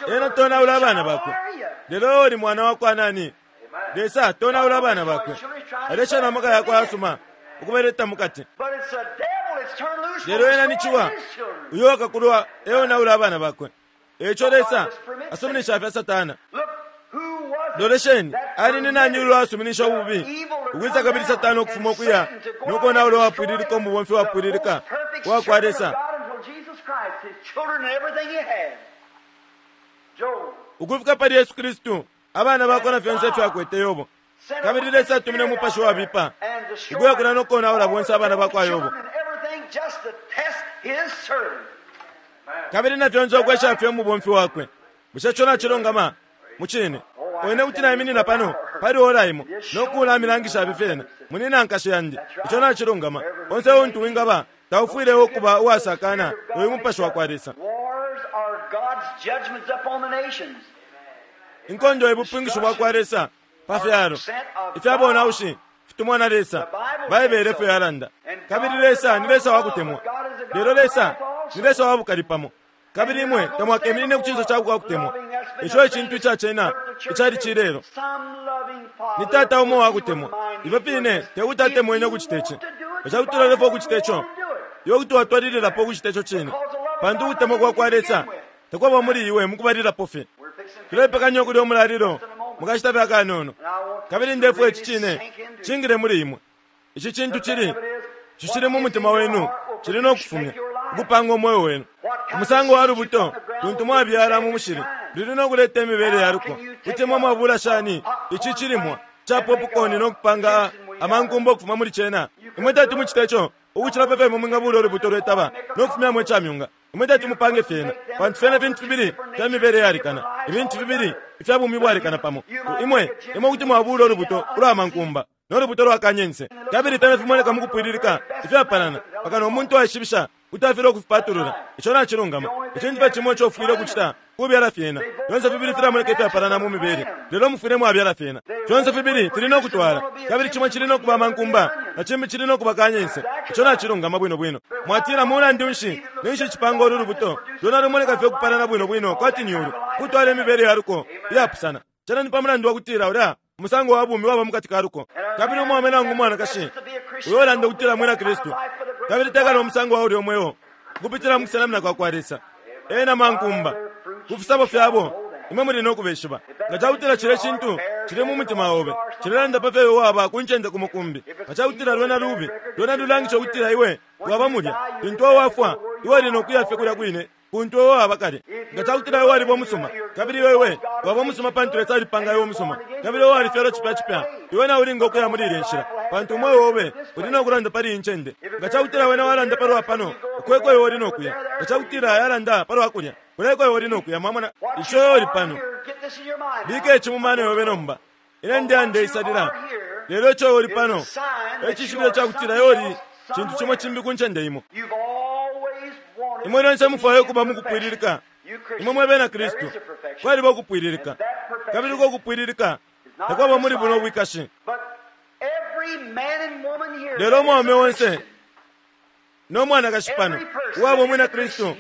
ena tonaula abana bakwe, lelo oli mwana wakwa nani? Lesa tonaula abana bakwe, alesha na maka yakwe asuma ukubaleta mukati. Lelo ena ni ciwa uyo akakulwa eonaula abana bakwe. Eico Lesa asuminisha fya Satana. Lolesheni ali ni nani ulo asuminisha ububi ukwisa kabili Satana ukufuma ukuya nokonaula wapwililika umubomfi wapwililika wa kwa Lesa ukufika pali Yesu Kristu, abana bakwe na fyonse ifyo akwete Yobo. Kabili Lesa atumine umupashi wabipa ukuya kuna nokonaula bonse abana bakwa Yobo. Kabili na fyonse ukwesha fye umubomfi wakwe. Bushe co nacilongama mucine? Wene kuti naiminina pano pali ora imo nokulamilangisha fyena munina nkashe yandi. Ico nacilongama. Onse untu wingaba taufwile ukuba uwasakana uyu mupashi wa kwa Lesa. Inkondo ebupingisho bwa kwa Lesa pa fyalo ifyabonaushi fitumwa na Lesa. Baibele efyo yalanda. Kabili Lesa ni Lesa wakutemwa, lelo Lesa ni Lesa wabukali pamo. Kabili imwe tamwakeminine ku cinso cakwe kutemwa. Ico ecintu icacena Icali cilelo. Ni tata umo wakutemwa. Ifyo fine tekuti atemwene ukucita ici. Nga ca ukucita ico, iwe kuti watwalililapo ukucita ico cine, pantu ukutemwa kwa kwa Lesa takwaba muli iwe mukubalilapo fye. Tulepekanya ukulya umulalilo mukashita fye akanono, kabili ndefwaya ici cine cingile muli imwe. Ici cintu cili cishili mu mutima wenu cili no kufumya ukupanga umweo wenu. Umusango wa lubuto luntu mwabyala mu mushili luli no kuleta imibele ya luko. Kuti mwe mwabula shani ici cilimwa ca popcorn no kupanga amankumba ukufuma muli cena? Imwe tati mucite ico ukucila pepe imwe mwingabula ulubuto lwetaba no kufumyamo icamyunga. Imwe tati mupange fyena, pantu fyena fintu fibili fya mibele yalikana, ibintu fibili ifya bumi bwalikana pamo. Imwe imwe kuti mwabula ulubuto ulwa mankumba no lubuto lwa kanyense, kabili fyena fimoneka mukupwililika ifyapalana mpaka no muntu aishibisha kuti afile ukufipatulula. Ico nacilungama. Icintu fye cimo ico ufwile ukucita kubyala fyena. Fyonse fibili filamoneka ifyapalana mu mibele, lelo mufwile mwabyala fyena. Fyonse fibili fili no kutwala, kabili cimo cili no kuba mankumba na cimbi cili no kuba kanyense. Ico nacilungama bwino bwino. Mwatila, mulandu nshi ninshi icipanga ulu lubuto lwena lumoneka fye ukupalana bwino bwino kwati ni ulu, kutwala imibele ya luko iyapusana? Cena ni pa mulandu wa kutila ulya umusango wa bumi waba mukati ka luko. Kabili umwaume nangu umwanakashi uyo ulanda ukutila mwina Kristu kabili tekala umusango wa ulya umweo ukupitila mu kusenamina kwa kwa Lesa, ena mankumba ku fisabo fyabo imwe muli no kubeshiba. Nga cakutila cile cintu cili mu mutima obe, cilelanda pa fyo waba ku ncende ku mukumbi. Nga cakutila lwena lubi, lwena lulangisha ukutila iwe waba mulya. Lintu wafwa, iwe uli no kuya fye kulya kwine kuntu iwe waba kale. Nga cakutila iwe waliba umusuma, kabili iwe iwe waba umusuma pantu Lesa alipanga iwe umusuma, kabili iwe walifyalwa cipya cipya, iwe nawe ulinga ukuya muli ilya nshila, pantu umweo obe uli no kulanda pali iyi ncende. Nga cakutila wena walanda palwa pano, ukweko iwe uli no kuya. Nga cakutila yalanda palwa kulya, kuleko iwe uli no kuya. Mwamona ico iwe uli pano. Bika ici mu mano yobe nomba. Ine ndeyandeisalila, lelo ico iwe uli pano ecishibilo cakutila iwe uli cintu cimo cimbi ku ncende imo. Imwe lyonse mufwaya ukuba mukupwililika. Imwe mwe bena Kristu, kwaliba ukupwililika, kabili uko kupwililika takwaba muli buno bwikashi. Lelo umwaume onse no mwanakashi pano uwaba umwina Kristu,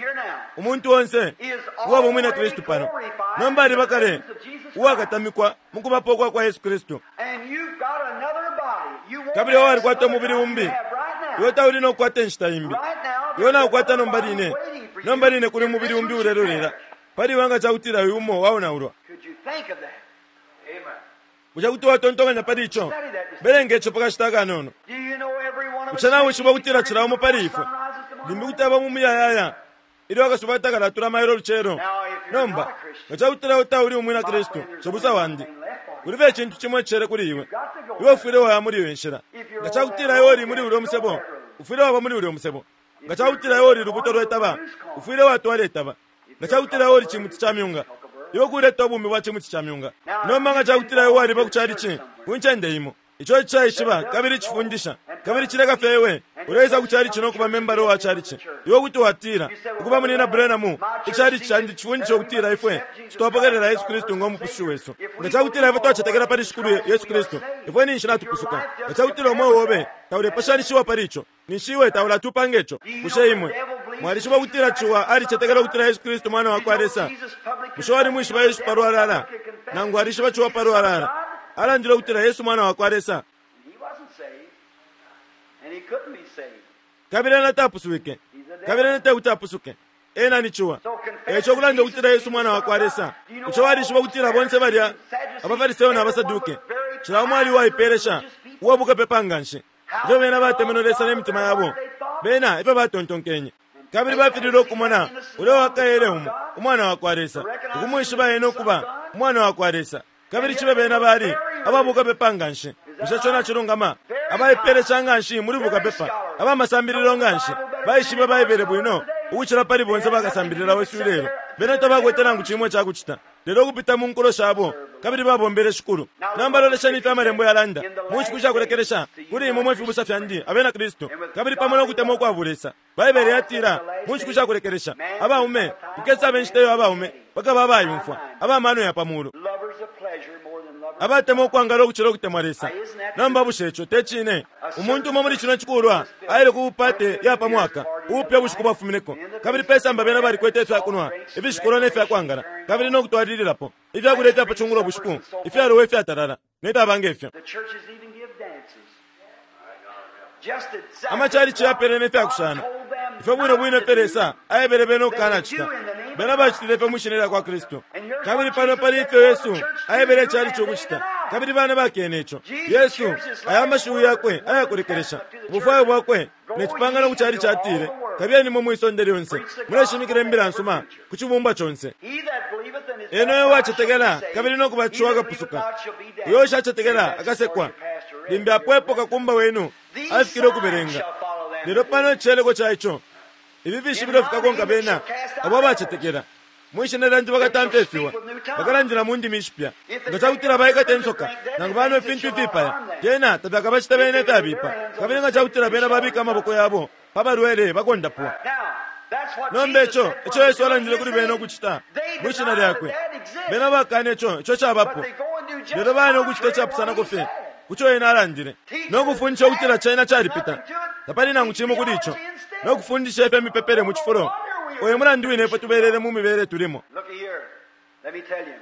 umuntu onse uwaba umwina Kristu pano nomba aliba kale uwakatamikwa mukubapo kwa kwa Yesu Kristu, kabili iwe walikwata umubili umbi. Iwe tauli no kukwata inshita imbi. Iwe naukwata nomba line, nomba line kuli umubili umbi ulelolela pali iwe nga cakutila uyu umo waonaulwa. Bushe kuti watontonkanya pali ico? Belenga ico pakashita akanono. Bushe nawishiba ukutila cila umo pali ifwe limbi kuti aba mu muyayaya ilyo akasuba takalatula mailo lucelo? Nomba nga cakutila iwe tauli umwina Kristu, cibusa wandi, kulibe icintu cimo icele kuli iwe. Iwe ufwile waya muli iyo nshila. Nga cakutila iwe uli muli ulya musebo, ufwile waba muli ulya musebo. Nga cakutila iwe uli lubuto lwetaba, ufwile watwala itaba. Nga cakutila iwe uli cimuti ca myunga, iwe kuleta ubumi bwa cimuti ca myunga. Nomba nga cakutila iwe waliba ku calici ku ncende imo, ico icaishiba kabili cifundisha kabili cileka fye iwe uleisa ku calici no kuba membala wa calici, iwe kuti watila ukuba munina Branham, icalici candi cifundisha ukutila ifwe twapokelela Yesu Kristu ngo mupusushi wesu. Nga cakutila ifwe twacetekela pali Shikulu Yesu Kristu, ifwe ninshi natupusuka. Nga cakutila umweo obe taulepashanishiwa pali ico, ninshi iwe taulatupanga ico. Bushe imwe mwalishiba ukutila Ciwa alicetekela ukutila Yesu Kristu mwana wa kwa Lesa? Bushe walimwishiba Yesu palwalala? Nangu alishiba Ciwa palwalala? Alandile ukutila Yesu mwana wa kwa Lesa. Kabili ena tapuswike, kabili ena tekuti apusuke. Ena ni Ciwa. Eco kulanda ukutila Yesu mwana wa kwa Lesa. Bushe walishiba ukutila bonse balya abaFariseyo na baSaduke, cila umo ali uwaipelesha uwabukapepa nga nshi? Ifyo bena batemenwe Lesa ne mitima yabo, bena ifyo batontonkenye, kabili bafililwe ukumona ulya wakaele umo umwana wa kwa Lesa, ukumwishiba ena ukuba umwana wa kwa Lesa. Kabili cibe bena bali ababukapepa nga nshi. Bushe ico nacilungama? Abaipelesha nga nshi muli bukapepa, abamasambililo nga nshi, baishibe Baibele bwino ukucila pali bonse bakasambilila wesu ilelo. Bena tabakwete nangu cimo icakucita lelo ukupita mu nkulo shabo, kabili babombele Shikulu. Nomba lolesheni ifyo amalembo yalanda mu nshiku shakulekelesha kuli imwe mwe fibusa fyandi abena Kristu, kabili pamo no kutemwa ukwa bulesa. Baibele yatila mu nshiku shakulekelesha abaume kukesaba inshita iyo abaume bakaba abayumfwa, abamano ya pa mulu, abatemwa ukwangala ukucila ukutemwa Lesa. Nomba bushe ico te cine? Umuntu umo muli cino cikulwa aile ku bupate ya pa mwaka ubupya bushiku bwafumineko, kabili pesamba bena balikwete ifyakunwa ifishikolwa ne fyakwangala kabili no kutwalililapo. Ifyakuleta pa cungulo bushiku ifyalowa ifyatalala nefyaba ngefyo. The churches even give dances. Just exactly Amachalichi yapele nefyakushana what God told them ifyo bwino bwino not to ifyo do. Lesa aebele bena ukukanacita bena bacitile fye mwishina lya kwa Kristu. Kabili pano pali ifyo Yesu aebele icalichi ukucita, kabili bana bakene ico. Yesu aya amashiwi yakwe ayakulekelesha ubufwayo bwakwe ne cipangano ku calichi atile, kabiyeni mwe mwisonde lyonse muleshimikila imbila nsuma ku cibumbwa conse. He that believeth and is Eno uyo baptized wacetekela shall be saved. kabili no kubatishiwa He that akapusuka, believeth not shall be damned. uyo ushacetekela That's akasekwa. what your pastor read. Limbi apwepo kakumba wenu These afikile signs ukubelenga. shall follow them Lelo that pano believe. icileleko ca ico, ifi fishibilo fikakonka bena abo abacetekela. Mwishina lyandi bakatamfya ifiwa, bakalandila mu ndimi ishipya. Nga cakutila baikata insoka nangu banwa ifintu ifipaya, lyena tafyakabacita bena ifyabipa. Kabili nga cakutila bena babika amaboko yabo pa balwele bakondapwa. Now, that's what Nomba Jesus ico said for ico Yesu them to alandile do kuli in his bena name. ukucita They mwishina deny lyakwe, that that exists. bena bakana ico ico cabapo. But they go and do just Lelo bana ukucita contrary icapusanako what he fye said. kuco ena alandile no kufundisha ukutila china calipita tapali nangu cimo kuli ico no kufundisha ifya mipepele mu cifulo. Oyo mulandu wine ifwe tubelele mu mibele tulimo. Look here. Let me tell you,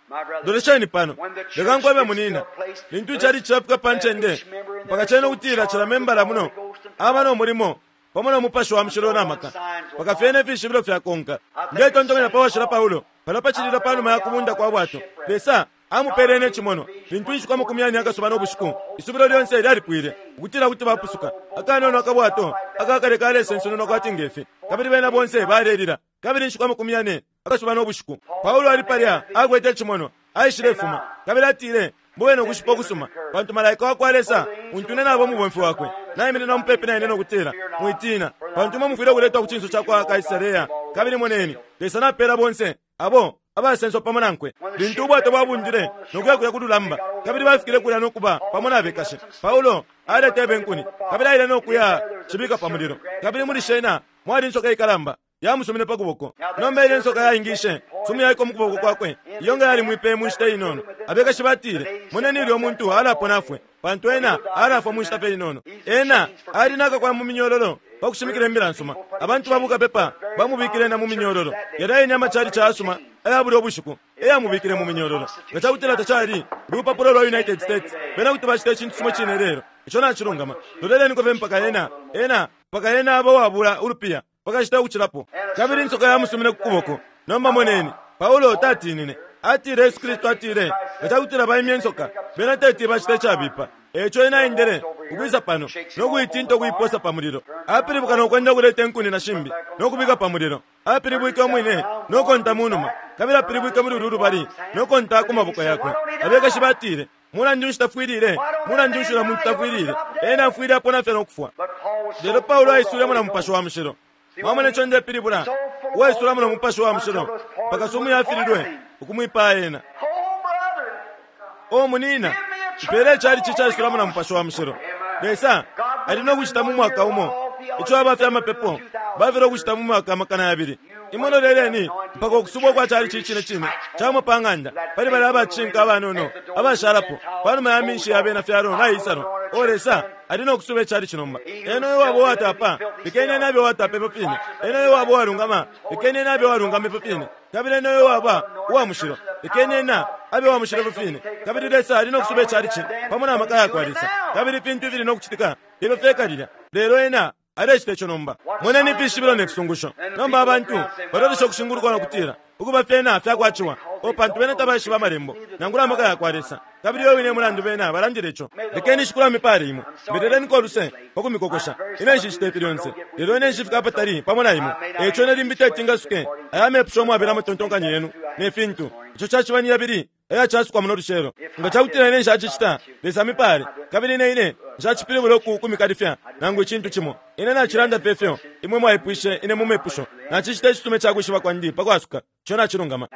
my brother. Lolesheni pano, When the church leka nkwebe gets to munina, a place, lintu icali cafika pa ncende each member in mpaka there cena so ukutila cila charged membala with the muno Holy Ghost and aba power. no mulimo pamo no mupashi wa mushilo na maka mpaka fyene ifishibilo fyakonka. Ndetontonkanya pa washila Paulo pano pacililo panuma ya kubunda kwa bwato, Lesa amupele ne cimono lintu inshiku amakumi yane akasuba no bushiku isubilo lyonse lyalipwile ukutila kuti bapusuka. Akanono akabwato akakale kalesensenunwa kwati ngefi, kabili bena bonse balelila. Kabili inshiku amakumi yane akasuba no bushiku Paulo ali palya akwete icimono, aishilefuma kabili atile, mube nokushipa ukusuma, pantu malaika wa kwa Lesa untu ine nabo umubomfi wakwe naiminina mupepi na ine nokutila, mwitina, pantu imwe mufwile ukuletwa ku cinso ca kwa Kaisareya. Kabili moneni, Lesa napela bonse abo abasenswa pamo nankwe. Lintu ubwato bwabundile nokuya kuya ku lulamba, kabili bafikile kulya nokuba pamo na bekashi, Paulo aletebe inkuni kabili aile nokuya cibika pa mulilo. Kabili muli shena mwali insoka ikalamba yamusumine pa kuboko. Nomba ile nsoka yaingishe sumu yaiko mu kuboko kwakwe, iyo nga yalimwipeye mu nshita inono. Abekashi batile, moneni ilyo muntu alapona afwe, pantu ena alafwa mu nshita fye inono. Ena ali nakakwa mu minyololo pa kushimikila imbila nsuma. Abantu babukapepa bamubikile na mu minyololo. Yali ayene amachalichi ayasuma aya bulya ubushiku eyamubikile mu minyololo. Nga cakutila tacali lupapulo lwa United States, bena kuti bacita icintu cimo cine lelo. Ico nacilungama. Loleleniko fye mpaka ena ena mpaka ena aba wabula ulupiya pakashita ukucilapo. Kabili insoka yamusumine ku kuboko. Nomba moneni, Paulo tatinine. Atile Yesu Kristu atile, nga cakutila baimye insoka bena teti bacita icabipa. Eco ena aendele ukwisa pano no kuitinta ukuiposa pa mulilo. Apilibuka no kwenda kuleta inkuni na shimbi no kubika pa mulilo. Apilibwike umwine no konta mu numa, kabili apilibwike muli ulu lubali no konta ku maboko yakwe. Abekashi batile, mulandu nshi tafwilile? Mulandu nshi ula muntu tafwilile? Ena afwile apona fye no kufwa. But Paul was so Lelo Paulo full of the aisulemo na Holy mupashi Ghost. wa mushilo. Mwamona ico ndepilibula? Uwaisulamo no mupashi wa mushilo mpaka sumu yafililwe ukumwipaya ena. Oh, brother. O munina, mpele icalichi caisulamo na mupashi wa mushilo. Lesa ali no kucita mu mwaka umo ico abafya amapepo bafile ukucita mu mwaka amakana yabili. Imwe loleleni mpaka ukusubwa kwa calichi icine cine camwe pa ng'anda pali bali abacinka abanono abashalapo panuma ya minshi ya bena fyalo naisalwa. O Lesa ali no kusuba icalichi nomba. Ena uyo wabo uwatapa, lekeni ena abe uwatapa ifyo fine. Ena uyo wabo uwalungama, lekeni ena abe uwalungama ifyo fine. Kabili ena uyo waba uwa mushilo, lekeni ena abe uwa mushilo ifyo fine. Kabili Lesa ali no kusuba icalichi pamo na maka yakwa Lesa. Kabili ifintu ifili no kucitika ifyo fyekalila. Lelo ena alecita ico nomba. Moneni ifishibilo ne fisungusho. Nomba abantu balolesha ukushinguluka no kutila ukuba fyena fyakwaciwa, o pantu bena tabaishiba amalembo nangula amaka yakwa Lesa. Kabili uyo wine mulandu bena balandile ico. Lekeni shikulu amipale imwe, mbeleleniko uluse pa kumikokosha. Ine nshicita ifi lyonse, lelo ine nshifika apatali pamo na imwe. Eco ine limbi teti ngasuke aya mepusho umwabela amatontonkanyo yenu ne fintu. Ico caciba ni yabili ayacasukwa muno lucelo. Nga cakutila ine nshacicita, Lesa amipale. Kabili ine ine nshacipilibula uku kumikalifya nangu icintu cimo. Ine nacilanda fye ifyo imwe mwaipwishe ine mu mepusho. Nacicita icitume ca kwishiba kwandi pa kwasuka. Ico nacilungama.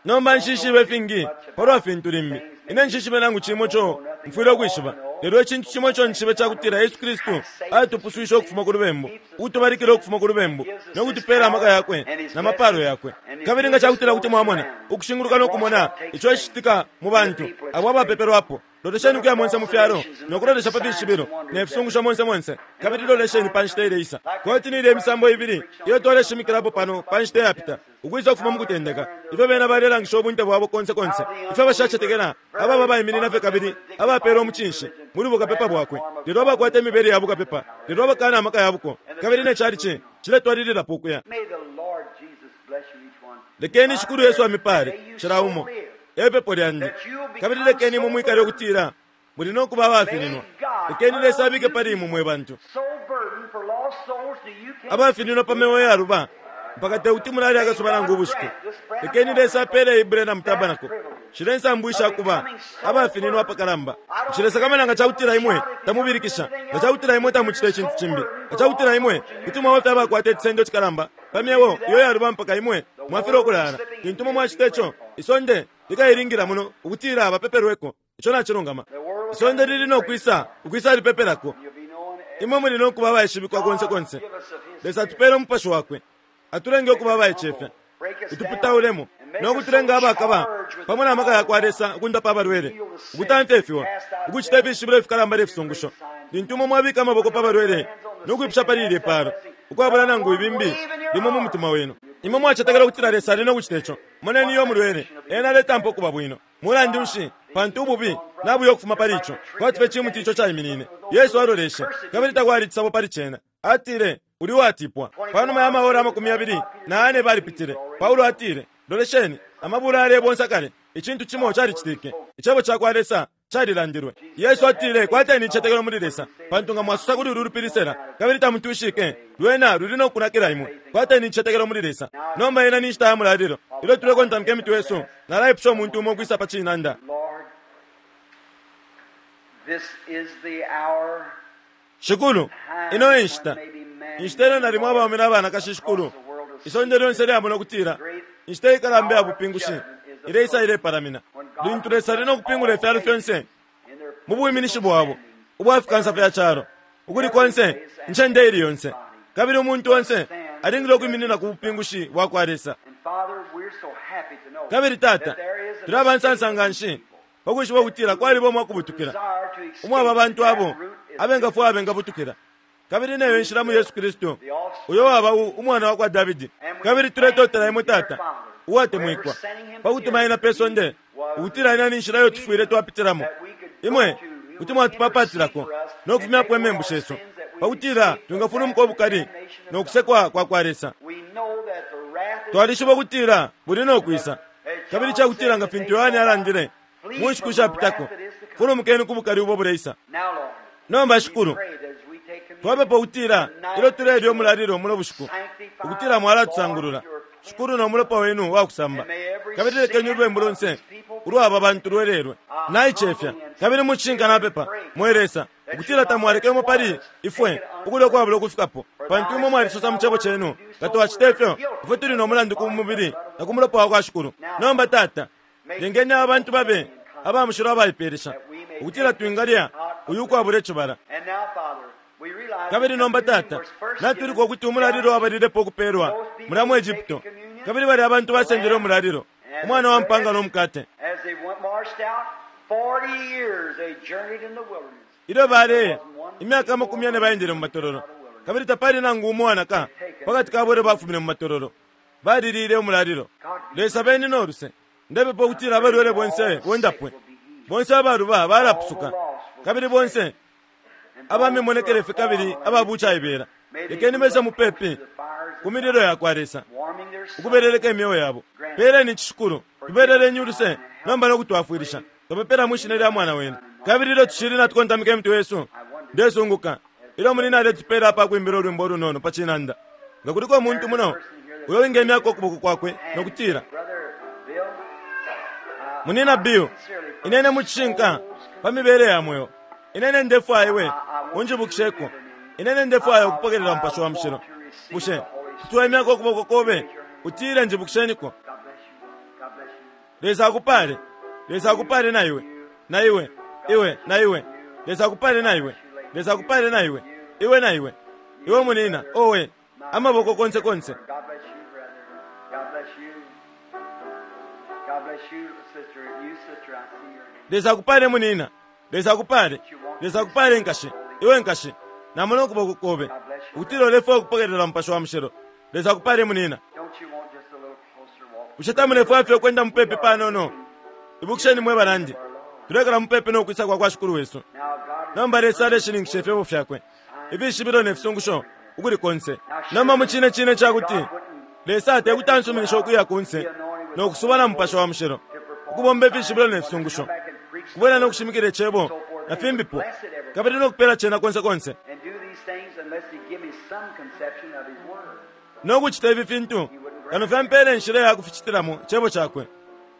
Nomba nshishibe ifingi palwa fintu limbi. Ine nshishibe nangu cimo ico mfwile ukwishiba. Lelo icintu cimo ico nshibe cakutila Yesu Kristu atupuswishe ukufuma ku lubembu, utubalikile ukufuma ku lubembu no kutupela amaka yakwe na mapalo yakwe. Kabili nga cakutila kuti mwamona ukushinguluka no kumona ico icitika mu bantu abo abapepelwapo Lolesheni ukuya monse mu fyalo no kulolesha pa fishibilo ne fisungusho monse monse, kabili lolesheni pa nshita ileisa. Kwati ni ilya imisambo ibili iyo twaleshimikilapo pano pa nshita yapita, ukwisa ukufuma mu kutendeka, ifyo bena balelangisha ubunte bwabo konse konse, ifyo abashacetekela ababa baiminina fye kabili abapeela umucinshi muli bukapepa bwakwe, lelo abakwata imibele ya bukapepa, lelo abakana amaka ya buko, kabili ne chalichi ciletwalililapo ukuya. May the Lord Jesus bless you each one. Lekeni Shikulu Yesu amipale cila umo, epepo lyandi, kabili lekeni imwe mwikale ukutila muli no kuba abafininwa. Lekeni Lesa abike pali imwe mwe bantu So burdened for lost souls do you can't abafininwa pa myeo yaluba mpaka tekuti mulali akasuba nangu ubushiku. Lekeni Lesa apele Ibulena Tabernacle shile nsambu ishakuba abafininwa apakalamba. Nshilesakamana nga cakutila imwe tamubilikisha, nga cakutila imwe tamucita icintu cimbi, nga cakutila imwe kuti mwaba fye abakwata icisendo cikalamba pa myeo iyo yaluba mpaka imwe mwafilwa ukulala. Lintu imwe mwacita ico, isonde likailingila muno ukutila bapepelweko. Ico nacilungama. Isonde lili no kwisa ukwisa lipepelako. You'll be known as Imwe muli no kuba abaishibikwa konse konse. give us of his Lesa atupele umupashi wakwe, atulenge ukuba abaicefya, utuputaulemo no kutulenga abakaba pamo na maka yakwa Lesa ukundapa abalwele, ukutamfya ifiwa, ukucita ifishibilo ifikalamba ne fisungusho. Lintu imwe mwabika amaboko pa balwele no kwipusha pali ilye palo, ukwabula nangu ibimbi limo mu mutima wenu, imwe mwacetekela ukutila Lesa ali no kucita ico. Moneni iyo mulwele, ena aletampa ukuba bwino. Mulandu nshi? Pantu ububi nabuya ukufuma pali ico, kwati fye cimuti ico caiminine. Yesu aloleshe, kabili takwali icisabo pali cena. Atile, uli watipwa. Panuma ya mahora amakumi yabili na ane balipitile. Paulo atile, lolesheni, amabula yalebonsa kale. Icintu cimo calicitike. Icebo ca kwa Lesa calilandilwe. Yesu atile, kwateni icetekelo muli Lesa, pantu nga mwasusa kuli ulu lupili sela, kabili tamutwishike, lwena luli no kunakila imwe. Kwateni icetekelo muli Lesa. Nomba ina ni nshita ya mulalilo. Ilyo tulekontamika imitwe yesu, nalaipusha umuntu umo ukwisa pa cinanda. Lord, this is the hour Shikulu, ino e nshita. Inshita ilyo nalimo abaume n'abanakashi, Shikulu, isonde lyonse lyamona ukutila inshita ikalamba ya bupingushi ileisa ilepalamina. Lintu Lesa ali no kupingula ifyalo fyonse in their mu bwiminishi bwabo ubwa fikansa fya calo, ukuli konse, incende ili yonse, kabili umuntu onse alingile ukwiminina ku bupingushi bwa kwa Lesa. And Father, we're so happy to know Kabili Tata, that there is an tuli abansansa nga nshi pakwishiba ukutila kwaliba umwakubutukila desire to escape umwaba abantu abo that root is abengafwaya abengabutukila, kabili neyo inshila mu Yesu Kristu, uyo waba u- umwana wa kwa Davidi. Kabili tuletotela imwe Tata uwatemwikwa pakutuma ena pe sonde, ukutila ina ni nshila iyo tufwile twapitilamo. Imwe kuti mwatupapatilako no kufumyapo imembu shesu, pakutila twingafulumuka ubukali no kusekwa kwa kwa Lesa. We know that the wrath is Twalishiba ukutila buli no kwisa, kabili cakutila nga fintu Yohane alandile mu nshiku shapitako, fulumukeni ku bukali ubo buleisa. now, Lord. Nomba We Shikulu, pray that as we take communion, twapepa ukutila ilyo tulelya umulalilo muno bushiku, ukutila mwalatusangulula Shikulu no mulopa wenu wakusamba, kabili lekeni ulubembu lonse ulwaba bantu lwelelwe. Naicefya kabili mucishinka napepa, mwe Lesa, ukutila tamwalekemo pali ifwe ukulya ukwabula ukufikapo, pantu imwe mwalisosa mu cebo cenu nga twacita ifyo ifwe tuli no mulandu ku mubili na ku mulopa wa kwa Shikulu. Nomba Tata, lengeni aba bantu babe aba mushilo abaipeelesha, ukutila twingalya uyu ukwabula icibala. And now, Father, we realize Kabili nomba Tata, natuliko ukuti umulalilo wabalilepo ukupeelwa mulya mu Egypto, kabili bali abantu basendele umulalilo, umwana wa mpanga no mukate. as they went marched out, forty years they journeyed in the wilderness. Ilyo baleya imyaka amakumi yane baendele mu matololo, kabili tapali nangu umo wanaka pakati kabo ilyo bafumine mu matololo, balilile umulalilo. Lesa beni no luse. Ndepepa ukutila abalwele bonse bondapwe, bonse abaluba balapusuka, kabili bonse abamimonekele fye kabili ababucaibela, lekeni bese mupepi ku mililo ya kwa Lesa, Warming their souls. ukubeleleka imyeo yabo. Peleni Shikulu, tubeleleni uluse nomba no kutwafwilisha. Twapepela mwi shina lya mwana wenu. Kabili ilyo tushili natukontamika imitwe yesu, ndesunguka ilyo muli naletupela apa kwimbila ulwimbo ulunono pa cinanda, nga kuliko umuntu muno uyo wingemyako ukuboko kwakwe no kutila, Brother Bill, munina Bill, inene mucishinka pa mibele ya mweo, inene ndefwaya iwe unjibukisheko, inene ndefwaya ukupokelela Mupashi wa Mushilo. Bushe kuti waimyako ukuboko kobe utile njibukisheniko? God bless you. God bless you. Lesa akupale, Lesa akupale na iwe, na iwe, iwe, na iwe. Lesa akupale na iwe, Lesa akupale na iwe, iwe na iwe, iwe munina, owe, amaboko konse konse. God bless you, brother. God bless you. God bless you, sister. You, sister, I see your hand. Lesa akupale munina, Lesa akupale. Lesa akupale, nkashi. Iwe nkashi, namona ukuboko kobe ukutila ulefwaya ukupokelela Mupashi wa Mushilo. Lesa akupale, munina. Don't you want just a little closer walk? Bushe tamulefwaya fye ukwenda mupepi panono? Ibukisheni, mwe banandi, tulekala mupepi no kwisa kwa kwa Shikulu wesu. Now God Nomba Lesa aleshininkisha ifyebo fyakwe, ifishibilo ne fisungusho ukuli konse. Nomba mu cine cine cakuti Lesa tekuti ansuminisha ukuya kunse no kusuba na Mupashi wa Mushilo ukubomba ifishibilo ne fisungusho, kubwela no kushimikila icebo na fimbipo, kabili no kupela cena konse konse and do these things unless He give me some conception of His Word. No kucita ifi fintu kano fyampele inshila ya kuficitilamo cebo cakwe.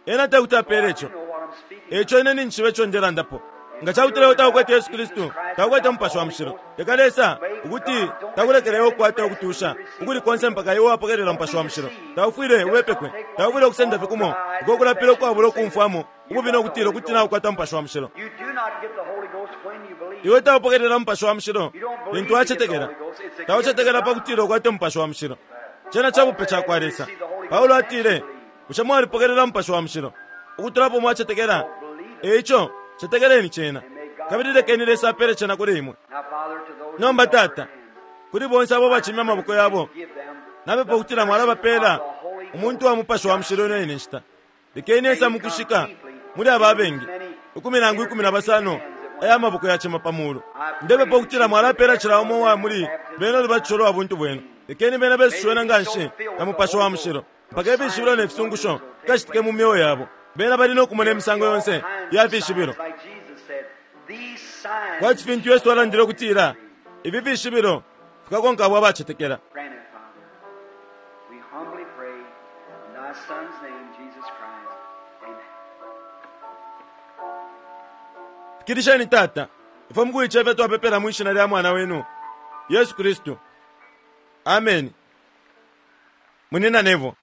Ena tekuti apele ico. You know what I'm speaking. Eco ine ninjishiba ico ndelandapo. Nga cakuti leo takukwete Yesu Kristu, takukwete Mupashi wa Mushilo, leka Lesa ukuti takulekeleyo ukukwata ukutusha ukuli konse mpaka iwe wapokelela Mupashi wa Mushilo. Taufwile uwepekwe. Taufwile ukusenda fye kumo uko kulapila ukwabula ukumfwamo ububi no kutila ukuti naukwata Mupashi wa Mushilo. You do not get the Holy Ghost when you believe. Iwe taupokelela Mupashi wa Mushilo lintu wacetekela. Taucetekela pakutila ukwate Mupashi wa Mushilo. Cena cabupe cakwa Lesa. Paulo atile, "Bushe mwalipokelela Mupashi wa Mushilo ukutulapo mwacetekela? Eico cetekeleni cena, kabili lekeni Lesa apele cena kuli imwe." Now, Father, to those Nomba who lift Tata, their hands, kuli bonse abo bacimya amaboko yabo, give them napepa ukutila mwalabapela umuntu wa Mupashi wa Mushilo ino ine nshita. Lekeni esa mukushika muli aba abengi ikumi nangu ikumi na basano aya maboko yacima pa mulu. Ndepepa ukutila mwalapela cila umo wa muli bena ulubatisho lwa buntu bwenu. Lekeni bena besushiwena nga nshi na Mupashi wa Mushilo mpaka ifishibilo ne fisungusho fikacitike mu myeo yabo. Bena bali no kumona imisango yonse ya fishibilo, like Jesus said, these signs kwati fintu Yesu alandile ukutila ifi fishibilo fikakonka abo abacetekela. Grant it, Father. We humbly pray in thy Son's name, Jesus Christ. Amen. Fikilisheni, Tata. Ifwe mukuicefya twapepela mwishina lya mwana wenu Yesu Kristu. Ameni. Munina Nevo.